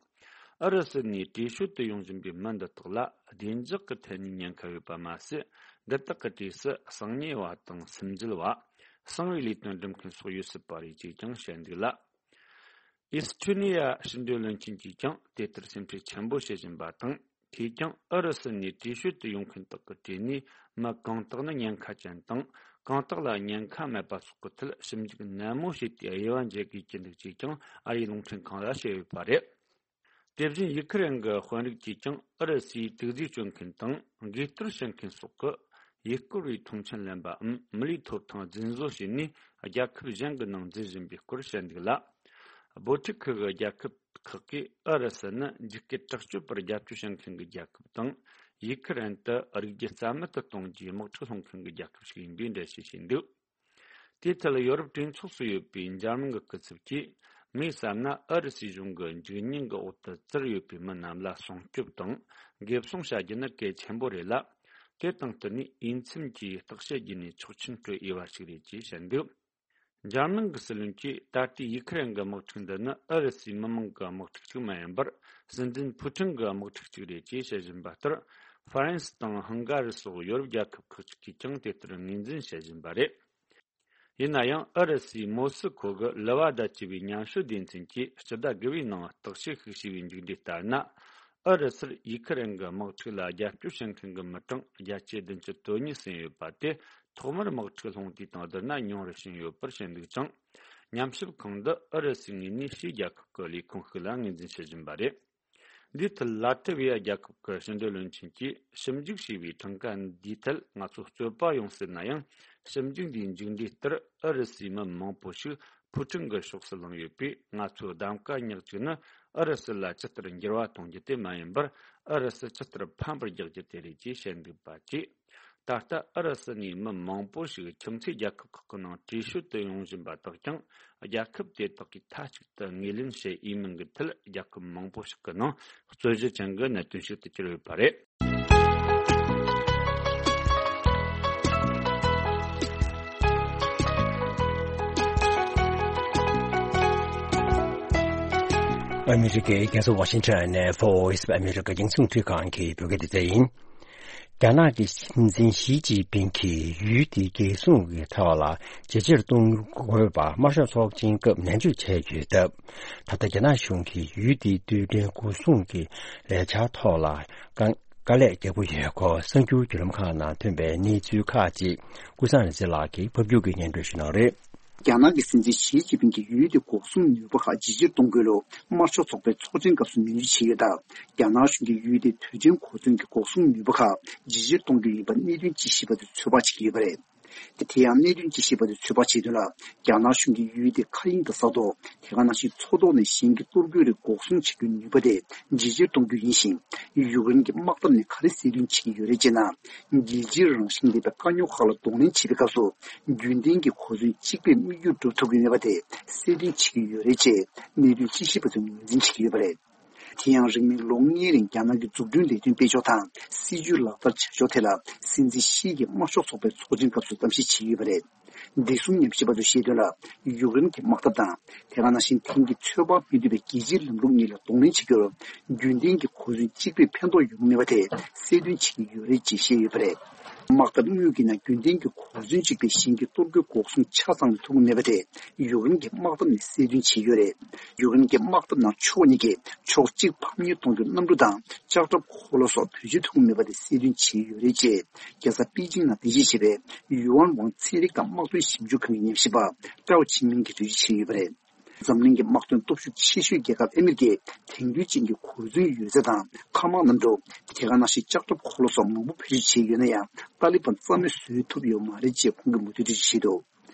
ཨུ་རུ་སུ་ནས་བྲོས་བྱོལ་དུ་ཡོང་བཞིན་པའི་མི་འདི་དག་ལ་བདེ་འཇགས་ཀྱི་ཐད་ནས་ཉེན་ཁ་ཡོད་པ་མ་ཟད། འདི་དག་གི་གྲས་སུ་གསང་ཉེས་པ་དང་སུན་འབྱིན་པ། གསང་བའི་ལས་དོན་སྒྲུབ་མཁན་སོགས་ཡོད་སྲིད་པ་རེད་ཅེས་ཀྱང་བཤད་འདུག་ལ། ཨིས་ཐུ་ནི་ཡ་ཕྱི་འབྲེལ་བློན་ཆེན་གྱིས་ཀྱང་དེ་ལྟར་སེམས་ཁྲལ་ཆེན་པོ་བྱེད་བཞིན་པ་དང་། དེས་ཀྱང་ཨུ་རུ་སུ་ནས་བྲོས་བྱོལ་དུ་ཡོང་མཁན་དག་གི་གྲས་ནས་མི་གང་དག་ནི་ཉེན་ཁ་ཅན་དང་། གང་དག་ལ་ཉེན་ཁ་མེད་པ་སོགས་ཀྱི་ཐད་ཞིབ་འཇུག་ནན་མོ་བྱས་ཏེ་དབྱེ་བ་འབྱེད་དགོས་ཀྱི་འདུག་ཅེས་ཀྱང་ཨ་རིའི་རླུང་འཕྲིན་ཁང་ལ་བཤད་ཡོད་པ་རེད། དེ་བཞིན་ཡུ་ཁུ་རེན་གྱི་དཔོན་རིགས་ཀྱིས་ཀྱང་ཨུ་རུ་སུའི་དུག་རྫས་སྤྱོད་མཁན་དང་། འགས་གཏོར་བྱེད་མཁན་སོགས་ཀྱི་ཡུལ་སྐོར་བའི་མཐོང་མཆན་ལེན་པའམ་མི་ལུས་ཐོབ་ཐང་རྫུན་བཟོ་བྱས་ནས་རྒྱལ་ཁབ་གཞན་གྱི་ནང་འཛུལ་བཞིན་པའི་སྐོར་བཤད་འདུག་ལ། འབོར་འཁྲུག་ཁུལ་གྱི་རྒྱལ་ཁབ་ཁག་གིས་ཨུ་རུ་སུ་ནི་འཇིགས་སྐུལ་དྲག་སྤྱོད་པར་རྒྱབ་སྐྱོར་བྱེད་མཁན་གྱི་རྒྱལ་ཁབ་དང་། ཡུ་ཁུ་རེན་དུ་རིགས་རྒྱུད་རྩ་མེད་དུ་གཏོང་རྒྱུའི་དམག་འཁྲུག་སློང་མཁན་གྱི་རྒྱལ་ཁབ་ཞིག་ཡིན་པའི་འགྲེལ་བཤད་བྱས་འདུག་དེའི་ཐད་ཡོ་རོབ་གྲོས་ཚོགས་སུ་ཡོད་པའི་འཇར་མན་གྱི་སྐུ་ཚབ་ཀྱིས། ངས་བསམ་ན་ཨུ་རུ་སུའི་གཞུང་གི་འཇིགས་ཉེན་གྱི་འོག་ཏུ་བཙིར་ཡོད་པའི་མི་རྣམས་ལ་སྲུང་སྐྱོབ་དང་འགེབས་སྲུང་བྱ་རྒྱུ་ནི་གལ་ཆེན་པོ་རེད་ལ། དེ་དང་བསྟུན་ནས་འོས་འཚམ་གྱིས་བརྟག་དཔྱད་བགྱིས་ནས་ཆོག་མཆན་སྤྲོད་འོས་པ་ཞིག་རེད་ཅེས་བཤད་འདུག་འཇར་མན་གྱི་སྲིད་བློན་གྱིས་ད་ལྟའི་ཡུ་ཁུ་རེན་གྱི་དམག་འཁྲུག་འདི་ནི་ཨུ་རུ་སུའི་མི་མང་གི་དམག་འཁྲུག་ཅིག་མ་ཡིན་པར། སྲིད་འཛིན་ཕུ་ཀྲིན་གྱི་དམག་འཁྲུག་ཅིག་རེད་ཅེས་བཤད་བཞིན་པ་ལྟར། ཧྥ་རན་སི་དང་ཧང་ག་རི་སོགས་ཡོ་རོབ་རྒྱལ་ཁབ་ཁག་ཅིག་གིས་ཀྱང་དེ་ལྟར་ངོས་འཛིན་བྱེད་བཞིན་པ་རེད། ཡིན་ན་ཡང་ཨུ་རུ་སུས་མོ་སི་ཁོ་གི་ལི་ཝ་ད་ཅེས་པའི་ཉམས་ཞིབ་སྡེ་ཚན་གྱིས་སྤྱི་ཟླ་དགུ་པའི་ནང་བརྟག་དཔྱད་ཤིག་བྱས་པའི་མཇུག་འབྲས་ལྟར་ན། ཨུ་རུ་སུར་ཡུ་ཁུ་རེན་གྱི་དམག་འཁྲུག་ལ་རྒྱབ་སྐྱོར་བྱེད་མཁན་གྱི་མི་གྲངས་བརྒྱ་ཆ་བདུན་ཅུ་དོན་གཉིས་ཟིན་ཡོད་པ་དེ་ཐོག་མར་དམག་འཁྲུག་སློང་དུས་དང་བསྡུར་ན་ཉུང་རུ་ཕྱིན་ཡོད་པར་བཤད་འདུག་ཅིང་། ཉམས་ཞིབ་ཁང་འདི་ཨུ་རུ་སུའི་ངོས་ནས་ཕྱིའི་རྒྱལ་ཁབ་ཀྱི་ལས་ཁུངས་ཤིག་ལ་ངོས་འཛིན་བྱེད་བཞིན་པ་རེད། འདིའི་ཐད་ལ་ཏི་བི་ཡ་རྒྱལ་ཁབ་ཀྱི་ཕྱི་འབྲེལ་བློན་ཆེན་གྱིས་ཞིབ་འཇུག་བྱས་པའི་གྲངས་ཀ་འདིའི་ཐད་ང་ཚོ་རྩོད་པ་ཡོང་སྲིད་ན་ཡང་། ཞིབ་འཇུག་འདིའི་མཇུག་འབྲས་ལྟར་ཨུ་རུ་སུའི་མི་མང་པོ་ཞིག་ཕུ་ཀྲིན་གྱི་ཕྱོགས་སུ་ལངས་ཡོད་པས། ང་ཚོའི་གདམ་ག་ཉག་གཅིག་ནི་ཨུ་རུ་སུ་ལ་ཇི་ལྟར་འགྱུར་བ་གཏོང་རྒྱུ་དེ་མ་ཡིན་པར། ཨུ་རུ་སུ་ཇི་ལྟར་ཕམ་པར་རྒྱག་རྒྱུ་དེ་རེད་ཅེས་བཤད་འདུག་པ་བཅས། ད་ལྟ་ཨུ་རུ་སུ་ནས་མི་མང་པོ་ཞིག་ཁྱིམ་མཚེས་རྒྱལ་ཁབ་ཁག་གི་ནང་བྲོས་བྱོལ་དུ་ཡོང་བཞིན་པ་དག་ཀྱང་། རྒྱལ་ཁབ་དེ་དག་གིས་མཐའ་གཅིག་ཏུ་ངོས་ལེན་བྱེད་འོས་མིན་གྱི་ཐད། རྒྱལ་ཁབ་མང་པོ་ཞིག་གི་ནང་རྩོད་གཞི་ཅན་གྱི་གནད་དོན་ཞིག་ཏུ་གྱུར་ཡོད་པ་རེད། ཨ་མི་རི་ཀའི་རྒྱལ་ས་ཝ་ཤིང་ཊོན་ནས་Voice of America རྒྱང་སྲིང་རླུང་འཕྲིན་ཁང་གི་བོད་སྐད་སྡེ་ཚན་ཡིན། རྒྱ་ནག་གི་སྲིད་འཛིན་ཞི་ཅིན་ཕིང་གིས་ཡུལ་དེའི་རྒྱལ་སྲུང་གི་ཐོག་ལ་ཇེ་ཆེར་གཏོང་དགོས་པ་དམར་ཤོག་ཚོགས་ཆེན་སྐབས་ནན་བརྗོད་བྱས་ཡོད་སྟབས། ད་ལྟ་རྒྱ་ནག་གཞུང་གིས་ཡུལ་དེའི་རྡུལ་ཕྲན་འགོག་སྲུང་གི་ལས་འཆར་ཐོག་ལ་དཀའ་དཀའ་ལས་རྒྱག་གི་ཡོད་སྐོར་གསར་འགྱུར་བརྒྱུད་ལམ་ཁག་ནང་ཐོན་པའི་གནས་ཚུལ་ཁག་ཅིག་ཀུན་བཟང་རིག་འཛིན་ལགས་ཀྱིས་ཕབ་སྒྱུར་གྱིས་སྙན་སྒྲོན་ཞུ་གནང་རེད། རྒྱ་ནག་གི་སྲིད་འཛིན་ཞི་ཅིན་ཕིང་གིས་ཡུལ་དེ་འགོག་སྲུང་ནུས་པ་ཁག་ཇེ་ཆེར་གཏོང་དགོས་ལུགས་དམར་ཤོག་ཚོགས་པའི་ཚོགས་ཆེན་སྐབས་སུ་ནན་བརྗོད་བྱས་ཡོད་སྟབས། རྒྱ་ནག་གཞུང་གིས་ཡུལ་དེའི་རྡུལ་ཕྲན་གོ་མཚོན་གྱི་འགོག་སྲུང་ནུས་པ་ཁག་ཇེ་ཆེར་གཏོང་རྒྱུ་ཡིན་པར་གནད་དོན་དཔྱད་ཞིབ་པ་ཚོས་ཚོད་དཔག་བྱེད་ཀྱི་ཡོད་པ་རེད། དེ་དེ་ཡང་གནད་དོན་དཔྱད་ཞིབ་པ་ཚོས་ཚོད་དཔག་བྱས་དོན་ལ། རྒྱ་ནག་གཞུང་གིས་ཡུལ་དེ་མཁའ་དབྱིངས་དང་ས་ཐོག་དེ་ག་ནང་བཞིན་མཚོ་ཐོག་ནས་གཞན་གྱི་གཏོར་རྒོལ་རིགས་འགོག་སྲུང་བྱེད་རྒྱུའི་ནུས་པ་དེ་ཇེ་ཆེར་གཏོང་རྒྱུ་ཡིན་ཞིང་། ཡུཀ་རེན་གྱི་དམག་འཐབ་ནས་ག་རེ་གསལ་སྟོན་བྱེད་ཀྱི་ཡོད་རེད་ཅེ་ན། རྒྱལ་སྤྱིའི་རང་བཞིན་ལྡན་པའི་དཀའ་རྙོག་ཁག་ལ་གདོང་ལེན་བྱེད་པའི་སྐབས་སུ། རྒྱུན་ལྡན་གྱི་གོ་མཚོན་གཅིག་པས་དམིགས་ཡུལ་འགྲུབ་ཐུབ་ཀྱི་མེད་པ་དེ་གསལ་སྟོན་བྱེད་ཀྱི་ཡོད་རེད་ཅེས་གནད་དོན་དཔྱད་ཞིབ་པ་ཚོས་ངོས་འཛིན་བྱེད་ཀྱི་ཡོད་པ་རེད། དེ་ཡང་རིང་མིན་ལོ་ལྔའི་རིང་རྒྱ་ནག་གི་འཛུགས་སྐྲུན་ལས་དོན་སྤེལ་ཕྱོགས་དང་སྲིད་ཇུས་ལག་བསྟར་བྱ་ཕྱོགས་ཐད་ལ་སྲིད་འཛིན་ཞི་གིས་དམར་ཤོག་ཚོགས་པའི་ཚོགས་ཆེན་སྐབས་སུ་གཏམ་བཤད་བྱས་ཡོད་པ་རེད། བདེ་སྲུང་ཉམས་ཞིབ་པ་ཚོས་བཤད་དོན་ལ། ཡུཀ་རེན་གྱི་དམག་འཐབ་དང་། དེ་ག་ནང་བཞིན་དེང་གི་ཚོད་དཔག་མི་ཐུབ་པའི་རྒྱལ་སྤྱིའི་ལམ་ལུགས་གཉིས་ལ་གདོང་ལེན་བྱེད་རྒྱུར། རྒྱུན་ལྡན་གྱི་གོ་མཚོན་གཅིག་པས་ཕན་ཐོགས་ཡོང་མེད་པ་དེ་གསལ་སྟོན་བྱེད་ཀྱི་ཡོད་རེད་ཅེས་བཤད་ཡོད་པ་རེད། དམག་འཐབ་དངོས་ཀྱི་ནང་རྒྱུན་ལྡན་གྱི་གོ་མཚོན་གཅིག་པས་གཞན་གྱི་གཏོར་རྒོལ་འགོག་སྲུང་ཆ་ཚང་ལ་ཐུབ་ཀྱི་མེད་པ་དེ་ཡུཀ་རེན་གྱི་དམག་འཐབ་ནས་གསལ་སྟོན་བྱས་ཡོད་རེད། ཡུཀ་རེན་གྱི་དམག་འཐབ་ནང་ཕྱོགས་གཉིས་ཀས་ཕྱོགས་གཅིག་ཕམ་ཉེས་གཏོང་རྒྱུར་གནམ་གྲུ་དང་ལྕགས་ཁྲབ་འཁོར་ལོ་སོགས་བེད་སྤྱོད་ཐུབ་ཀྱི་མེད་པ་དེ་གསལ་སྟོན་བྱས་ཡོད་རེད་ཅེས། རྒྱལ་ས་པེ་ཅིང་ནང་རྟེན་གཞི་བྱས་པའི་ཡུའན་ཝང་ཚན་རིག་དང་དམག་དོན་ཞིབ་འཇུག་ཁང་གི་ཉམས་ཞིབ་པ་ཀྲའོ་ཆིན་མིང་གིས་འགྲེལ་བརྗོད་བྱས་ཡོད་པ་རེད། འཛམ་གླིང་གི་དམག་དོན་སྟོབས་ཤུགས་ཆེ་ཤོས་རྒྱལ་ཁབ་ཨ་མི་རི་ཀས་དེང་དུས་ཅན་གྱི་གོ་མཚོན་ཡོད་ཚད་དང་མཁའ་དམག་གནམ་གྲུ། དེ་ག་ནང་བཞིན་ལྕགས་ཁྲབ་འཁོར་ལོ་སོགས་མང་པོ་བེད་སྤྱོད་བྱས་ཡོད་ན་ཡང་། ཏཱ་ལི་བན་རྩ་མེད་བཟོ་ཐུབ་ཡོད་མ་རེད་ཅེས་ཁོང་གིས་མུ་མཐུད་འགྲེལ་བརྗོད་བྱས་འདུག་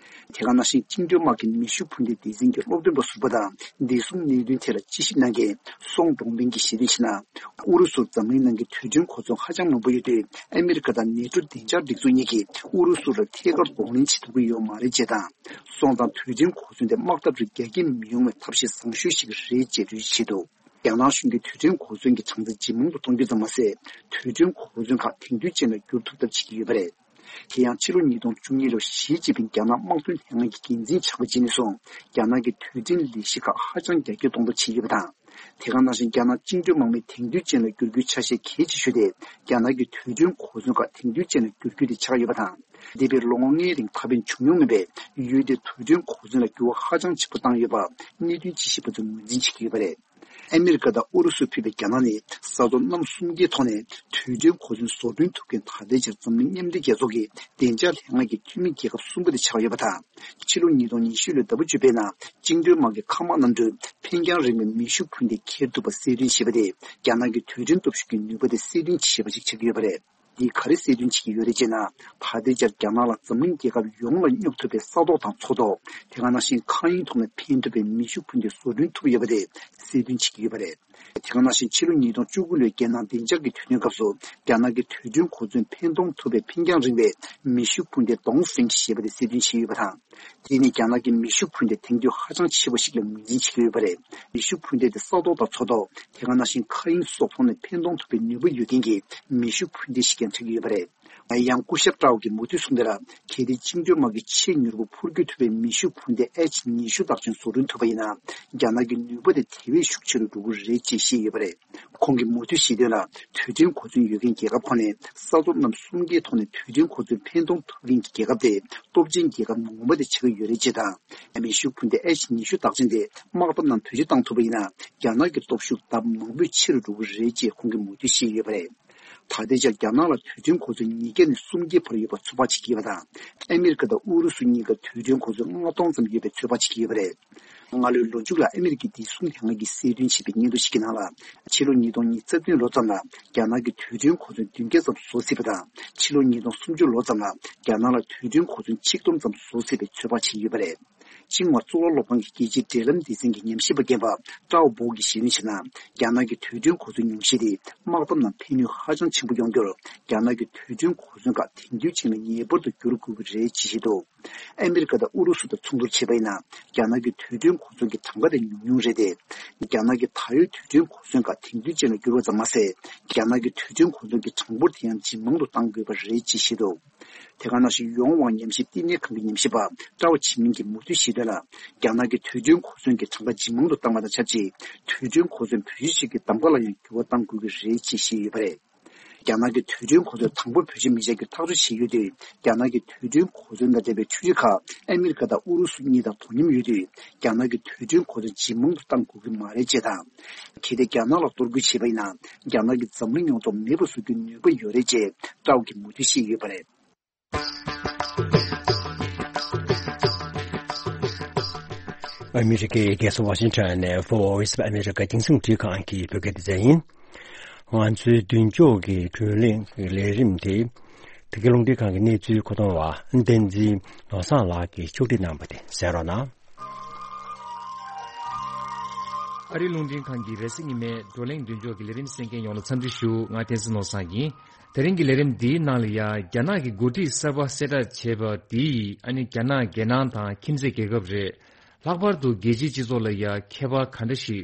དེ་ག་ནང་བཞིན་བཅིངས་འགྲོལ་དམག་གི་མེ་ཤུགས་འཕུར་མདེལ་སྡེ་ཚན་གྱི་སློབ་སྟོན་པ་ཟུར་པ་དང་དེ་གསུམ་གནད་དོན་ཐད་ལ་དཔྱད་ཞིབ་གནང་མཁན་སོང་ཀྲུང་ཕིང་གིས་གཞི་རིམ་ཞིག་ནང་། ཨུ་རུ་སུར་འཛམ་གླིང་ནང་གི་རྡུལ་ཕྲན་གོ་མཚོན་ཧ་ཅང་མང་པོ་ཡོད་དུས། ཨ་མི་རི་ཀ་དང་ནེ་ཊོ་བདེ་འཇགས་སྒྲིག་འཛུགས་གཉིས་ཀྱིས་ཨུ་རུ་སུ་ལ་ཐད་ཀར་གདོང་ལེན་བྱེད་ཐུབ་ཀྱི་ཡོད་མ་རེད་ཅེས་དང་། སོང་ཙང་རྡུལ་ཕྲན་གོ་མཚོན་དེ་དམག་འཐབ་རུ་རྒྱ་སྐྱེད་མི་ཡོང་བའི་ཐབས་ཤེས་བཟང་ཤོས་ཤིག་རེད་ཅེས་འགྲེལ་བརྗོད་བྱས་འདུག་རྒྱ་ནག་གཞུང་གིས་རྡུལ་ཕྲན་གོ་མཚོན་གྱི་གྲངས་ཚད་ཇེ་མང་དུ་གཏོང་རྒྱུ་ཙམ་མ་ཟད། རྡུལ་ཕྲན་གོ་མཚོན་ཁག་དེང་དུས་ཅན་ལ་བསྒྱུར་ཐུབ་ཐབས་བྱེད་ཀྱི་ཡོད་པ་རེད། དེ་ཡང་ཕྱི་ལོ་ཉིས་སྟོང་བཅུ་གཉིས་ལོར་ཞི་ཅིན་ཕིང་རྒྱ་ནག་དམག་དོན་ལྷན་ཁང་གི་འགན་འཛིན་ཆགས་པ་བྱས་ནས་བཟུང་། རྒྱ་ནག་གི་རྡུལ་ཕྲན་ལས་གཞི་ཁག་ཧ་ཅང་རྒྱ་སྐྱེད་གཏོང་ཐབས་བྱས་ཡོད་པ་དང་། དེ་ག་ནང་བཞིན་རྒྱ་ནག་བཅིངས་འགྲོལ་དམག་མི་དེང་དུས་ཅན་ལ་བསྒྱུར་རྒྱུའི་ཆ་ཤས་གལ་ཆེ་ཤོས་དེ། རྒྱ་ནག་གི་རྡུལ་ཕྲན་གོ་མཚོན་ཁག་དེང་དུས་ཅན་ལ་བསྒྱུར་རྒྱུ་དེ་ཆགས་ཡོད་པ་དང་། འདས་པའི་ལོ་ངོ་ལྔའི་རིང་ད་ཕན་བྱུང་མྱོང་མེད་པའི་ཡུལ་དེའི་རྡུལ་ཕྲན་གོ་མཚོན་ལ་འགྱུར་བ་ཧ་ཅང་ཆེན་པོ་བཏང་ཡོད་པ་གནད་དོན་དཔྱད་ཞིབ་པ་ཚོས་ངོས་འཛིན་བྱེད་ཀྱི་ཡོད་པ་རེད། ཨ་མི་རི་ཀ་དང་ཨུ་རུ་སུ་ཕུད་པའི་རྒྱ་ནག་ནི་ས་ཐོག་གནམ་གསུམ་ཀའི་ཐོག་ནས་རྡུལ་ཕྲན་གོ་མཚོན་བཟོ་སྐྲུན་ཐུབ་མཁན་ད་ལྟའི་ཆར་འཛམ་གླིང་མཉམ་འབྲེལ་རྒྱལ་ཚོགས་ཀྱི་བདེ་འཇགས་ལྷན་ཁང་གི་འཐུས་མི་རྒྱལ་ཁབ་གསུམ་པ་དེ་ཆགས་ཡོད་པ་དང་། ཕྱི་ལོ་ཉིས་སྟོང་ཉི་ཤུ་ལོའི་ཟླ་བ་བཅུ་པའི་ནང་བཅིངས་འགྲོལ་དམག་གི་མཁའ་དམག་གནམ་གྲུས་འཕེན་རྒྱང་རིང་བའི་མེ་ཤུགས་འཕུར་མདེལ་འཁྱེར་ཐུབ་པ་གསལ་སྟོན་བྱས་པ་དེས་རྒྱ་ནག་གི་རྡུལ་ཕྲན་སྟོབས་ཤུགས་ཀྱི་ནུས་པ་དེ་གསལ་སྟོན་བྱས་པ་ཞིག་ཆགས་ཀྱི་ཡོད་པ་རེད། འདིས་ག་རེ་གསལ་སྟོན་བྱེད་ཀྱི་ཡོད་རེད་ཅེ་ན། ད་ལྟའི་ཆར་རྒྱ་ནག་ལ་འཛམ་གླིང་རྒྱལ་ཁབ་ཡོངས་ལ་སྙོབ་ཐུབ་པའི་ས་ཐོག་དང་མཚོ་ཐོག་དེ་ག་ནང་བཞིན་མཁའ་དབྱིངས་ཐོག་ནས་འཕེན་ཐུབ་པའི་མེ་ཤུགས་འཕུར་མདེལ་བཟོ་སྐྲུན་ཐུབ་ཡོད་པ་དེ་གསལ་སྟོན་བྱེད་ཀྱི་ཡོད་པ་རེད། དེ་ག་ནང་བཞིན་ཕྱི་ལོ་ཉིས་སྟོང་བཅུ་དགུ་ལོའི་རྒྱལ་ནང་བདེ་འཇགས་ཀྱི་དུས་སྟོན་སྐབས་སུ་རྒྱ་ནག་གི་རྡུལ་ཕྲན་གོ་མཚོན་འཕེན་གཏོང་ཐུབ་པའི་འཕེན་རྒྱང་རིང་བའི་མེ་ཤུགས་འཕུར་མདེལ་ཏོང་ཧྥེང་ཞེས་པ་དེ་གསལ་སྟོན་བྱས་ཡོད་པ་དང་། དེ་ནི་རྒྱ་ནག་གི་མེ་ཤུགས་འཕུར་མདེལ་དེང་དུས་ཧ་ཅང་ཆེ་བ་ཞིག་ལ་ངོས་འཛིན་བྱེད་ཀྱི་ཡོད་པ་རེད། མེ་ཤུགས་འཕུར་མདེལ་དེ་ས་ཐོག་དང་མཚོ་ཐོག་དེ་ག་ནང་བཞིན་མཁའ་དབྱིངས་སོགས་ཐོག་ནས་འཕེན་གཏོང་ཐུབ་པའི་ནུས་པ་ཡོད་མཁན་གྱི་མེ་ཤུགས་འཕུར་མདེལ་ཞིག་ཀྱང་ཆགས་ཀྱི་ཡོད་པ་རེད། ཡང་སྐུ་ཞབས་ཀྲའོ་གིས་མུ་མཐུད་གསུངས་དོན་ལ། གལ་ཏེ་བཅིངས་འགྲོལ་དམག་གིས་ཆེས་མྱུར་པོ་འཕུར་སྐྱོད་ཐུབ་པའི་མེ་ཤུགས་འཕུར་མདེལ་ཨེཆ་ཉི་ཤུ་རྟགས་ཅན་བཟོ་སྐྲུན་ཐུབ་པ་ཡིན་ན། རྒྱ་ནག་གི་ནུས་པ་དེ་དེ་བས་ཤུགས་ཆེ་རུ་འགྲོ་གི་རེད་ཅེས་བཤད་ཡོད་པ་རེད། ཁོང་གིས་མུ་མཐུད་བཤད་དོན་ལ། རྡུལ་ཕྲན་གོ་མཚོན་ཡོད་མཁན་རྒྱལ་ཁབ་ཁག་ནས་ས་ཐོག་གནམ་གསུམ་ཀའི་ཐོག་ནས་རྡུལ་ཕྲན་གོ་མཚོན་འཕེན་གཏོང་ཐུབ་མཁན་གྱི་རྒྱལ་ཁབ་དེ་སྟོབས་ཆེན་རྒྱལ་ཁབ་ངོ་མ་དེ་ཆགས་ཀྱི་ཡོད་རེད་ཅེས་དང་། མེ་ཤུགས་འཕུར་མདེལ་ཨེཆ་ཉི་ཤུ་རྟགས་ཅན་དེ་དམག་འཐབ་ནང་བེད་སྤྱོད་བཏང་ཐུབ་པ་ཡིན་ན། རྒྱ་ནག་གི་སྟོབས་ཤུགས་ལྡབ་མང་པོས་ཆེ་རུ་འགྲོ་གི་རེད་ཅེས་ཁོང་གིས་མུ་མཐུད་བཤད་ཡོད་པ་རེད། ད་ལྟའི་ཆར་རྒྱ་ནག་ལ་རྡུལ་ཕྲན་གོ་མཚོན་ཉིས་བརྒྱ་ནས་སུམ་བརྒྱའི་བར་ཡོད་པ་ཚོད་དཔག་བྱེད་ཀྱི་ཡོད་པ་དང་། ཨ་མི་རི་ཀ་དང་ཨུ་རུ་སུ་གཉིས་ཀ་རྡུལ་ཕྲན་གོ་མཚོན་ལྔ་སྟོང་ཙམ་ཡོད་པའི་ཚོད་དཔག་བྱེད་ཀྱི་ཡོད་པ་རེད། སྔ་ལོའི་ལོ་མཇུག་ལ་ཨ་མི་རི་ཀའི་བདེ་སྲུང་ལྷན་ཁང་གིས་གསལ་སྟོན་བྱས་པའི་སྙན་ཐོ་ཞིག་གི་ནང་ལ། ཕྱི་ལོ་ཉིས་སྟོང་ཉི་ཤུ་རྩ་བདུན་ལོ་ཙམ་ལ་རྒྱ་ནག་གིས་རྡུལ་ཕྲན་གོ་མཚོན་བདུན་བརྒྱ་ཙམ་བཟོ་སྲིད་པ་དང་། ཕྱི་ལོ་ཉིས་སྟོང་སུམ་ཅུ་ལོ་ཙམ་ལ་རྒྱ་ནག་ལ་རྡུལ་ཕྲན་གོ་མཚོན་ཆིག་སྟོང་ཙམ་བཟོ་སྲིད་པའི་ཚོད་དཔག་བྱེད་ཀྱི་ཡོད་པ་རེད། ཅིན་ཝ་གཙུག་ལག་སློབ་ཁང་གི་རྒྱལ་སྤྱིའི་འབྲེལ་ལམ་སྡེ་ཚན་གྱི་ཉམས་ཞིབ་པ་རྒན་པ་ཀྲའོ་པོ་གིས་གཞི་རིམ་ཞིག་ནང་། རྒྱ་ནག་གི་རྡུལ་ཕྲན་གོ་མཚོན་ཉུང་ཤས་དེ་དམག་འཐབ་ནང་ཕན་ནུས་ཧ་ཅང་ཆེན་པོ་ཡོང་རྒྱུར། རྒྱ་ནག་གི་རྡུལ་ཕྲན་གོ་མཚོན་ཁག་དེང་དུས་ཅན་ལ་ངེས་པར་དུ་བསྒྱུར་དགོས་ཀྱི་རེད་ཅེས་བཤད་འདུག་ཨ་མི་རི་ཀ་དང་ཨུ་རུ་སུ་དང་མཚུངས་བསྡུར་བྱས་པ་ཡིན་ན། རྒྱ་ནག་གི་རྡུལ་ཕྲན་གོ་མཚོན་གྱི་གྲངས་ཀ་དེ་ཉུང་ཉུང་རེད་དེ། རྒྱ་ནག་གི་ད་ཡོད་རྡུལ་ཕྲན་གོ་མཚོན་ཁག་དེང་དུས་ཅན་ལ་བསྒྱུར་བ་ཙམ་མ་ཟད། རྒྱ་ནག་གི་རྡུལ་ཕྲན་གོ་མཚོན་གྱི་གྲངས་འབོར་དེ་ཡང་ཇེ་མང་དུ་གཏང་དགོས་པ་རེད་ཅེས་བཤད་འདུག་དེ་ག་ནང་བཞིན་ཡོང་དབང་ཉམས་ཞིབ་བསྟི་གནས་ཁང་གི་ཉམས་ཞིབ་པ་ཀྲའོ་ཆི་མིན་གྱིས་མུ་མཐུད་བཤད་དོན་ལ། རྒྱ་ནག་གི་རྡུལ་ཕྲན་གོ་མཚོན་གྱི་གྲངས་ཀ་ཇེ་མང་དུ་བཏང་བ་དང་ཆབས་ཅིག་རྡུལ་ཕྲན་གོ་མཚོན་བེད་སྤྱོད་བྱེད་རྒྱུའི་གདམ་ག་ལ་ཡང་འགྱུར་བ་གཏང་དགོས་ཀྱི་རེད་ཅེས་བཤད་ཡོད་པ་རེད། རྒྱ་ནག་གི་རྡུལ་ཕྲན་གོ་མཚོན་དང་པོ་བེད་སྤྱོད་མི་བྱ་རྒྱུ་ཐག་གཅོད་བྱས་ཡོད་དུས། རྒྱ་ནག་གི་རྡུལ་ཕྲན་གོ་མཚོན་དང་འབྲེལ་བའི་འཕྲུལ་ཆས་ཁག་ཨ་མི་རི་ཀ་དང་ཨུ་རུ་སུ་གཉིས་དང་དོ་མཉམ་ཡོད་དུས། རྒྱ་ནག་གི་རྡུལ་ཕྲན་གོ་མཚོན་ཇེ་མང་དུ་གཏང་དགོས་ཀྱི་མ་རེད་ཅེས་དང་། གལ་ཏེ་རྒྱ་ནག་ལ་གཏོར་རྒོལ་བྱས་པ་ཡིན་ན། རྒྱ་ནག་གིས་འཛམ་གླིང་ཡོངས་རྫོགས་མེད་པར་བཟོ་རྒྱུའི་ནུས་པ་ཡོད་རེད་ཅེས་ཀྲའོ་གིས་མུ་མཐུད་བཤད་ཡོད་པ་རེད། ཨ་མི་རི་ཀའི་རྒྱལ་ས་ཝ་ཤིང་ཊོན་ནས་Voice of America་རྒྱང་སྲིང་རླུང་འཕྲིན་ཁང་གི་བོད་སྐད་སྡེ་ཚན་ཡིན། ང་ཚོའི་མདུན་ཅོག་གི་བགྲོ་གླེང་གི་ལས་རིམ་དེ། བོད་སྐད་རླུང་འཕྲིན་ཁང་གི་གནས་ཚུལ་མཁོ་གཏོང་བ་བསྟན་འཛིན་ནོར་བཟང་ལགས་ཀྱིས་ཕྱོགས་སྒྲིག་གནང་བ་དེ་གསན་རོགས་གནང་། ཨ་རིའི་རླུང་འཕྲིན་ཁང་གི་རེས་གཟའ་ཉི་མའི་བགྲོ་གླེང་མདུན་ཅོག་གི་ལས་རིམ་གསན་མཁན་ཡོངས་ལ་འཚམས་འདྲི་ཞུ། ང་བསྟན་འཛིན་ནོར་བཟང་ཡིན། དེ་རིང་གི་ལས་རིམ་འདིའི་ནང་ལ་ཡ་རྒྱ་ནག་གི་འགོ་ཁྲིད་གསར་པ་གསལ་བསྒྲགས་བྱས་པ་འདིས་ཨ་ནི་རྒྱ་ནག་རྒྱལ་ནང་དང་ཁྱིམ་མཚེས་རྒྱལ་ཁབ་རེད། ལྷག་པར་དུ་རྒྱལ་སྤྱིའི་སྤྱི་ཚོགས་ལ་ཡ་ཁྱད་པར་ག་འདྲ་ཞིག་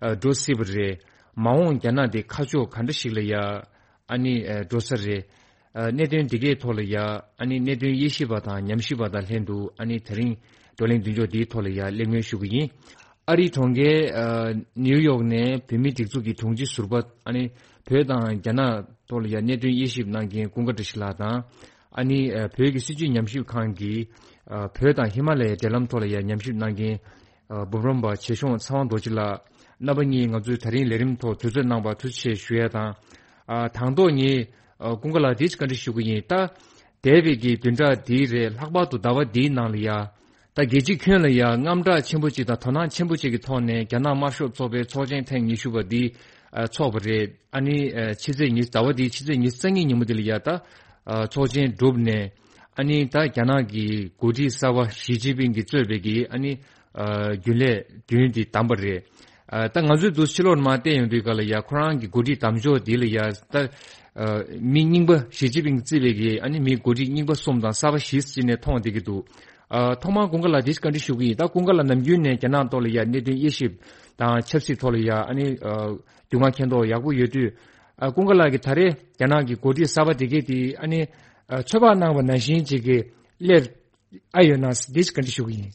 ཨ་འགྲོ་སྲིད་པ་རེད། མ་འོངས་རྒྱ་ནག་འདི་ཁ་ཕྱོགས་ག་འདྲ་ཞིག་ལ་ཡ་ཨ་ནི་ཨ་འགྲོ་ས་རེད། ཨ་གནད་དོན་འདི་གའི་ཐོག་ལ་ཡ་ཨ་ནི་གནད་དོན་དབྱེ་ཞིབ་པ་དང་ཉམས་ཞིབ་པ་དང་ལྷན་དུ་ཨ་ནི་དེ་རིང་བགྲོ་གླེང་མདུན་ཅོག་འདིའི་ཐོག་ལ་ཡ་གླེང་མོལ་ཞུ་གི་ཡིན། ཨ་རིའི་གྲོང་ཁྱེར་ཨ་ནིའུ་ཡོག་ནས་བོད་མིའི་སྒྲིག་འཛུགས་ཀྱི་དྲུང་ཆེ་ཟུར་པ་ཨ་ནི་བོད་དང་རྒྱ་ནག་ཐོག་ལ་ཡ་གནད་དོན་དབྱེ་ཞིབ་གནང་མཁན་ཀུན་དགའ་བཀྲ་ཤིས་ལགས་དང་། ཨ་ནི་ཨ་བོད་ཀྱི་སྲིད་བྱུས་ཉམས་ཞིབ་ཁང་གི་ཨ་བོད་དང་ཧི་མ་ལ་ཡའི་འབྲེལ་ལམ་ཐོག་ལ་ཡ་ཉམས་ཞིབ་གནང་མཁན་ཨ་འབུམ་རམས་པ་ཆེ་གཞུང་ཚེ་དབང་རྡོ་རྗེ་ལགས། རྣམ་པ་གཉིས་ང་ཚོའི་ད་རིང་ལས་རིམ་ཐོག་དུས་ཚོད་གནང་བར་ཐུགས་རྗེ་ཆེ་ཞུ་ཡ་དང་། ཨ་དང་ཐོག་ངས་ཨ་ཀུན་དགའ་ལགས་འདི་བཀའ་འདྲི་ཞུ་གི་ཡིན། ད་འདས་པའི་གི་བདུན་ཕྲག་འདིའི་རེད། ལྷག་པར་དུ་ཟླ་བ་འདིའི་ནང་ལ་ཡ། ད་རྒྱལ་སྤྱིའི་ཁྱོན་ལ་ཡ་དངངས་སྐྲག་ཆེན་པོ་ཅིག་དང་དོ་སྣང་ཆེན་པོ་ཅིག་གི་ཐོག་ནས་རྒྱ་ནག་དམར་ཤོག་ཚོགས་པའི་ཚོགས་ཆེན་ཐེངས་ཉི་ཤུ་པ་འདི་ཨ་ཚོགས་པ་རེད། ཨ་ནི་ཨ་ཕྱི་ཚེས་ཉི་ཟླ་བ་འདིའི་ཕྱི་ཚེས་ཉི་ཤུ་རྩ་གཉིས་ཉིན་མོ་འདི་ལ་ཡ་ད་ཨ་ཚོགས་ཆེན་གྲུབ་ནས་ ཨ་ནི་ད་རྒྱ་ནག་གི་འགོ་ཁྲིད་གསར་པ་ཞི་ཅིན་ཕིང་གིས་གཙོས་པའི་གི་ཨ་ནི་ཨ་རྒྱུན་ལས་བདུན་དེ་བདམས་པ་རེད། ཨ་ད་ང་ཚོས་འདུག་ཕྱི་ལོགས་ནས་མར་བལྟས་ཡོང་དུས་སྐབས་ལ་ཡ་ཁོ་རང་གི་འགོ་ཁྲིད་བདམས་ཕྱོགས་དེ་ལ་ཡ་ད་ཨ་མི་རྙིང་པ་ཞི་ཅིན་ཕིང་གིས་གཙོས་པའི་གི་ཨ་ནི་མི་འགོ་ཁྲིད་རྙིང་པ་གསུམ་དང་གསར་པ་བཞི་ཟེར་ནས་མཐོང་བསྡད་ཀྱི་འདུག་ཨ་ཐོག་མར་ཀུན་དགའ་ལགས་དེ་བཀའ་འདྲི་ཞུ་གི་ཡིན། ད་ཀུན་དགའ་ལགས་ནམ་རྒྱུན་ནས་རྒྱ་ནག་ཐོག་ལ་ཡ་གནད་དོན་དབྱེ་ཞིབ་དང་ཆབ་སྲིད་ཐོག་ལ་ཡ་ཨ་ནི་ཨ་རྒྱུས་མངའ་མཁྱེན་རྟོགས་ཡག་པོ་ཡོད་དུས། ཨ་ཀུན་དགའ་ལགས་ཀྱིས་ད་རེས་རྒྱ་ནག་གི་འགོ་ཁྲིད་གསར་པ་དེ་གས་དེ་ཨ་ནི་ཨ་ཚོད་དཔག་གནང་བ་ནང་བཞིན་ཅིག་གི་སླེབས་ཨ་ཡོད་ན་འདི་ཅིག་བཀའ་འདྲི་ཞུ་གི་ཡིན།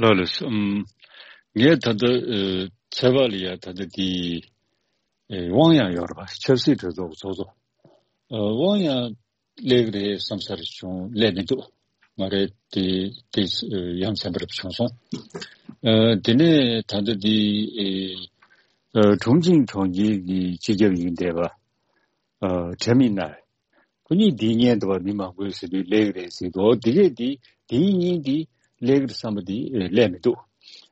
ལགས་ལགས་སོ། ཨམ། ངས་ད་ལྟ་ཨ་ཚོད་དཔག་ལ་ཡ་ད་ལྟ་དེ་ཨེ་དབང་ཡང་ཡོད་རེད་པ། ཆབ་སྲིད་གྲོས་ཚོགས་ཚོགས་གཙོ། ཨ་དབང་ཡང་སླེབས་རེད་བསམ་ས་རེ་བྱུང་སླེབས་མི་འདུག་ང་རེ་དེ་དེ་ཡ་མཚན་པ་རེ་བྱུང་སོང་། ཨ་དེ་ནས་ད་ལྟ་དེ་ཨེ་ཨ་ཁྲུང་ཆིང་གྲོང་ཁྱེར་གྱི་སྤྱི་ཁྱབ་ཡིན་བསྡད་པ། ཨ་ཁྲེན་མིན་ནར། ཁོ་གཉིས་འདི་ཉན་འདུག་པ། མི་མང་པོས་ཟེར་དུས་སླེབས་རེད་ཟེར་འདུག་འདི་གས་འདི་འདིའི་གཉིས་འདི་སླེབས་ཀྱི་རེད་བསམ་པ་འདི་ཨེ་སླེབས་མི་འདུག་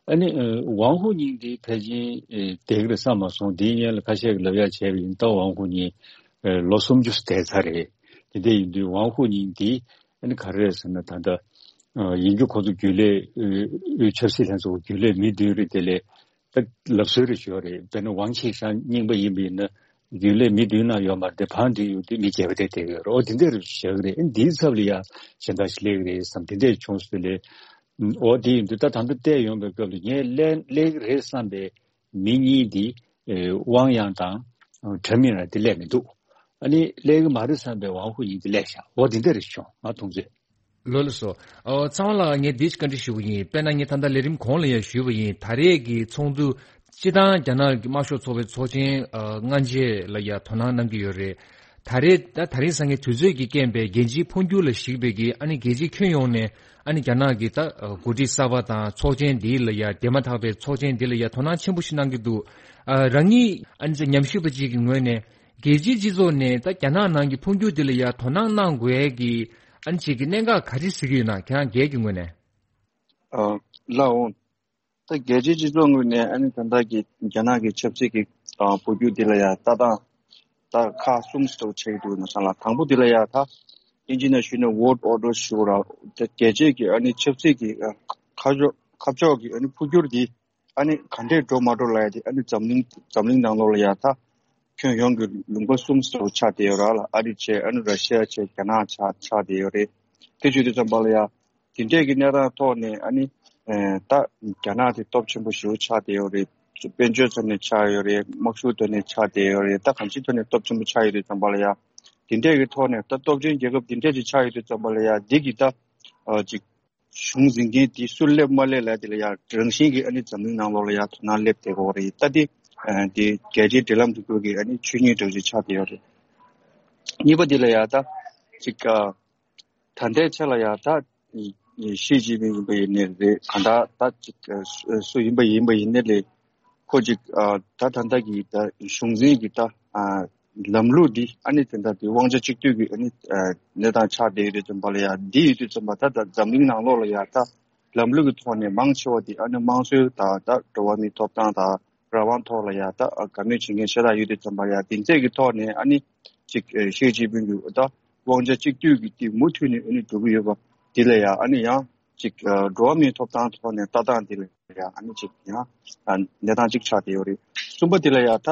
ཨ་ནི་ཨ་ཝང་ཧུ་ཉིང་འདི་ཕལ་ཆེར་ཨེ་བསྡད་ཀྱི་རེད་བསམ་མ་སོང་། འདིའི་སྔོན་ལ་ཁ་ཤས་ཀྱིས་ལབ་ཡག་བྱས་པ་ཡིན་ད་ཝང་ཧུ་ཉིང་ཨེ་ལོ་སུམ་ཅུ་བསྡད་ཚར་རེད། དེ་འདྲ་ཡིན་དུས་ཝང་ཧུ་ཉིང་འདི་ཨ་ནི་ག་རེ་རེད་ཟེར་ན་ད་ལྟ་ཨ་ཡིན་རྒྱུ་ཁོ་ཚོ་རྒྱུན་ལས་ཨ་ཨ་ཆབ་སྲིད་ལྷན་ཚོགས་རྒྱུན་ལས་མི་བདུན་རེད། དེ་ལས་ད་ལབ་སྲོལ་རེ་ཞུ་བ་རེད། དཔེར་ན་ཝང་ཆི་ཧྲན་རྙིང་པ་ཡིན་པ་ཡིན་ན་རྒྱུན་ལས་མི་བདུན་ནང་ཡོད་མ་རེད་དེ། ཕར་འདུས་ཡོང་དུས་མི་བརྒྱད་པ་དེ་བསྡད་ཀྱི་ཡོད་རེད། འོ་དེ་འདྲ་རེ་བཞག་གི་རེད། འདིའི་ཚབ་ལ་ཡ་གཞན་དག་ཞིག་སླེབས་ཀྱི་རེད་བསམ་དེ་འདྲ་བྱུང་སོང་ལས། འོ་དེ་ཡིན་དུས་ད་ད་ལྟ་བལྟས་ཡོང་བའི་སྐབས་ལ་ངས་སླེབས་སླེབས་ཀྱི་རེད་བསམ་པའི་མི་གཉིས་འདི་ཨེ་ཝང་ཡང་དང་ཁྲེན་མིན་ར་དེ་སླེབས་མི་འདུག་ཨ་ནི་སླེབས་ཀྱི་མ་རེད་བསམ་པའི་ཝང་ཧུ་ཉིང་དེ་སླེབས་ཤག་འོ་དེ་འདྲ་རེ་བྱུང་ང་མཐོང་ཚོད། ལགས་ལགས་སོ། ཨོ་ཚང་མ་ལ་ངས་འདི་ཞིག་བཀའ་འདྲི་ཞུ་གི་ཡིན། དཔེར་ན་ངས་ད་ལྟ་ལས་རིམ་གོང་ལ་ཡང་ཞུས་པ་ཡིན། ད་རེས་ཀྱི་ཚོགས་འདུ་སྤྱི་བཏང་རྒྱ་ནག་གི་དམར་ཤོག་ཚོགས་པའི་ཚོགས་ཆེན་ཨ་སྔ་རྗེས་ལ་ཡང་དོ་སྣང་གནང་གི་ཡོད་རེད། ད་རེས་ད་ད་རིང་སང་ཉིན་དུས་ཚོད་ཀྱི་རྐྱེན་པས་རྒྱལ་སྤྱིའི་འཕོ་འགྱུར་ལ་གཞིགས་པའི་གི་ཨ་ནི་རྒྱལ་སྤྱིའི་ཁྱོན་ཡོངས་ནས་ཨ་ནི་རྒྱ་ནག་གི་ད་ཨ་འགོ་ཁྲིད་གསར་པ་དང་ཚོགས་ཆེན་འདི་ལ་ཡང་དེ་མ་ཐག་པའི་ཚོགས་ཆེན་འདི་ལ་ཡང་དོ་སྣང་ཆེན་པོ་ཞིག་གནང་གི་འདུག་ཨ་རང་ཉིད་ཨ་ནི་ཉམས་ཞིབ་པ་ཅིག་གི་ངོས་ནས། རྒྱལ་སྤྱིའི་སྤྱི་ཚོགས་ནས་ད་རྒྱ་ནག་ནང་གི་འཕོ་འགྱུར་འདི་ལ་ཡ་དོ་སྣང་གནང་དགོས་ཡས་ཀྱི་ཨ་ནི་ཅིག་གི་གནད་འགག་ག་རེ་གཟིགས་ཀྱི་ཡོད་ན། ཁྱེད་རང་སྒེར་གྱི་ངོས་ནས། ཨ་ལགས་འོང་། ད་རྒྱལ་སྤྱིའི་སྤྱི་ཚོགས་ངོས་ནས་ཨ་ནི་ད་ལྟ་གི་རྒྱ་ནག་གི་ཆབ་སྲིད་ཀྱི་ཨ་འཕོ་འགྱུར་འདི་ལ་ཡ་ལྟ་སྟངས་ད་ཁག་གསུམ་ཙམ་ཆགས་ཀྱི་འདུག་ན་བསམ་ལ། དང་པོ་འདི་ལ་ཡ་ད་ཨིན་ཇི་ནང་ཞུས་ན་world order ཞུ་ར། ད་རྒྱལ་སྤྱིའི་གི་ཨ་ནི་ཆབ་སྲིད་ཀྱི་ཨ་ཁ་ཕྱོགས་ཁ་ཕྱོགས་ཀྱི་ཨ་ནི་འཕོ་འགྱུར་འདི་ཨ་ནི་ག་འདྲས་འགྲོ་མ་འགྲོ་ལབ་ཡ་དེ་ཨ་ནི་འཛམ་གླིང་འཛམ་གླིང་ནང་ལོགས་ལ་ཡ་ད་ཁྱོན་ཡོངས་ཀྱི་ལུང་པ་གསུམ་ཙམ་ཆགས་བསྡད་ཡོད་ར་ལ། ཨ་རི་བྱས་ཨ་ནི་ར་ཤི་ཡ་བྱས་རྒྱ་ནག་ཆགས་ཆགས་བསྡད་ཡོད་རེད། དེ་བྱེད་དུས་ཙམ་པ་ལ་ཡ་དེ་འདྲས་ཀྱི་གནས་སྟངས་ཐོག་ནས་ཨ་ནི་ཨེ་ད་རྒྱ་ནག་དེ་སྟོབས་ཆེན་པོ་ཞེ་པོ་ཆགས་བསྡད་ཡོད་རེད། དཔལ་འབྱོར་ཐོག་ནས་ཆགས་ཡོད་རེད། དམག་ཤུགས་ཐོག་ནས་ཆགས་བསྡད་ཡོད་རེད། ད་གང་ཅིའི་ཐོག་ནས་སྟོབས་ཆེན་པོ་ཆགས་ཡོད་དུས་ཙམ་པ་ལ་ཡ་དེ་འདྲས་ཀྱི་ཐོག་ནས་ད་སྟོབས་ཆེན་རྒྱལ་ཁབ་དེ་འདྲས་ཅིག་ཆགས་ཡོད་དུས་ཙམ་པ་ལ་ཡ་འདི་གི་ད་ཨ་ཅིག་གཞུང་འཛིན་མཁན་དེ་སུ་སླེབས་མ་སླེབས་ལབ་དེ་ལ་ཡ་རང་བཞིན་གྱིས་ཨ་ནི་འཛམ་གླིང་ནང་ལོགས་ལ་ཡ་དོ་སྣང་སླེབས་བསྡད་ཀྱི་ཡོད་རེད། ད་དེ་ཨ་དེ་རྒྱལ་སྤྱིའི་འབྲེལ་ལམ་རིག་པ་གི་ཨ་ནི་ཆོས་ཉིད་འདྲ་ཅིག་ཆགས་བསྡད་ཡོད་རེད། གཉིས་པ་དེ་ལ་ཡ་ད་ཅིག་ཨ་ད་ལྟའི་ཆ་ལ་ཡ་ད་ཨ་ཞི་ཅིན་ཕིང་ཡིན་པ་ཡིན་ནའི་རེད། གང་ལྟར་ད་ཅིག་ཨ་སུ་སུ་ཡིན་པ་ཡིན་པ་ཡིན་ནའི་ལས། ཁོ་ཅིག་ཨ་ད་ད་ལྟ་གི་ད་གཞུང་འཛིན་གྱི་ད་ཨ་ལམ་ལུགས་འདི་ཨ་ནི་དེ་འདྲ་དེ་དབང་ཆ་གཅིག་སྡུད་ཀྱི་ཨ་ནི་ཨ་གནས་སྟངས་ཆགས་བསྡད་ཡོད་དུས་ཙམ་པ་ལ་ཡ་འདི་ཡོད་དུས་ཙམ་པ་ད་ད་འཛམ་གླིང་ནང་ལོགས་ལ་ཡ་ད་ལམ་ལུགས་ཀྱི་ཐོག་ནས་མང་ཆེ་བ་དེ་ཨ་ནི་དམངས་གཙོའི་ད་ད་འགྲོ་བ་མིའི་ཐོབ་ཐང་དང་རང་དབང་ཐོག་ལ་ཡ་ད་ཨ་དགའ་མོས་བྱེད་མཁན་ཤ་སྟག་ཡོད་དུས་ཙམ་པ་ལ་ཡ་དེ་འདྲས་ཀྱི་ཐོག་ནས་ཨ་ནི་ཅིག་ཨ་ཞི་ཅིན་ཕིང་གི་ད་དབང་ཆ་གཅིག་སྡུད་ཀྱི་དེ་མུ་མཐུད་ནས་ཨ་ནི་འགྲོ་གི་ཡོད་པ་དེ་ལ་ཡ་ཨ་ནི་ཡང་། ཅིག་ཨ་འགྲོ་བ་མིའི་ཐོབ་ཐང་ཐོག་ནས་ལྟ་སྟངས་འདི་ལ་ཡ་ཨ་ནི་ཅིག་ཡང་ཨ་གནས་སྟངས་ཅིག་ཆགས་བསྡད་ཡོད་རེད། གསུམ་པ་འདི་ལ་ཡ་ད་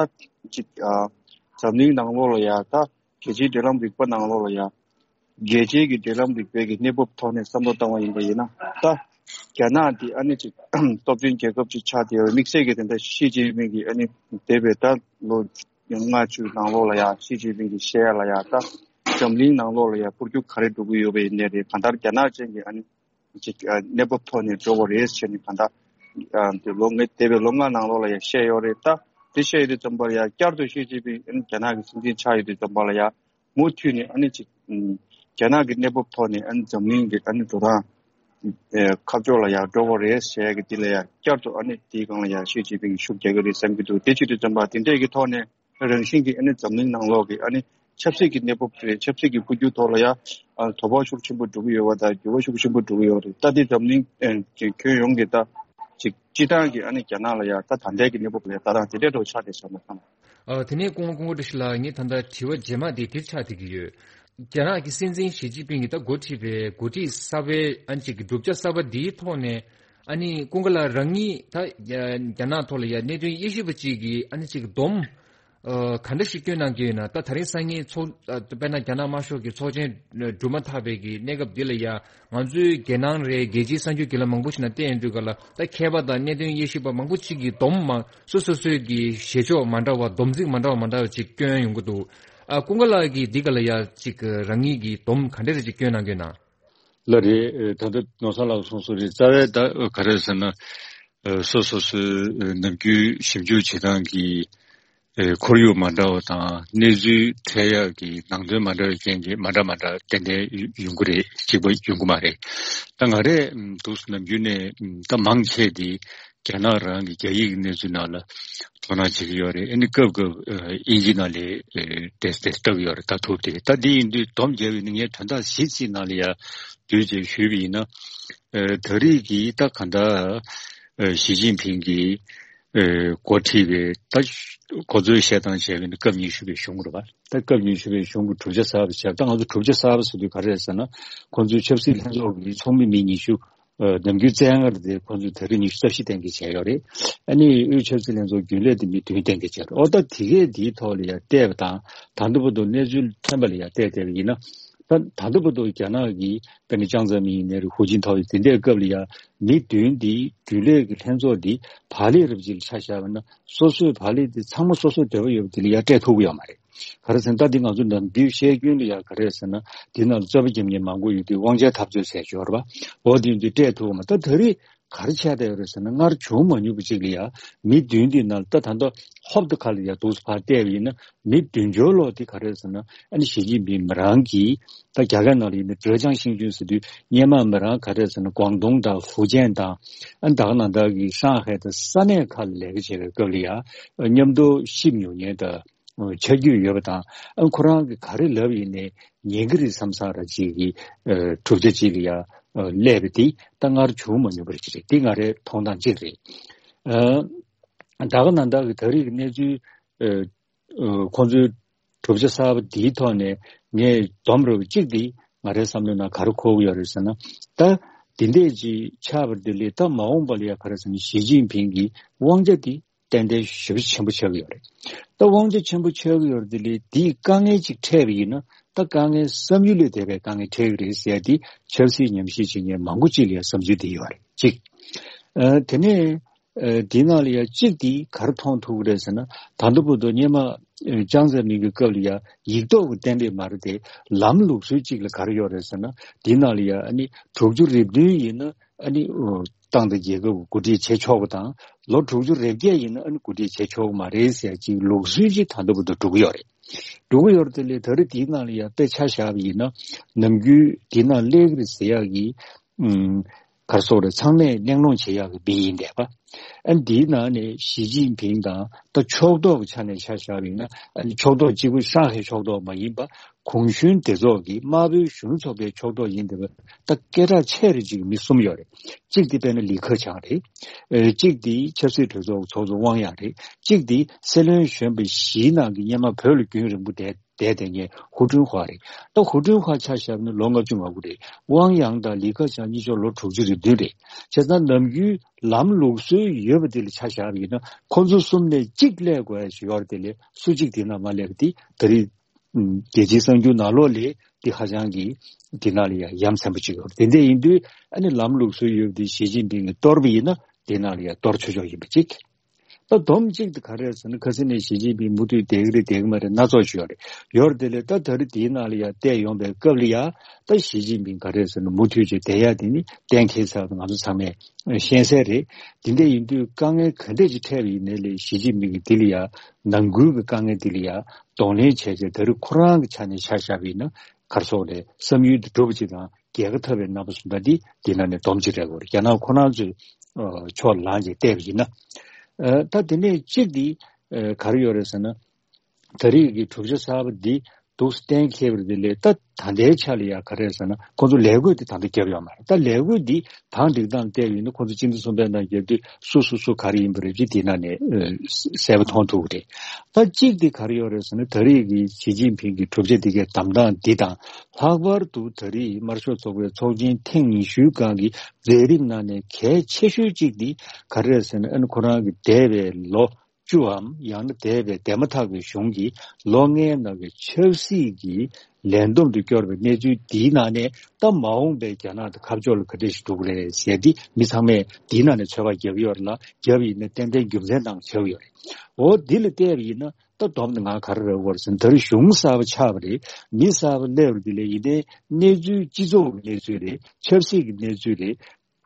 ཅིག་ཨ་འཛམ་གླིང་ནང་ལོགས་ལ་ཡ་ད་རྒྱལ་སྤྱིའི་འབྲེལ་ལམ་རིག་པ་ནང་ལོགས་ལ་ཡ་རྒྱལ་སྤྱིའི་གི་འབྲེལ་ལམ་རིག་པའི་གི་གནས་བབ་ཐོག་ནས་བསམ་བློ་བཏང་བ་ཡིན་པ་ཡིན་ན་ད་རྒྱ་ནག་འདི་ཨ་ནི་ཅིག་སྟོབས་ཆེན་རྒྱལ་ཁབ་ཅིག་ཆགས་བསྡད་ཡོད་རེད། དམིགས་བསལ་གྱི་དེ་འདྲ་ཞི་ཅིན་ཕིང་གི་ཨ་ནི་འདས་པའི་ད་ལོ་ལྔ་བཅུ་ནང་ལོགས་ལ་ཡ་ཞི་ཅིན་ཕིང་གི་བཤད་ཡ་ལ་ཡ་ད་འཛམ་གླིང་ནང་ལོགས་ལ་ཡ་འཕོ་འགྱུར་ག་རེ་འགྲོ་གི་ཡོད་པ་ཡིན་ནའི་རེད། གང་ལྟར་རྒྱ་ནག་ཅན་གྱི་ཨ་ནི། ཅིག་ཨ་གནས་བབ་ཐོག་ནས་འགྲོ་བ་རེད་ཟེར་ནས་གང་ལྟར་ཨ་དེ་ལོ་ལྔ་འདས་པའི་ལོ་ལྔ་ནང་ལོགས་ལ་ཡང་བཤད་ཡོད་རེད། ད་དེ་བཤད་ཡོད་དུས་ཙམ་པ་ལ་ཡང་བསྐྱར་དུ་ཞི་ཅིན་ཕིང་ཨ་ནི་རྒྱ་ནག་གི་སྲིད་འཛིན་ཆགས་ཡོད་དུས་ཙམ་པ་ལ་ཡང་མུ་མཐུད་ནས་ཨ་ནི་ཅིག་ཨམ་རྒྱ་ནག་གི་གནས་བབ་ཐོག་ནས་ཨ་ནི་འཛམ་གླིང་གི་ཨ་ནི་འགྲོ་སྟངས་ཨེ་ཁ་ཕྱོགས་ལ་ཡང་འགྲོ་བ་རེད་ཟེར་ཡ་གི་དེ་ལ་ཡང་བསྐྱར་དུ་ཨ་ནི་དེའི་སྒང་ལ་ཡང་ཞི་ཅིན་ཕིང་གིས་ཤུགས་རྒྱག་གི་རེད་བསམ་གྱི་འདུག་དེ་བྱེད་དུས་ཙམ་པ་དེ་འདྲས་ཀྱི་ཐོག་ནས། རང་བཞིན་གྱིས་ཨ་ནི་འཛམ་གླིང་ནང་ལོགས་ཀྱི་ཨ་ནི་ཆབ་སྲིད་ཀྱི་གནས་བབ་རེད། ཆབ་སྲིད་ཀྱི་འཕོ་འགྱུར་ཐོག་ལ་ཡང་ཨ་དོ་ཕོག་ཤུགས་ཆེན་པོ་འགྲོ་གི་ཡོད་པ་དང་འགྱུར་བ་ཤུགས་ཆེན་པོ་འགྲོ་གི་ཡོད་རེད། ད་ལྟའི་འཛམ་གླིང་ཨ་ཁྱོན་ཡོངས་ཀྱི་ད་ཅིག་སྤྱི་བཏང་གི་ཨ་ནི་རྒྱ་ནག་ལ་ཡང་ད་ད་ལྟའི་གི་གནས་བབ་ལ་ཡང་ད་རང་དེ་འདྲའི་འགྲོ་ཆགས་བསྡད་སོང་ན་ཐང་། ཨ་དེ་ནས་སྐུ་ངོ་སྐུ་ངོ་བཀྲ་ཤིས་ལགས། ངས་ད་ལྟ་དྲི་བ་རྗེས་མ་དེ་འདིར་ཆགས་བསྡད་ཀྱི་ཡོད། རྒྱ་ནག་གི་སྲིད་འཛིན་ཞི་ཅིན་ཕིང་གིས་ད་འགོ་ཁྲིད་པའི་འགོ་ཁྲིད་གསར་པའི་ཨ་ནི་ཅིག་གི་གྲུབ་ཆ་གསར་པ་འདིའི་ཐོག་ནས། ཨ་ནི་ཀུན་དགའ་ལགས་རང་ཉིད་ད་རྒྱ་ནག་ཐོག་ལ་ཡ་གནད་དོན་དབྱེ་ཞིབ་པ་ཅིག་གིས་ཨ་ནི་ཅིག་སྡོམ་ཨ་ག་འདྲ་ཞིག་སྐྱོན་གནང་གི་ཡོད་ན། ད་དེ་རིང་སང་ཉིན་ཚོགས་ཨ་དཔེར་ན་རྒྱ་ནག་དམར་ཤོག་གི་ཚོགས་ཆེན་གྲུབ་མ་ཐག་པའི་གི་གནས་སྐབས་འདི་ལ་ཡ། ང་ཚོའི་རྒྱལ་ནང་རེད། རྒྱལ་སྤྱིའི་གསར་འགྱུར་བརྒྱུད་ལམ་མང་པོ་ཞིག་ནང་བལྟས་ཡོང་དུས་ག་ལ། ད་མཁས་པ་དང་གནད་དོན་དབྱེ་ཞིབ་པ་མང་པོ་ཅིག་གིས་སྡོམ་མ་སོ་སོ་སོའི་གི་བཞེད་ཕྱོགས་མ་འདྲ་བ། སྡོམ་ཚིག་མ་འདྲ་བ་མ་འདྲ་བ་ཅིག་སྐྱོན་ཡོང་གི་འདུག་ཨ་ཀུན་དགའ་ལགས་ཀྱིས་འདི་ག་ལ་ཡ་ཅིག་རང་ཉིད་ཀྱིས་སྡོམ་ག་འདྲ་རེ་ཅིག་སྐྱོན་གནང་གི་ཡོད་ན། ལགས་རེད། ད་ལྟ་ནོར་བཟང་ལགས་གསུངས་སོང་རེད། རྩ་བའི་ད་ག་རེ་ཟེར་ན། སོ་སོ་སོའི་ནམ་རྒྱུན་ཞིབ་འཇུག་བྱེད་སྟངས་ཀྱི་ཁོར་ཡུག་མ་འདྲ་བ་དང་། གནས་ཚུལ་འཕྲད་ཡག་གི་ནང་དོན་མ་འདྲ་བའི་རྐྱེན་གྱིས་མ་འདྲ་མ་འདྲ་ཏན་ཏན་ཡོང་གི་རེད། གཅིག་པ་ཡོང་གི་མ་རེད། ད་ང་རས་འདུག་སེ་ནམ་རྒྱུན་ནས་ད་མང་ཆེ་དེ་རྒྱ་ནག་རང་གི་རྒྱ་ཡིག་གི་གནས་ཚུལ་ནང་ལ་དོ་སྣང་བྱེད་ཀྱི་ཡོད་རེད། ཨ་ནི་སྐབས་སྐབས་ཨིན་ཇི་ནང་ལ་དེ་དེ་ལྟ་གི་ཡོད་རེད། ད་ཐུབ་དེ་ད་འདི་ཡིན་དུས་སྡོམ་བརྒྱབ་ཡིན་ན། ངས་དོན་དག་གཞི་གཅིག་ནང་ལ་ཡ་བསྡུས་བྱས་ཞུས་པ་ཡིན་ན། ད་རེས་ཀྱི་ད་ག་འདྲ་ཞི་ཅིན་ཕིང་གིས་འགོ་ཁྲིད་པའི་ད་ཁོ་ཚོའི་བཤད་སྟངས་བྱས་པ་ཡིན་ན་སྐབས་ཉི་ཤུ་པའི་གཞུང་རེད་པ། ད་སྐབས་ཉི་ཤུ་པའི་གཞུང་གི་གྲུབ་ཆ་གསར་པ་བྱས། ད་ང་ཚོ་གྲུབ་ཆ་གསར་པ་ཟེར་དུས་ག་རེ་རེད་ཟེར་ན། ཁོ་ཚོའི་ཆབ་སྲིད་ལྷན་ཚོགས་ཀྱི་ཚོགས་མི་མི་ཉི་ཤུ། ནམ་རྒྱུན་བཙན་ལྔ་རེད་དེ། ཁོ་ཚོས་ད་རེས་ཉི་ཤུ་རྩ་བཞི་གཏན་འཁེལ་བྱས་ཡོད་རེད། ཨ་ནི་དབུས་ཆབ་སྲིད་ལྷན་ཚོགས་རྒྱུན་ལས་དེ་མི་བདུན་གཏན་འཁེལ་བྱས་རེད། ཨོ་ད་དེ་གས་འདིའི་ཐོག་ལ་ཡ་བལྟས་པ་དང་། ད་ལྟ་བར་དུ་གནས་ཚུལ་ཐོན་པ་ལ་ཡ་བལྟས་བལྟས་པ་ཡིན་ན། ད་ད་ལྟ་བར་དུ་རྒྱ་ནག་གི་དཔེར་ན་ཅང་ཙེ་མིན་ཡིན་ནའི་རེད། ཧུའུ་ཅིན་ཐའོ་ཡིན། དེ་འདྲའི་སྐབས་ལ་ཡ་མི་བདུན་འདི་རྒྱུན་ལས་ཀྱི་ལྷན་ཚོགས་འདི་བག་ལེབ་རབ་ཅིག་ལ་ཆ་བཞག་པ་ན། སོ་སོའི་བག་ལེབ་དེ་ཚང་མ་སོ་སོའི་འདོད་པ་ཡོད་པ་དེ་ལ་ཡ་སྤྲད་ཐུབ་ཀྱི་ཡོད་མ་རེད། ག་རེ་ཟེར་ན། ད་འདི་ང་ཚོ་ནམ་རྒྱུན་བཤད་རྒྱུན་ལ་ཡ་ག་རེ་ཟེར་ན། འདི་ནང་ལ་རྩོད་པ་རྒྱབ་མཁན་མང་པོ་ཡོད་དུས་དབང་ཆ་འཐབ་རྩོད་ཟེར་ཡོད་རེད་པ། འོ་དེ་ཚོ་སྤྲད་ཐུབ་ཀྱི་མ། ད་ད་རེས་ག་རེ་ཆགས་བསྡད་ཡོད་རེད་ཟེར་ན། སྔར་བྱུང་མ་མྱོང་པ་ཅིག་ལ་ཡ་མི་བདུན་འདི་ནང་ལ། ད་ད་ལྟ་ཧོབ་ཏེ་ཁ་ལ་ཡ་འདུག་སེ་ཕར་བལྟས་པ་ཡིན་ན། མི་བདུན་ཅུ་ལོག་འདི་ག་རེ་ཟེར་ན། ཨ་ནི་ཞི་ཅིན་ཕིང་མི་རང་གིས། ད་རྒྱ་སྐད་ནང་ལ་ཡིན་ན་ཀྲེ་ཅང་ཤིང་ཅུན་ཟེར་དུས། སྔོན་མ་མི་རང་ག་རེ་ཟེར་ན། ཀོང་ཏུང་དང་ཧྥུ་ཅན་དང་། ཨ་ནི་ད་ག་ནང་བཞིན་གྱི་ཧྲང་ཧའེ་དང་ས་གནས་ཁག་ལ་ལས་ཀ་བྱེད་པའི་སྐབས་ལ་ཡ་མཉམ་དུ་གཤིབ་མྱོང་མཁན་དང་། ཆ་རྒྱུས་ཡོད་པ་དང་། ཨ་ཁོ་རང་གིས་ག་རེ་ལབ་ཡིན་ནའི་ཉན་གྱི་རེད་བསམ་བསམ་ར་ཅིག་གི་གྲུབ་ཆ་ཅིག་ལ་ཡ་སླེབས་པ་དེ་ད་སྔར་བྱུང་མ་མྱོང་བ་ཅིག་རེད། དེ་ང་རའི་མཐོང་སྟངས་གཅིག་རེད། ཨ་ད་ག་ནང་བཞིན་གྱི་ད་རེས་ཀྱི་གནས་ཚུལ། ཨ་ཁོང་ཚོའི་གྲུབ་ཆ་གསར་པ་འདིའི་ཐོག་ནས་ངས་སྡོམ་རུ་གཅིག་དེ་ང་རའི་བསམ་བློའི་ནང་ག་རེ་འཁོར་གྱི་ཡོད་རེད་ཟེར་ན། ད་འདི་འདྲས་ཅིག་ཆགས་པ་འདི་ལས་ད་མ་འོངས་པ་ལ་ཡ་ག་རེ་ཟེར་ན། ཞི་ཅིན་ཕིང་གི་དབང་ཆ་དེ་ཏན་ཏན་ཞེ་པོ་ཆེན་པོ་ཆགས་ཀྱི་ཡོད་རེད། ད་དབང་ཆ་ཆེན་པོ་ཆགས་ཀྱི་ཡོད་རེད། དེ་ལས་དེའི་དཀའ་ངལ་ཅིག་འཕྲད་པ་ཡིན་ན། ད་དཀའ་ངལ་བསམ་ཡུལ་ལས་འདས་པའི་དཀའ་ངལ་འཕྲད་ཀྱི་རེད་ཟེར་ཡ་དེ་ཆབ་སྲིད་ཉམས་ཞིབ་བྱེད་མཁན་མང་པོ་ཅིག་ལ་ཡ་བསམ་ཚུལ་དེ་ཡོད་རེད་གཅིག། ཨ་དེ་ནས་ཨ་དེའི་ནང་ལ་ཡ་གཅིག་དེ་ག་རེ་མཐོང་ཐུབ་ཀྱི་རེད་ཟེར་ན། ད་ལྟ་བར་དུ་སྔོན་མ་ཨ་ཅང་ཙེ་མིན་གྱི་སྐབས་ལ་ཡ་ཡིག་ཐོག་གི་གཏན་འབེབས་མ་རེད་དེ། ལམ་ལུགས་སྲོལ་གཅིག་ལ་ག་རེ་ཡོད་རེད་ཟེར་ན། དེའི་ནང་ལ་ཡ་ཨ་ནི་དྲུག་ཅུ་རེ་བདུན་ཡིན་ན། ཨ་ནི་ཨོ་ཏང་དང་རྒྱལ་ཁབ་ཀྱི་འགོ་ཁྲིད་བྱེད་ཆོག་པ་དང་། ལོ་དྲུག་ཅུ་རེ་བརྒྱད་ཡིན་ན་ཨ་ནི་འགོ་ཁྲིད་བྱེད་ཆོག་གི་མ་རེད་ཟེར་ཅིག་ལུགས་སྲོལ་ཅིག་ད་ལྟ་བར་དུ་འགྲོ་གི་ཡོད་རེད། འགྲོ་གི་ཡོད་རེད། དེ་ལས་ད་རེས་དེའི་ནང་ལ་ཡ་དཔེ་ཆ་བཞག་པ་ཡིན་ན། ནམ་རྒྱུན་དེའི་ནང་སླེབས་ཀྱི་རེད་ཟེར་ཡག་གི་ཨུམ་ག་རེ་ཟེར་དགོས་རེད། ཚང་མས་གླེང་སློང་བྱེད་ཡག་གི་མི་ཡིན་བསྡད་པ། ཨ་ནི་དེའི་ནང་ནས་ཞི་ཅིན་ཕིང་དང་ད་ཕྱོགས་གཏོགས་ཀྱི་ཆ་ནས་ཆ་བཞག་པ་ཡིན་ན། ཨ་ནི་ཕྱོགས་གཏོགས་གཅིག་པུ་ཧྲང་ཧའེ་ཕྱོགས་གཏོགས་མ་ཡིན་པ། གུང་གཞོན་སྡེ་ཚོགས་ཀྱི་དམར་པོའི་གཞོན་ནུ་ཚོགས་པའི་ཕྱོགས་གཏོགས་ཡིན་བསྡད་པ། ད་སྐད་གྲགས་ཆེ་རུ་ཅིག་མི་གསུམ་ཡོད་རེད། གཅིག་དེ་དཔེར་ན་ལི་ཁེ་ཆང་རེད། ཨེ་གཅིག་དེ་ཆབ་སྲིད་གྲོས་ཚོགས་ཚོགས་གཙོ་ཝང་ཡང་རེད། གཅིག་དེ་སྲིད་བློན་གཞོན་པ་བཞིའི་ནང་གི་སྔོན་མ་བོད་ལ་རྒྱུན་རིང་པོ་བསྡད་བསྡད་བསྡད་མཁན་ཧུ་ཁྲུན་ཧྭ་རེད། ད་ཧུ་ཁྲུན་ཧྭ་ཆ་བཞག་ན་ལོ་ལྔ་བཅུ་ང་དགུ་རེད། ཝང་ཡང་དང་ལི་ཁེ་ཆང་གཉིས་ཆ་ལོ་དྲུག་ཅུ་རེ་བདུན་རེད། བྱས་ཙང་ནམ་རྒྱུན་ལམ་ལུགས་སྲོལ་ཡོད་པ་དེ་ལ་ཆ་བཞག་པ་ཡིན་ན། ཁོ་ཚོ་གསུམ་ནས་གཅིག་སླེབས་དགོས་ཡ་ཞིག་ཡོད་རེད། དེ་ལས་སུ་གཅིག་དེ་ནང་མ་སླེབས་པ་དེ་ད་རེས་རྒྱལ་སྤྱིའི་གསར་འགྱུར་ནང་ལོགས་ལ་དེ་ཧ་ཅང་གི་དེ་ནང་ལ་ཡ་ཡ་མཚན་པོ་ཅིག་ཡོད་རེད། དེ་འདྲ་ཡིན་དུས་ཨ་ནི་ལམ་ལུགས་སྲོལ་ཡོད་པ་དེ་ཞི་ཅིན་ཕིང་གིས་གཏོར་བ་ཡིན་ན་དེ་ནང་ལ་ཡ་གཏོར་ཆོག་ཆོག་ཡིན་པ་གཅིག། ད་སྡོམ་གཅིག་དེ་ག་རེ་རེད་ཟེར་ན། ཁ་སང་ནས་ཞི་ཅིན་ཕིང་མུ་མཐུད་བསྡད་ཀྱི་རེད། བསྡད་ཀྱི་མ་རེད། སྣ་ཚོགས་ཅིག་ཡོད་རེད། ཡོད་རེད། དེ་ལས་ད་ད་རེས་དེའི་ནང་ལ་ཡ་བལྟས་ཡོང་པའི་སྐབས་ལ་ཡ། ད་ཞི་ཅིན་ཕིང་ག་རེ་རེད་ཟེར་ན་མུ་མཐུད་ཅིག་བསྡད་ཡ་དེ་ནི་གཏན་འཁེལ་ཚར་བ་ང་ཚོ་ཚང་མས་ཤེས་གསལ་རེད། དེ་འདྲ་ཡིན་དུས་དཀའ་ངལ་ག་འདྲ་ཅིག་འཕྲད་པ་ཡིན་ནའི་ལས་ཞི་ཅིན་ཕིང་གིས་དེ་ལ་ཡ་ནང་ཁུལ་གྱི་དཀའ་ངལ་དེ་ལ་ཡ་གདོང་ལེན་བྱས་བྱས། ད་རེས་ཁོ་རང་གི་ཆ་ནས་ཆ་བཞག་པ་ཡིན་ན། ག་རེ་ཟེར་དགོས་རེད། བསམ་ཡུལ་དེ་འགྲུབ་པ་ཅིག་དང་། རྒྱལ་ཁ་ཐོབ་པའི་རྣམ་པ་གསུམ་ད་འདི་འདི་ནང་ནས་སྡོམ་ཅིག་རེད་གོ། རྒྱ་ནག་ཁོ་རང་ཚོའི་ཨ་ཕྱོགས་ལངས་ཅིག་བལྟས་པ་ཡིན་ན། ཨ་ད་དེ་ནས་གཅིག་འདི་ཨ་ག་རེ་ཡོད་རེད་ཟེར་ན། ད་རེས་ཀྱི་གྲུབ་ཆ་གསར་པ་འདི་ འདུག་གཏན་འཁེལ་བ་དེ་ལས་ད་ད་ལྟའི་ཆ་ལ་ཡ་ག་རེ་ཟེར་ན་ཁོང་ཚོ་ལས་བགོས་དེ་ད་ལྟ་བརྒྱབ་ཡོད་མ་རེད། ད་ལས་བགོས་འདི་དང་སྒྲིག་སྟངས་བལྟས་པ་ཡིན་ན་ཁོང་ཚོ་སྤྱི་ཟླ་གསུམ་པའི་ནང་བརྒྱབ་དུས་སུ་སུ་སུ་ག་རེ་ཡིན་པ་རེད་ཅེས་དེ་ནང་ནས་ཨ་གསལ་པོ་མཐོང་ཐུབ་ཀྱི་རེད། ད་གཅིག་དེ་ག་རེ་ཡོད་རེད་ཟེར་ན་ད་རེས་ཀྱི་ཞི་ཅིན་ཕིང་གི་གྲུབ་ཆ་འདི་གའི་བདམས་སྟངས་འདི་དང་ལྷག་པར་དུ་ད་རེས་དམར་ཤོག་ཚོགས་པའི་ཚོགས་ཆེན་ཐེངས་ཉི་ཤུའི་སྒང་གི་མཛད་རིམ་ནང་ནས་གལ་ཆེ་ཤོས་གཅིག་འདི་ག་རེ་རེད་ཟེར་ན་ཨ་ནི་ཁོ་རང་གི་འདས་པའི་ལོ་བཅུའམ་ཡང་ན་འདས་པའི་འདས་མ་ཐག་པའི་གཞུང་གི་ལོ་ལྔའི་ནང་གི་ཆབ་སྲིད་ཀྱི་ལས་བསྡོམས་དུ་བསྐྱོར་བའི་གནས་ཚུལ་འདིའི་ནང་ནས་ད་མ་འོངས་པའི་རྒྱ་ནག་དང་ཁ་ཕྱོགས་ལ་ག་འདྲ་ཞིག་འགྲོ་གི་རེད་ཟེར་འདི་མི་ཚང་མས་འདིའི་ནང་ནས་ཚོད་དཔག་བརྒྱབ་ཡོད་རེད་ལ། བརྒྱབ་ཡིན་ན་ཏན་ཏན་རྒྱུ་མཚན་དང་བྱས་ཡོད་རེད། འོ་འདི་ལ་བལྟས་པ་ཡིན་ན་ད་བསྡོམས་ནས་ང་ག་རེ་རེད་བར་ཟེར་ན་ད་རེས་གཞུང་གསར་པ་ཆགས་པ་རེད། མི་གསར་པ་སླེབས་པ་འདི་ལས་ཡིན་ནའི་གནས་ཚུལ་སྤྱི་ཚོགས་ཀྱི་གནས་ཚུལ་རེད། ཆབ་སྲིད་ཀྱི་གནས་ཚུལ་རེད།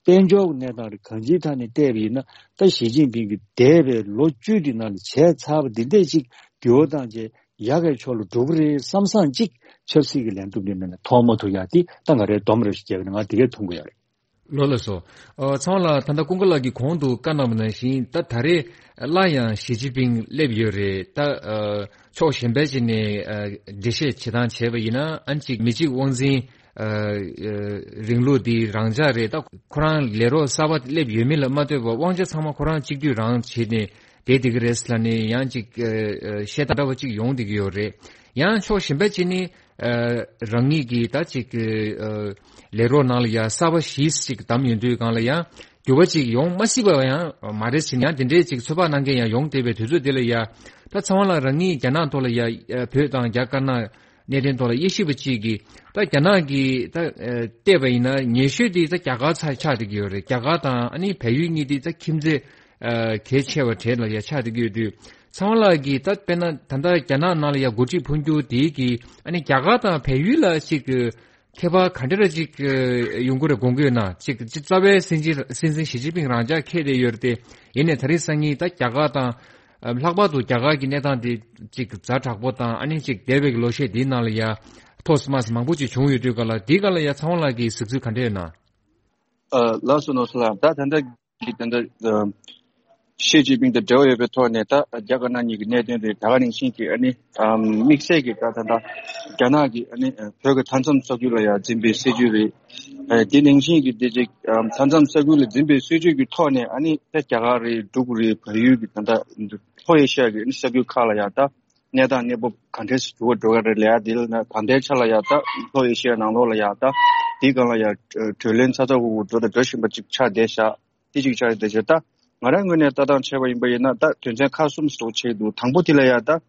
དཔལ་འབྱོར་གྱི་གནས་སྟངས་རེད། གང་ཅིའི་ཐད་ནས་བལྟས་པ་ཡིན་ན་ད་ཞི་ཅིན་ཕིང་གིས་འདས་པའི་ལོ་བཅུ་འདི་ནང་ལ་བྱས་ཚར་བ་འདི་འདྲས་ཅིག་འགྱུར་བ་བཏང་རྗེས་ཡག་གི་ཕྱོགས་ལ་འགྲོ་གི་རེད་བསམ་བསམ་ཅིག་ཆབ་སྲིད་ཀྱི་ལས་འགུལ་འདི་ནང་ནས་མཐོང་མ་ཐུབ་ཡག་འདི་ད་ང་རའི་སྡོམ་རེ་ཞིག་བརྒྱབ་ནས་ང་འདི་གས་མཐོང་གི་ཡོད་རེད། ལགས་སོ། ཨ་ཚང་མ་ལ་ད་ལྟ་ཀུན་དགའ་ལགས་ཀྱིས་གོང་དུ་བཀའ་གནང་བ་ནང་བཞིན་ད་ད་རེས་སླར་ཡང་ཞི་ཅིན་ཕིང་སླེབས་ཡོད་རེད། ད་ཨ་ཕྱོགས་གཞན་པའི་ཅིག་ནས་ཨ་འགྲེལ་བཤད་བྱེད་སྟངས་བྱས་པ་ཡིན་ན་ཨ་ནི་ཅིག་མི་གཅིག་དབང་འཛིན་ཨ་ཨ་རིང་ལུགས་འདི་རང་འཇགས་རེད། ད་ཁོ་རང་ལས་རོགས་གསར་པ་སླེབས་ཡོད་མེད་ལ་མ་ལྟོས་པར་དབང་ཆ་ཚང་མ་ཁོ་རང་གཅིག་སྡུད་རང་བྱས་ནས་བསྡད་བསྡད་ཀྱི་རེད་ལབ་ནས་ཡང་ཅིག་ཨ་ཨ་བཤད་སྟངས་འདྲ་བ་ཅིག་ཡོང་བསྡད་ཀྱི་ཡོད་རེད། ཡང་ཕྱོགས་གཞན་པ་ཅིག་ནས་ཨ་རང་ཉིད་ཀྱིས་ད་ཅིག་ཨ་ལས་རོགས་ནང་ལ་ཡང་གསར་པ་བཞི་ཞིག་བདམས་ཡོང་དུས་སྒང་ལ་ཡང་འགྱུར་བ་ཅིག་ཡོང་མ་སྲིད་པ་ཡང་མ་རེད་ཟེར་ཡང་དེ་འདྲའི་ཅིག་ཚོད་དཔག་གནང་མཁན་ཡང་ཡོང་བསྡད་པའི་དུས་ཚོད་དེ་ལ་ཡང་ད་ཚང་མ་ལ་རང་ཉིད་རྒྱ་ནག་ཐོག་ལ་ཡང་བོད་དང་རྒྱ་དཀར་ནག་གནད་དོན་ཐོག་ལ་དབྱེ་ཞིབ་པ་ཅིག་གིས་ད་རྒྱ་ནག་གིས་ད་ཨ་བལྟས་པ་ཡིན་ན་ཉེ་ཤོས་དེ་ད་རྒྱ་གར་ཚ་ཆགས་བསྡད་ཀྱི་ཡོད་རེད། རྒྱ་གར་དང་ཨ་ནི་བལ་ཡུལ་གཉིས་དེ་ད་ཁྱིམ་མཚེས་ཨ་གལ་ཆེ་བ་གྲས་ལ་ཡ་ཆགས་བསྡད་ཀྱི་ཡོད་དུས་ཚང་མ་ལ་གིས་ད་དཔེར་ན་ད་ལྟ་རྒྱ་ནག་ནང་ལ་ཡ་འགོ་ཁྲིད་འཕོ་འགྱུར་དེ་གིས་ཨ་ནི་རྒྱ་གར་དང་བལ་ཡུལ་ལ་ཅིག་ཁྱད་པར་ག་འདྲ་ཅིག་ཡོང་གི་རེད་དགོངས་ཀྱི་ཡོད་ན། ཅིག་ཅིག་རྩ་བའི་སྲིད་འཛིན་སྲིད་འཛིན་ཞི་ཅིན་ཕིང་རང་འཇགས་འཁེལ་བསྡད་ཡོད་རེད་དེ། ཡིན་ནའི་ད་རེས་སང་ཉིན་ད་རྒྱ་གར་དང་ལྷག་པར་དུ་རྒྱ་གར་གྱི་གནས་སྟངས་དེ་ཅིག་ཛ་དྲག་པོ་དང་ཨ་ནི་ཅིག་འདས་པའི་ལོ་ཤས་འདིའི་ནང་ལ་ཡ་ཐོག་མ་མང་པོ་ཅིག་བྱུང་ཡོད་དུས་ག་ལ་འདིའི་ག་ལ་ཡ་ཚང་མ་ལ་གི་གཟིགས་ཚུལ་ག་འདྲ་ཡོད་ན། ལགས་སོ་ནོར་བཟང་ལགས། ད་ད་ལྟ་གི་ད་ལྟ་ཨ་ཞི་ཅིན་ཕིང་དང་འབྲེལ་བ་ཡོད་པའི་ཐོག་ནས་ད་རྒྱ་དཀར་ནག་གཉིས་ཀྱི་གནད་དོན་དེ་ད་ག་ནང་བཞིན་གྱི་ཨ་ནི་ཨམ་དམིགས་བསལ་གྱི་ད་ད་ལྟ་རྒྱ་ནག་གི་ཨ་ནི་ཨ་བོད་ཀྱི་མཐའ་མཚམས་ས་ཁུལ་ལ་ཡང་འཛིན་པའི་སྲིད་ཇུས་རེད། ཨ་དེ་ནང་བཞིན་གྱི་དེ་ཅིག་ཨམ་མཐའ་མཚམས་ས་ཁུལ་ལ་འཛིན་པའི་སྲིད་ཇུས་ཀྱི་ཐོག་ནས་ཨ་ནི་ད་རྒྱ་གར་རེད། འབྲུག་རེད། བལ་ཡུལ་གྱི་ད་ལྟ་ལྷོ་ཨེ་ཤི་ཡ་གི་ཨ་ནི་ས་ཁུལ་ཁག་ལ་ཡང་ད་གནས་སྟངས་གནས་བབ་ག་འདྲས་སུ་འགྱུར་བ་འགྲོ་གི་རེད་ལབ་ཡ་དེ་ལ་ན་ད་ལྟའི་ཆ་ལ་ཡ་ད་ལྷོ་ཨེ་ཤི་ཡ་ནང་ལོགས་ལ་ཡ་ད་དེའི་སྒང་ལ་ཡ་གྲོས་ལན་ཚ་ཚ་འུར་འུར་འགྲོ་དང་འགྲོ་བཞིན་པ་ཅིག་ཆགས་བསྡད་ཤག་དེ་ཅིག་ཆགས་བསྡད་ཤག་ད་ང་རང་ངོས་ནས་ལྟ་སྟངས་བྱས་པ་ཡིན་པ་ཡིན་ན་ད་དོན་ཚན་ཁག་གསུམ་ཞིག་ཆགས་འདུག་དང་པོ་དེ་ལ་ཡ་ད་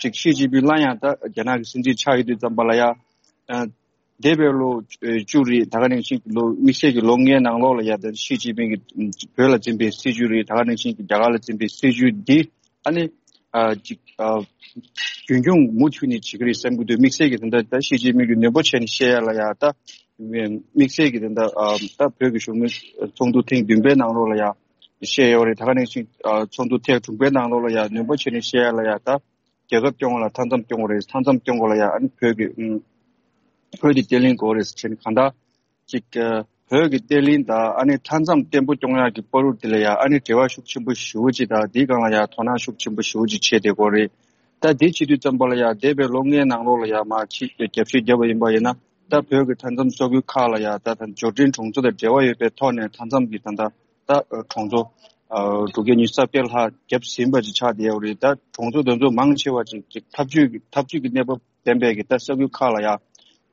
ཅིག་ཞི་ཅིན་ཕིང་སླར་ཡང་ད་རྒྱ་ནག་གི་སྲིད་འཛིན་ཆགས་ཡོད་དུས་ཙམ་པ་ལ་ཡ། ཨ་འདས་པའི་ལོ་བཅུ་རེད། ད་ག་ནང་བཞིན་གྱི་ལོ་དམིགས་བསལ་གྱི་ལོ་ལྔའི་ནང་ལོགས་ལ་ཡ་ད་ཞི་ཅིན་ཕིང་གིས་བོད་ལ་འཛིན་པའི་སྲིད་ཇུས་རེད། ད་ག་ནང་བཞིན་གྱི་རྒྱ་གར་ལ་འཛིན་པའི་སྲིད་ཇུས་འདི་ཨ་ནི་ཨ་ཅིག་ཨ་རྒྱུན་འཁྱོངས་མུ་མཐུད་ནས་བྱེད་ཀྱི་རེད་བསམ་གྱི་འདུག་དམིགས་བསལ་གྱི་ད་ལྟ་ད་ཞི་ཅིན་ཕིང་གིས་ནན་པོ་བྱས་ནས་བཤད་ཡ་ལ་ཡ་ད་དམིགས་བསལ་གྱི་ད་ལྟ་ཨ་ད་བོད་ཀྱི་གཞོན་ནུ་ཚོགས་འདུ་ཐེངས་བདུན་པའི་ནང་ལོགས་ལ་ཡ་བཤད་ཡོད་རེད། ད་ག་ནང་བཞིན་ཨ་ཚོགས་འདུ་ཐེངས་དྲུག་པའི་ནང་ལོགས་ལ་ཡ་ནན་པོ་བྱས་ནས་བཤད་ཡ་ལ་ཡ་ད། རྒྱལ་ཁབ་སྐྱོང་བ་ལ་མཐའ་མཚམས་སྐྱོང་དགོས་རེད། མཐའ་མཚམས་སྐྱོང་དགོས་ལ་ཡ་ཨ་ནི་བོད་ཀྱི་ཨུམ་བོད་ཀྱི་བརྟན་ལྷིང་དགོས་རེད་ཟེར་ནས་གང་ལྟར་ཅིག་ཨ་བོད་ཀྱི་བརྟན་ལྷིང་དང་ཨ་ནི་མཐའ་མཚམས་བརྟན་པོ་སྐྱོང་ཡག་གི་བར་དུ་དེ་ལ་ཡ་ཨ་ནི་འབྲེལ་བ་ཤུགས་ཆེན་པོ་ཞེ་པོ་ཅིག་དང་དེའི་སྒང་ལ་ཡ་དོ་སྣང་ཤུགས་ཆེན་པོ་ཞེ་པོ་ཅིག་བྱས་བསྡད་ཀྱི་ཡོད་རེད། ད་དེ་བྱེད་དུས་ཙམ་པ་ལ་ཡ་འདས་པའི་ལོ་ལྔའི་ནང་ལོགས་ལ་ཡ་མར་ཕྱིས་རྒྱབ་བཤད་བརྒྱབ་པ་ཡིན་པ་ཡིན་ན་ད་བོད་ཀྱི་མཐའ་མཚམས་ས་ཁུལ་ཁག་ལ་ཡ་ད་ད་འབྱོར་འབྲིང་གྲོང་ཚོ་དང་འབྲེལ་བ་ཡོད་པའི་ཐོག་ནས་མཐའ་མཚམས་ཀྱི་ད་ད། ད་གྲོང་ཚོ་དྲུག་བརྒྱ་ཉི་ཤུ་རྩ་བརྒྱད་ལྷག་བརྒྱབ་ཟིན་པ་ཅིག་ཆགས་བསྡད་ཡོད་རེད། ད་གྲོང་ཚོ་དེ་ཚོ་མང་ཆེ་བ་ཅིག་ཅིག་འཐབ་ཇུས་ཀྱི་འཐབ་ཇུས་ཀྱི་གནས་བབ་ལྡན་པའི་གི་ད་ས་ཁུལ་ཁག་ལ་ཡ་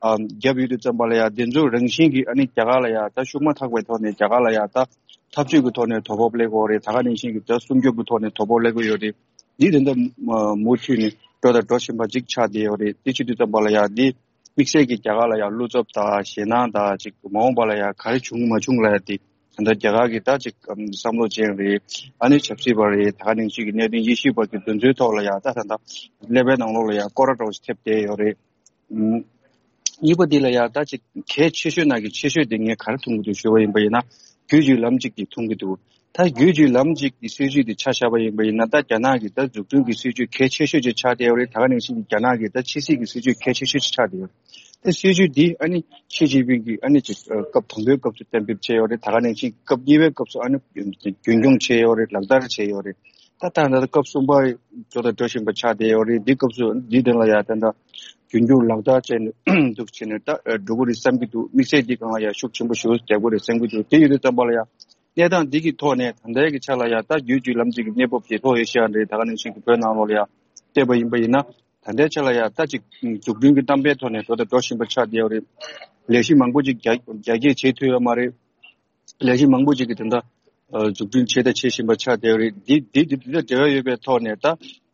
བརྒྱབ་ཡོད་དུས་ཙམ་པ་ལ་ཡ་དེ་ཚོ་རང་བཞིན་གྱིས་ཨ་ནི་རྒྱ་གར་ལ་ཡ་ད་ཤུགས་མ་ཐག་པའི་ཐོག་ནས་རྒྱ་གར་ལ་ཡ་ད་འཐབ་ཇུས་ཀྱི་ཐོག་ནས་དོ་ཕོག་སླེབས་ཀྱི་ཡོད་རེད། ད་ག་ནང་བཞིན་གྱི་ད་སྲུང་སྐྱོབ་ཀྱི་ཐོག་ནས་དོ་ཕོག་སླེབས་ཀྱི་ཡོད་རེད། འདི་དེ་འདྲ་མུ་མཐུད་ནས་འགྲོ་དང་འགྲོ་བཞིན་པ་ཅིག་ཆགས་བསྡད་ཡོད་རེད། དེ་བྱེད་དུས་ཙམ་པ་ལ་ཡ་འདི་དམིགས་བསལ་གྱི་རྒྱ་གར་ལ་ཡ་བློ་འཚབ་དང་ཞེད་སྣང་དང་ཅིག་མ་འོངས་པ་ལ་ཡ་ག་རེ་བྱུང་མ་བྱུང་ལ་ཡ་དེ་ད་ལྟ་རྒྱ་གར་གྱི་ད་ཅིག་བསམ་བློ་ཅན་རེད། ཨ་ནི་ཆབ་སྲིད་པ་རེད། ད་ག་ནང་བཞིན་གྱི་གནད་དོན་དབྱེ་ཞིབ་པ་གི་དོན་ཚན་ཐོག་ལ་ཡ་ད་ད་ལྟ་ཀླད་པའི་ནང་ལོགས་ལ་ཡ་སྐོར་ར་འདྲ་བོ་ཞིག་ཐེབས་བསྡད་ཡོད་རེད། གཉིས་པ་འདི་ལ་ཡང་ད་ཅིག་གལ་ཆེ་ཤོས་ནང་གི་ཆེ་ཤོས་དེ་ངས་ག་རེ་མཐོང་གི་འདུག་ཞུ་བ་ཡིན་པ་ཡིན་ན། བརྒྱུད་བརྒྱུད་ལམ་གཅིག་གི་མཐོང་གི་འདུག་ད་བརྒྱུད་བརྒྱུད་ལམ་གཅིག་གི་སྲིད་བྱུས་དེ་ཆ་བཞག་པ་ཡིན་པ་ཡིན་ན་ད་རྒྱ་ནག་གི་ད་འཛུགས་སྐྲུན་གྱི་སྲིད་བྱུས་གལ་ཆེ་ཤོས་ཅིག་ཆགས་བསྡད་ཡོད་རེད། ད་ག་ནང་བཞིན་གྱི་རྒྱ་ནག་གི་ད་ཕྱི་སྲིད་ཀྱི་སྲིད་བྱུས་གལ་ཆེ་ཤོས་ཅིག་ཆགས་བསྡད་ཡོད་རེད། ད་སྲིད་བྱུས་འདི་ཨ་ནི་ཞི་ཅིན་ཕིང་གིས་ཨ་ནི་ཅིག་སྐབས་དང་པོའི་སྐབས་སུ་གཏན་འབེབས་བྱས་ཡོད་རེད། ད་ག་ནང་བཞིན་སྐབས་གཉིས་པའི་སྐབས་སུ་ཨ་ནི་རྒྱུན་འཁྱོངས་བྱས་ཡོད་རེད། ལག་བསྟར་བྱས་ཡོད་རེད། ད་ད་ད་སྐབས་གསུམ་པ་འགྲོ་དང་འགྲོ་བཞིན་པ་ཆགས་བསྡད་ཡོད་རེད། འདི་སྐབས་སུ་འདི་དོན་ལ་ཡང་ད་ད་རྒྱུན་འཁྱོངས་ལག་བསྟར་བྱས་ནས་འདུག་བྱས་ནས་ད་འགྲོ་གི་རེད་བསམ་གྱི་འདུག་དམིགས་བསལ་འདི་སྒང་ལ་ཡང་ཤུགས་ཆེན་པོ་ཞེ་པོ་རྒྱག་དགོས་རེད་བསམ་གྱི་འདུག་དེ་ཡོད་དུས་ཙམ་པ་ལ་ཡང་གནས་སྟངས་འདི་གི་ཐོག་ནས་ད་ལྟའི་གི་ཆ་ལ་ཡང་ད་རྒྱུད་གཅིག་ལམ་གཅིག་གི་གནས་བབ་དེ་ལྷོ་ཨེ་ཤི་ཡ་རེད། ད་ག་ནང་བཞིན་གྱི་བོད་ནང་ལོགས་ལ་ཡང་བལྟས་པ་ཡིན་པ་ཡིན་ན། ད་ལྟའི་ཆ་ལ་ཡང་ད་ཅིག་འཛུགས་སྐྲུན་གྱི་གཏམ་དཔེའི་ཐོག་ནས་འགྲོ་དང་འགྲོ་བཞིན་པ་ཆགས་བསྡད་ཡོད་རེད། ལས་གཞི་མང་པོ་ཅིག་རྒྱ་རྒྱ་སྐྱེད་བྱེད་ཐུབ་ཡོད་མ་རེད། ལས་གཞི་མང་པོ་ཅིག་གི་དེ་འདྲ་འཛུགས་སྐྲུན་བྱེད་དང་བྱེད་བཞིན་པ་ཆགས་བསྡད་ཡོད་རེད། འདི་འདི་འདི་འདི་དང་འབྲེལ་བ་ཡོད་པའི་ཐོག་ནས་ད་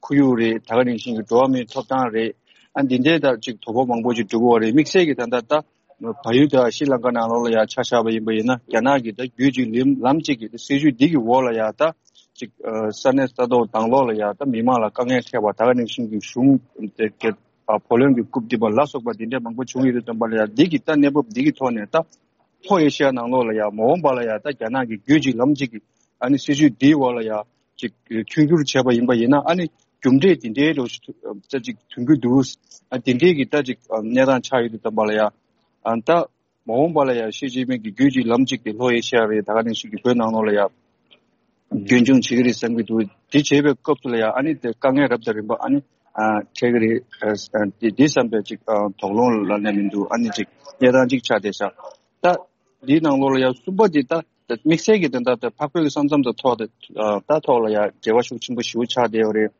ཁོར་ཡུག་རེད། ད་ག་ནང་བཞིན་གྱི་འགྲོ་བ་མིའི་ཐོབ་ཐང་རེད། ཨ་འདི་འདྲའི་ད་ཅིག་དོ་ཕོག་མང་པོ་ཅིག་འགྲོ་གི་ཡོད་རེད། དམིགས་བསལ་གྱི་ད་ལྟ་ད་བལ་ཡུལ་དང་ཤྲི་ལང་ཀ་ནང་ལོགས་ལ་ཡང་ཆ་བཞག་པ་ཡིན་པ་ཡིན་ན། རྒྱ་ནག་གི་ད་རྒྱུད་གཅིག་ལམ་ལམ་གཅིག་གི་ད་སྲིད་ཇུས་འདི་གི་འོག་ལ་ཡང་ད་ཅིག་ས་གནས་ས་ཐོག་དང་ལོགས་ལ་ཡང་ད་མི་མང་ལ་དཀའ་ངལ་འཕྲད་པ། ད་ག་ནང་བཞིན་གྱི་གཞུང་དེ་ག་བུ་ལོན་གྱི་རྐུབ་རྡིབ་པ་ལ་སོགས་པ་འདི་འདྲ་མང་པོ་བྱུང་ཡོད་དུས་ཙམ་པ་ལ་ཡང་འདི་གི་ད་གནས་བབ་འདི་གི་ཐོག་ནས་ད་ལྷོ་ཨེ་ཤི་ཡ་ནང་ལོགས་ལ་ཡང་མ་འོངས་པ་ལ་ཡང་ད་རྒྱ་ནག་གི་རྒྱུད་གཅིག་ལམ་གཅིག་གི་ཨ་ནི་སྲིད་ཇུས་འདིའི་འོག་ལ་ཡང་ཅིག་མཐུན་འགྱུར་བྱས་པ་ཡིན་པ་ཡིན་ན། ཨ་ནི་རྒྱུ་འབྲས་འདི་འདྲའི་འདྲ་ཅིག་ཐོན་གྱི་འདུག་ཨ་འདི་འདྲའི་གི་ད་ཅིག་གནས་སྟངས་ཆགས་ཡོད་དུས་ཙམ་པ་ལ་ཡང་ཨ་ད་མ་འོངས་པ་ལ་ཡང་ཞི་ཅིན་ཕིང་གི་རྒྱུད་གཅིག་ལམ་གཅིག་དེ་ལྷོ་ཨེ་ཤི་ཡ་རེད། ད་ག་ནང་བཞིན་གྱི་བོད་ནང་ལོགས་ལ་ཡང་རྒྱུན་འཁྱོངས་བྱེད་ཀྱི་རེད་བསམ་གྱི་འདུག་དེ་བྱེད་པའི་སྐབས་སུ་ལ་ཡང་ཨ་ནི་དེ་དཀའ་ངལ་རབ་དང་རིམ་པ་ཨ་ནི་ཨ་འཕྲད་ཀྱི་རེད། ཨ་དེ་དེ་བསམ་པའི་ཅིག་ཨ་དོགས་སློང་ལ་ནས་མི་འདུག་ཨ་ནི་ཅིག་གནས་སྟངས་ཅིག་ཆགས་བསྡད་ཤག་ད་འདིའི་ནང་ལོགས་ལ་ཡང་གསུམ་པ་དེ་ད་དམིགས་བསལ་གྱི་དེ་འདྲ་ད་འཕགས་བོད་ཀྱི་ས་མཚམས་དང་ཐོག་དེ་ཨ་ད་ཐོག་ལ་ཡང་འབྲེལ་བ་ཤུགས་ཆེན་པོ་ཞེ་པོ་ཆགས་བསྡད་ཡོད་རེད།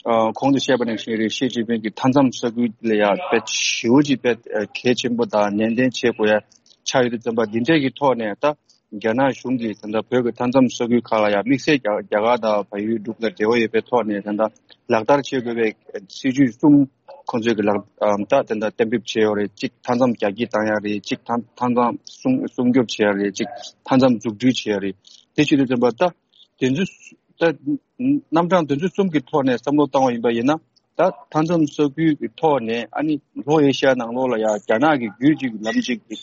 ཨ་གོང་དུ་བཤད་པ་ནང་བཞིན་རེད། ཞི་ཅིན་ཕིང་གི་མཐའ་མཚམས་ས་ཁུལ་ལ་ཡང་དཔེ་ཞེ་པོ་ཅིག་དཔེ་གལ་ཆེན་པོ་དང་ནན་ཏན་བྱེད་དགོས་ཡ་ཆགས་ཡོད་དུས་ཙམ་པ་འདི་འདྲས་ཀྱི་ཐོག་ནས་ད་རྒྱ་ནག་གཞུང་གིས་ད་ལྟ་བོད་ཀྱི་མཐའ་མཚམས་ས་ཁུལ་ཁག་ལ་ཡང་དམིགས་བསལ་རྒྱ་རྒྱ་གར་དང་བལ་ཡུལ་འབྲུག་དང་འབྲེལ་བ་ཡོད་པའི་ཐོག་ནས་ད་ལྟ་ལག་བསྟར་བྱེད་དགོས་པའི་སྲིད་ཇུས་གསུམ་ཁོང་ཚོས་ཀྱི་ལག་ད་ད་ལྟ་གཏན་འབེབས་བྱས་ཡོད་རེད། གཅིག་མཐའ་མཚམས་རྒྱ་སྐྱེད་བཏང་ཡ་རེད། གཅིག་མཐའ་མཐའ་མཚམས་སྲུང་སྲུང་སྐྱོབ་བྱེད་ཡ་རེད། གཅིག་མཐའ་མཚམས་འཛུགས་སྐྲུན་བྱེད་ཡ་རེད། དེ་བྱེད་དུས་ཙམ་པ་ད་དེ་ཚོ་ད་རྣམ་གྲངས་དེ་ཚོ་གསུམ་གྱི་ཐོག་ནས་བསམ་བློ་བཏང་བ་ཡིན་པ་ཡིན་ན། ད་མཐའ་མཚམས་ས་ཁུལ་གྱི་ཐོག་ནས་ཨ་ནི་ལྷོ་ཨེ་ཤི་ཡ་ནང་ལོགས་ལ་ཡང་རྒྱ་ནག་གི་རྒྱུད་གཅིག་ལམ་གཅིག་གི་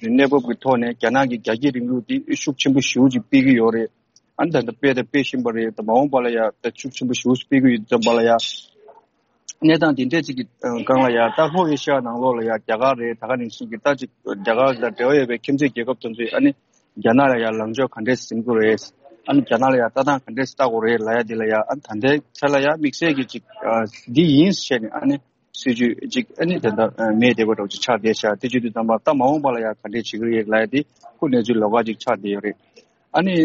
གནས་བབ་ཀྱི་ཐོག་ནས་རྒྱ་ནག་གི་རྒྱ་སྐྱེད་རིང་ལུགས་འདི་ཤུགས་ཆེན་པོ་ཞེ་པོ་ཅིག་སྤེལ་གྱི་ཡོད་རེད། ཨ་ནི་ད་ལྟ་སྤེལ་དང་སྤེལ་བཞིན་པ་རེད། ད་མ་འོངས་པ་ལ་ཡང་ད་ཤུགས་ཆེན་པོ་ཞེ་པོ་ཅིག་སྤེལ་གྱི་ཡོད་ཙམ་པ་ལ་ཡང་གནས་སྟངས་འདི་འདྲས་ཅིག་གི་སྒང་ལ་ཡང་ད་ལྷོ་ཨེ་ཤི་ཡ་ནང་ལོགས་ལ་ཡང་རྒྱ་གར་རེད། ད་ག་ནང་བཞིན་གྱི་ད་ཅིག་རྒྱ་གར་དང་འབྲེལ་བ་ཡོད་པའི་ཁྱིམ་མཚེས་རྒྱལ་ཁབ་དེ་ཚོས་ཨ་ནི་རྒྱ་ནག་ལ་ཡང་ལངས་ཕྱོགས་ག་འདྲས་འཛིན་དགོས་རེད། ཨ་ནི་རྒྱ་ནག་ལ་ཡང་ལྟ་སྟངས་ག་འདྲས་ལྟ་དགོས་རེད་ལབ་ཡ་འདི་ལ་ཡང་ཨ་ནི་ད་ལྟའི་ཆ་ལ་ཡང་དམིགས་བསལ་གྱི་ཅིག་ཨ་འདི་ཡིན་ཟེར་ནས་ཨ་ནི་སྲིད་ཇུས་ཅིག་ཨ་ནི་དེ་འདྲ་ཨ་མེད་བསྡད་པ་འདྲ་ཅིག་ཆགས་བསྡད་ཤག་དེ་བྱེད་དུས་ཙམ་པ་ད་མ་འོངས་པ་ལ་ཡང་ག་འདྲས་བྱེད་ཀྱི་རེད་ལབ་ཡ་དེ་ཁོ་གནས་ཚུལ་ལོགས་ཀ་ཅིག་ཆགས་བསྡད་ཡོད་རེད། ཨ་ནི།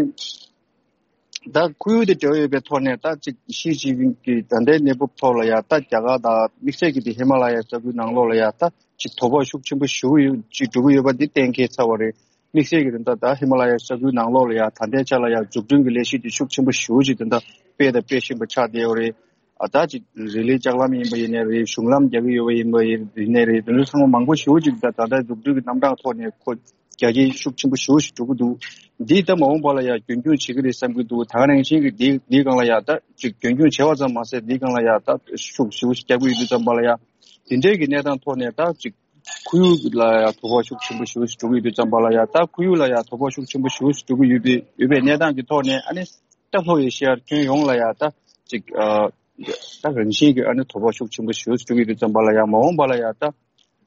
ད་ཁོར་ཡུག་དང་འབྲེལ་བ་ཡོད་པའི་ཐོག་ནས་ད་ཅིག་ཞི་ཅིན་ཕིང་གི་ད་ལྟའི་གནས་བབ་ཐོག་ལ་ཡང་ད་རྒྱ་གར་དང་དམིགས་བསལ་གྱི་དེ་ཧི་མ་ལ་ཡའི་ས་ཁུལ་ནང་ལོགས་ལ་ཡང་ད་ཅིག་དོ་ཕོག་ཤུགས་ཆེན་པོ་ཞེ་པོ་ཡོད་ཅིག་འགྲོ་གི་ཡོད་པ་འདི་གཏན་འཁེལ་ཚར་བ་རེད། དམིགས་བསལ་གྱི་དེ་འདྲ་ད་ཧི་མ་ལ་ཡའི་ས་ཁུལ་ནང་ལོགས་ལ་ཡང་ད་ལྟའི་ཆ་ལ་ཡང་འཛུགས་སྐྲུན་གྱི་ལས་གཞི་དེ་ཤུགས་ཆེན་པོ་ཞེ་པོ་ཅིག་དེ་འདྲ་སྤེལ་དང་སྤེལ་བཞིན་པ་ཆགས་བསྡད་ཡོད་རེད། ཨ་ད་ཅིག་རི་ལི་ལྕགས་ལམ་ཡིན་པ་ཡིན་ནའི་རེད། གཞུང་ལམ་རྒྱག་གི་ཡོད་པ་ཡིན་པ་ཡིན་ནའི་རེད། དེ་ཚོ་ཚང་མ་མང་པོ་ཞེ་པོ་ཅིག་ད་ད་ལྟ་འཛུགས་སྐྲུན་གྱི་རྣམ་གྲངས་ཐོག་ནས་ཁོ་རྒྱ་སྐྱེད་ཤུགས་ཆེན་པོ་ཞེ་པོ་ཞིག་འགྲོ་གི་འདུག་འདི་ད་མ་འོངས་པ་ལ་ཡང་རྒྱུན་འཁྱོངས་བྱེད་ཀྱི་རེད་བསམ་གྱི་འདུག་ད་ག་ནང་བཞིན་གྱི་འདི་འདིའི་སྒང་ལ་ཡང་ད་ཅིག་རྒྱུན་འཁྱོངས་བྱས་པ་ཙམ་མ་ཟད་འདིའི་སྒང་ལ་ཡང་ད་ཤུགས་ཞེ་པོ་ཞིག་རྒྱག་གི་ཡོད་དུས་ཙམ་པ་ལ་ཡང་དེ་འདྲའི་གི་གནས་སྟངས་ཐོག་ནས་ད་ཅིག་ཁོར་ཡུག་ལ་ཡང་དོ་ཕོག་ཤུགས་ཆེན་པོ་ཞེ་པོ་ཞིག་འགྲོ་གི་ཡོད་དུས་ཙམ་པ་ལ་ཡང་ད་ཁོར་ཡུག་ལ་ཡང་དོ་ཕོག་ཤུགས་ཆེན་པོ་ཞེ་པོ་ཞིག་འགྲོ་གི་ཡོད་པའི་ཡོད་པའི་གནས་སྟངས་ཀྱི་ཐོག་ནས་ཨ་ནི། ད་ལྷོ་ཨེ་ཤི་ཡ་ཁྱོན་ཡོངས་ལ་ཡང་ད་ཅིག་ཨ་ད་རང་བཞིན་གྱི་ཨ་ནི་དོ་ཕོག་ཤུགས་ཆེན་པོ་ཞེ་པོ་ཞིག་འགྲོ་གི་ཡོད་དུས་ཙམ་པ་ལ་ཡང་མ་འོངས་པ་ལ་ཡང་ད་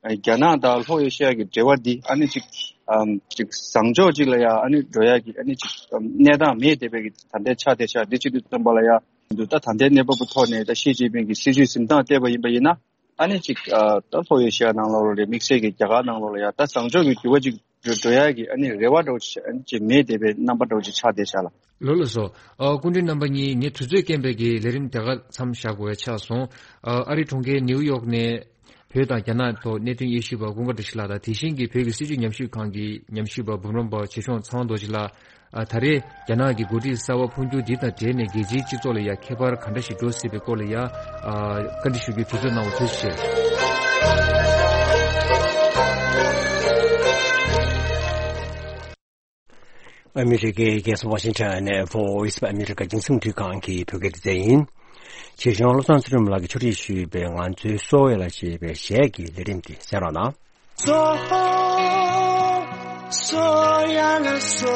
རྒྱ་ནག་དང་ལྷོ་ཨེ་ཤི་ཡ་གི་འབྲེལ་བ་འདི་ཨ་ནི་ཅིག་ཨམ་ཅིག་བཟང་ཕྱོགས་ཅིག་ལ་ཡང་ཨ་ནི་འགྲོ་ཡ་གི་ཨ་ནི་ཅིག་ཨམ་གནས་སྟངས་མེད་བསྡད་པའི་གི་ད་ལྟའི་ཆ་དེ་ཆ་འདི་བྱེད་དུས་ཙམ་པ་ལ་ཡང་འདུག་ད་ད་ལྟའི་གནས་བབ་ཀྱི་ཐོག་ནས་ད་ཞི་ཅིན་ཕིང་གི་སྲིད་ཇུས་འཛིན་སྟངས་བལྟས་པ་ཡིན་པ་ཡིན་ན། ཨ་ནི་ཅིག་ཨ་ད་ལྷོ་ཨེ་ཤི་ཡ་ནང་ལོགས་ལ་རེད། དམིགས་བསལ་གྱི་རྒྱ་གར་ནང་ལོགས་ལ་ཡང་ད་བཟང་ཕྱོགས་ཀྱི་འགྱུར་བ་ཅིག་འགྲོ་འགྲོ་ཡ་གི་ཨ་ནི་རེ་བ་འདྲ་བོ་ཅིག་ཨ་ནི་ཅིག་མེད་བསྡད་པའི་རྣམ་པ་འདྲ་བོ་ཅིག་ཆགས་བསྡད་ཤག་ལ། ལགས་ལགས་སོ། ཨ་སྐུ་མགྲོན་རྣམ་པ་གཉིས་ངས་དུས་ཚོད་རྐྱེན་པས་ཀྱི་ལས་རིམ་དེ་ག་མཚམས་བཞག་དགོས་ཡ་ཆགས་སོང་། ཨ་ཨ་རི་གྲོང་ཁྱེར་ནེའུ་ཡོག་ནས་བོད་དང་རྒྱ་ནག་ཐོག་གནད་དོན་དབྱེ་ཞིབ་པ་ཀུན་དགའ་བཀྲ་ཤིས་ལགས་དང་དེ་བཞིན་གྱི་བོད་ཀྱི་སྲིད་བྱུས་ཉམས་ཞིབ་ཁང་གི་ཉམས་ཞིབ་པ་འབུམ་རམས་པ་ཆོས་སྐྱོང་ཚེ་དབང་རྡོ་རྗེ་ལགས། ཨ་ད་རེས་རྒྱ་ནག་གི་འགོ་ཁྲིད་གསར་པ་འཕོ་འགྱུར་འདི་དང་འབྲེལ་ནས་རྒྱལ་སྤྱིའི་སྤྱི་ཚོགས་ལ་ཡང་ཁྱད་པར་ག་འདྲ་ཞིག་འགྲོ་སྲིད་པའི་སྐོར་ལ་ཡང་ཨ་བཀའ་འདྲི་ཞུ་རྒྱུའི་དུས་ཚོད་གནང་བར་ཐུགས་རྗེ་ཆེ། ཨ་མི་རི་ཀའི་རྒྱལ་ས་ཝ་ཤིང་ཊོན་ནས་Voice of America རྒྱང་སྲིང་རླུང་འཕྲིན་ཁང་གི་བོད་སྐད་སྡེ་ཚན་ཡིན། ཆེ་ཞང་བློ་བཟང་ཚེ་རིང་ལགས་ཀྱིས་ཕྱོགས་སྒྲིག་ཞུས་པའི་ང་ཚོའི་སོ་ཡ་ལ་ཞེས་པའི་གཞས་ཀྱི་ལས་རིམ་དེ་གསན་རོགས་གནང་། སོ་སོ་ཡ་ལ་སོ།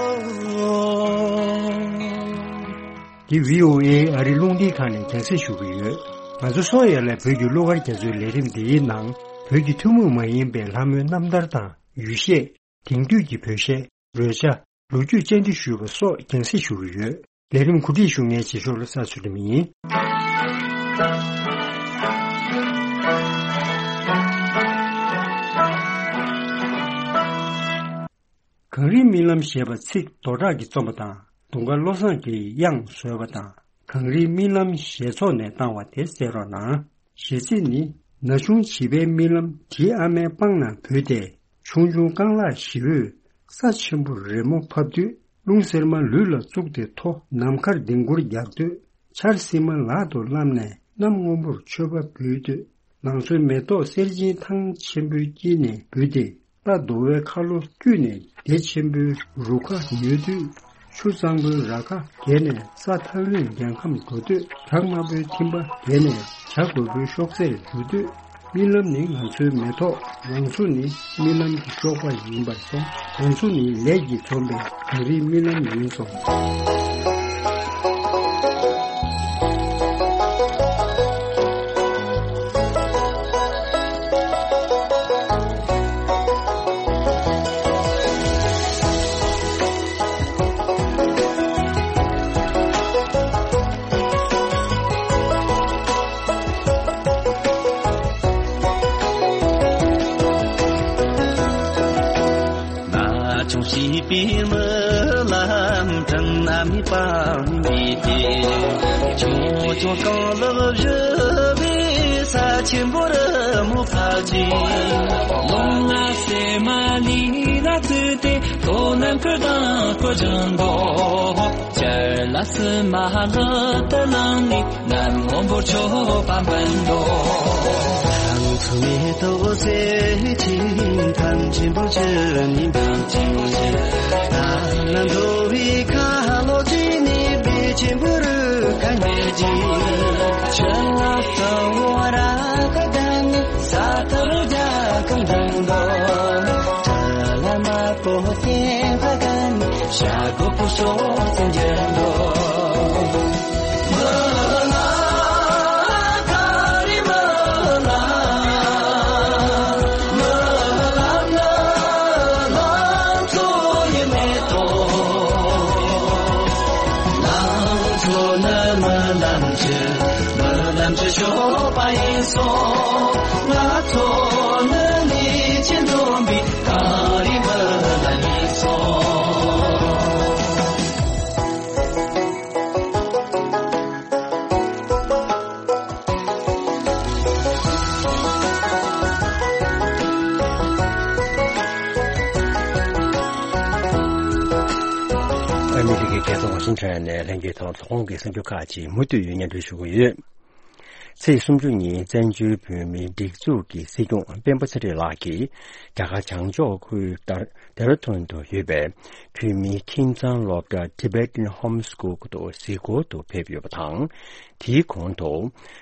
འདི་བྷི་ཨོ་ཨེ་ཨ་རི་རླུང་འཕྲིན་ཁང་ནས་རྒྱང་སྲིང་ཞུ་གི་ཡོད། ང་ཚོ་སོ་ཡ་ལ་བོད་ཀྱི་གླུ་གར་རྒྱ་མཚོའི་ལས་རིམ་འདིའི་ནང་བོད་ཀྱི་ཐུན་མོང་མ་ཡིན་པའི་ལྷ་མོའི་རྣམ་ཐར་དང་ཡུལ་གཞས། དེང་དུས་ཀྱི་བོད་གཞས། རོལ་ཆ། ལོ་རྒྱུས་བཅར་འདྲི་ཞུས་པ་སོགས་རྒྱང་སྲིང་ཞུ་གི་ཡོད། ལས་རིམ་གོ་སྒྲིག་ཞུ་མཁན་རྗེས་ཤོག་བློ་བཟང་ཚུལ་ཁྲིམས་ཡིན། གངས་རིའི་རྨི་ལམ་ཞེས་པ་ཚིག་རྡོ་གྲགས་ཀྱིས་རྩོམ་པ་དང་། དུང་དཀར་བློ་བཟང་གིས་དབྱངས་བཟོས་པ་དང་། གངས་རིའི་རྨི་ལམ་ཞེས་ཚོགས་ནས་བཏང་བ་དེ་གསན་རོགས་གནང་། གཞས་ཚིག་ནི། ན་ཆུང་བྱིས་པའི་རྨི་ལམ་བྲིས་ཨ་མའི་པང་ན་བུད་དེ། ཆུང་ཆུང་རྐང་ལག་ཞི་བོས་ས་ཆེན་པོར་རི་མོ་ཕབ་དུས། རླུང་གསེར་མ་ལུས་ལ་བཙུགས་ཏེ་མཐོ། ནམ་མཁར་ལྡིང་སྐོར་རྒྱག་དུས། ཆར་བསིལ་མ་ལག་ཏུ་བསླངས་ནས་གནམ་སྔོན་པོར་མཆོད་པ་འབུལ་དུས། ལང་ཚོའི་མེ་ཏོག་གསེར་སྦྱིན་ཐང་ཆེན་པོའི་དཀྱིལ་ནས་འབུད་དེ། རྟ་འདོ་བའི་ཁ་ལོ་བཀྱུས་ནས་བདེ་ཆེན་པོའི་རུ་ཁ་ཉོས་དུས། ཆུ་གཙང་པོའི་ར་ཁ་བརྒལ་ནས་ས་ཐག་རིང་རྒྱལ་ཁམས་འགྲོ་དུས། བྲག་དམར་པོའི་ཐིམ་པ་བརྒལ་ནས་བྱ་རྒོད་པོའི་གཤོག་རྩལ་འཇུ་དུས། རྨི་ལམ་ནི་ང་ཚོའི་མེ་ཏོག་ལང་ཚོ་ནི་རྨི་ལམ་གྱི་གཤོག་པ་ཡིན་པར་གསུངས། ལང་ཚོ་ནི་ལས་ཀྱིས་འཛོམས་པའི་གངས་རིའི་རྨི་ལམ་ཡིན་གསུངས། ན་ཆུང་བྱིས་པའི་རྨི་ལམ་དྲན་ན་མི་སྤང་མི་དེ། ཆུང་ཆུང་རྐང་ལག་བཞི་པའི་ས་ཆེན་པོར་མོ་ཕབ་ཅིང་། ལོ་ལྔ་སེ་མ་ལི་ལ་བཙུད་དེ། ལོ་ནམ་ཁུར་དང་ཁོ་ཅང་དོ། ཅར་ལ་སི་མ་ལོ་ཏི་ལང་ནི། ནམ་སྔོན་པོར་མཆོད་པ་འབུལ་འདོད། ལང་ཚོ་མེ་ཏོག་གསེར་ཆེན་ཐང་ཆེན་པོར་གྱུར་ནས། ཐང་ཆེན་པོར་གྱུར། ད་ལ་འདོ་བའི་ཁ་ལོ་ཅི་ནས་བདེ་ཆེན་པོ་རུ་ཁ་ཉེ་ཅིང་། ཆུ་ལ་སོ་བོ་ར་ཁ་དང་ནི། ས་ཐོར་རྒྱ་ཁམས་དང་དོ། ཁྲ་ལ་མ་པོ་སྐྱེ་བ་གན། ཤ་གོ་པོ་ཤོ་ཚན་གྱི་དོ། ལམ་གྱི་ཤོག་པ་ཡིན་སོང་། ང་ཚོ་ནི་ནི་ཆེན་འཛོམས་པའི་གངས་རི་མི་ལ་ཡིན་སོང་། ཨ་མི་རི་ཀའི་རྒྱལ་ས་ཝ་ཤིང་ཊོན་ནས་ལྷན་རྒྱས་ཚོར་ཐོག་ཁོངས་ཀྱི་གསར་འགྱུར་ཁག་ཅིག་མུ་མཐུད་སྙན་སྒྲོན་ཞུ་གི་ཡོད། ཚེས་སུམ་ཅུ་ཉིན་བཙན་བྱོལ་བོད་མིའི་སྒྲིག་འཛུགས་ཀྱི་སྲིད་སྐྱོང་སྤེན་པ་ཚེ་རིང་ལགས་ཀྱིས་རྒྱ་གར་བྱང་ཕྱོགས་ཁུལ་ཏར་ཏེ་ར་ཐོན་དུ་ཡོད་པའི་བོད་མིའི་ཁྱིམ་ཚང་སློབ་གྲྭ་Tibetan Home School དུ་གཟིགས་སྐོར་དུ་ཕེབས་ཡོད་པ་དང་། དེའི་གོང་དུ་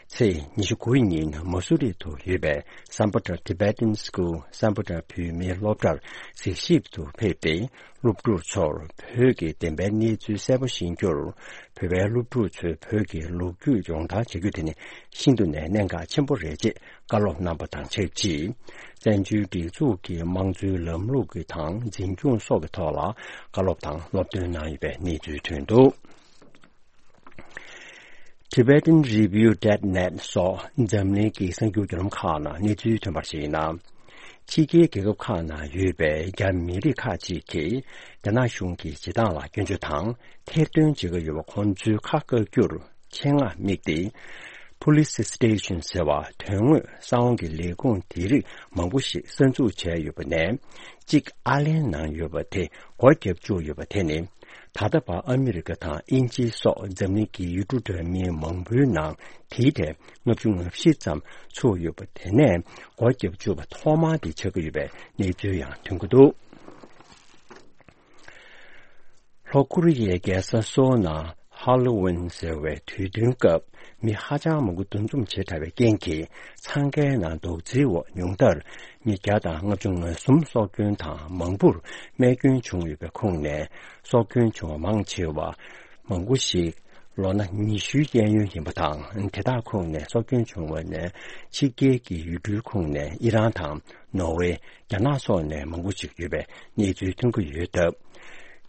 ཚེས་ཉི་ཤུ་དགུ་ཉིན་མ་སུ་རི་དུ་ཡོད་པའི་སམ་བྷོ་ཊ་Tibetan School སམ་བྷོ་ཊ་བོད་མིའི་སློབ་གྲྭར་གཟིགས་ཞིབ་ཏུ་ཕེབས་ཏེ། སློབ་ཕྲུག་ཚོར་བོད་ཀྱི་བདེན་པའི་གནས་ཚུལ་གསལ་པོ་ཤེས་རྒྱུར། བོད་པའི་སློབ་ཕྲུག་ཚོས་བོད་ཀྱི་ལོ་རྒྱུས་སྦྱོང་བརྡར་བྱ་རྒྱུ་དེ་ནི་ཤིན་ཏུ་ནས་གནད་འགག་ཆེན་པོ་རེད་ཅེས་བཀའ་སློབ་གནང་བ་དང་ཆབས་ཅིག་བཙན་བྱོལ་སྒྲིག་འཛུགས་ཀྱི་དམངས་གཙོའི་ལམ་ལུགས་ཀྱི་དང་འཛིན་སྐྱོང་སོགས་ཀྱི་ཐོག་ལ་བཀའ་སློབ་དང་སློབ་སྟོན་གནང་ཡོད་པའི་གནས་ཚུལ་ཐོན་འདུག Tibetan Review dot net སོགས་འཛམ་གླིང་གི་གསར་འགྱུར་བརྒྱུད་ལམ་ཁག་ནང་གནས་ཚུལ་ཐོན་པར་གཞིགས་ན། ཕྱི་རྒྱལ་རྒྱལ་ཁབ་ཁག་ནང་ཡོད་པའི་རྒྱ་མི་རིགས་ཁག་ཅིག་གིས་རྒྱ་ནག་གཞུང་གི་བྱེད་སྟངས་ལ་སྐྱོན་བརྗོད་དང་ཐེར་འདོན་བྱེད་ཀྱི་ཡོད་པ་ཁོང་ཚོའི་ཁ་བཀག་རྒྱུར་ཆེད་མངགས་དམིགས་ཏེ། Police Station ཟེར་བ་དོན་དངོས་གསང་བ་གི་ལས་ཁུངས་དེ་རིགས་མང་པོ་ཞིག་གསར་འཛུགས་བྱས་ཡོད་པ་ནས། གཅིག་ཨར་ལན་གནང་ཡོད་པ་དེ་སྒོ་བརྒྱབ་བཅུག་ཡོད་པ་དེ་ནི། ད་ལྟ་བར་ཨ་མི་རི་ཀ་དང་དབྱིན་ཇི་སོགས་འཛམ་གླིང་གི་ཡུལ་གྲུ་འདྲ་མིན་མང་པོའི་ནང་དེའི་ཐད་ལྔ་བཅུ་ང་བཞི་ཙམ་ཚུགས་ཡོད་པ་དེ་ནས་སྒོ་བརྒྱབ་བཅུག་པ་ཐོག་མ་དེ་ཆགས་ཀྱི་ཡོད་པའི་གནས་ཚུལ་ཡང་ཐོན་གྱི་འདུག་ལྷོ་ཀོ་རི་ཡའི་རྒྱལ་ས་སོལ་ནང་ཧ་ལོ་ཝིན་ཟེར་བའི་དུས་སྟོན་སྐབས་མི་ཧ་ཅང་མང་པོ་འདུ་འཛོམས་བྱེད་དྲགས་པའི་རྐྱེན་གྱིས་འཚང་ཁའི་ནང་རྡོག་རྫིའི་འོག་ཉུང་མཐར་མི་བརྒྱ་དང་ལྔ་བཅུ་ང་གསུམ་སྲོག་སྐྱོན་དང་མང་པོར་རྨས་སྐྱོན་བྱུང་ཡོད་པའི་ཁོངས་ནས། སྲོག་སྐྱོན་བྱུང་བ་མང་ཆེ་བ་མང་པོ་ཞིག་ལོ་ན་ཉི་ཤུའི་གཡས་གཡོན་ཡིན་པ་དང་། དེ་དག་ཁོངས་ནས་སྲོག་སྐྱོན་བྱུང་བ་ནས་ཕྱི་རྒྱལ་གྱི་ཡུལ་གྲུའི་ཁོངས་ནས་ཨི་རན་དང་ནོར་ཝེ། རྒྱ་ནག་སོགས་ནས་མང་པོ་ཞིག་ཡོད་པའི་གནས་ཚུལ་ཐོན་གྱི་ཡོད་སྟབས།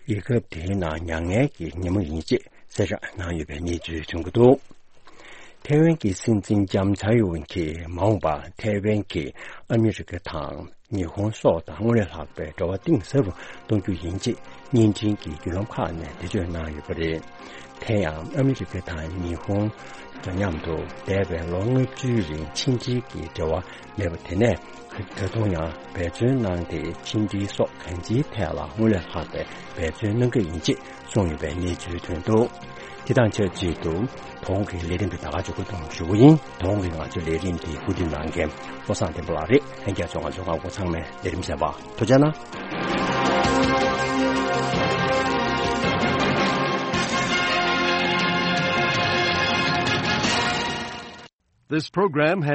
རྒྱལ་ཁབ་དེའི་ནང་མྱ་ངན་གྱི་ཉིན་མོ་ཡིན་ཅེས་ གསལ་བསྒྲགས་གནང་ཡོད་པའི་གནས་ཚུལ་ཐོན་གྱི་འདུག། ཐའེ་ཝན་གྱི་སྲིད་འཛིན་ལྕམ་ཚའེ་ཡིན་གྱིས་མ་འོངས་པར་ཐའེ་ཝན་གྱིས་ཨ་མི་རི་ཀ་དང་ཉི་ཧོང་སོགས་དང་སྔོན་ལས་ལྷག་པའི་འབྲེལ་བ་གཏིང་ཟབ་རུ་གཏོང་རྒྱུ་ཡིན་ཅེས་བརྙན་འཕྲིན་གྱི་བརྒྱུད་ལམ་ཁག་ནས་འགྲེལ་བརྗོད་གནང་ཡོད་པ་རེད། དེ་ཡང་ཨ་མི་རི་ཀ་དང་ཉི་ཧོང་འདྲ་མཉམ་དུ་འདས་པའི་ལོ་ལྔ་བཅུའི་རིང་ཕྱི་འབྲེལ་གྱི་འབྲེལ་བ་མེད་པ་དེ་ནས་ད་དུང་ཡང་འབད་བརྩོན་གནང་སྟེ་ཕྱི་འབྲེལ་སོགས་གང་ཅིའི་ཐད་ལ་སྔོན་ལས་ལྷག་པའི་འབད་བརྩོན་གནང་གི་ཡིན་ཅེས་གསུངས་ཡོད་པའི་གནས་ཚུལ་ཐོན་འདུག། དེ་དང་ཆབས་ཅིག་ཏུ་དོ་དགོང་གི་ལས་རིམ་དེ་ད་ག་ཅིག་སྐུ་གཏོང་ཞུ་གི་ཡིན། དོ་དགོང་གི་ང་ཚོའི་ལས་རིམ་དེ་གོ་སྒྲིག་གནང་མཁན་བློ་བཟང་བསྟན་པ་ལགས་རེད། ལྷན་རྒྱས་ཚོ་ང་ཚོ་ང་འགོ་ཚང་མས་ལས་རིམ་གསན་པ་ཐུགས་རྗེ་གནང་། This program has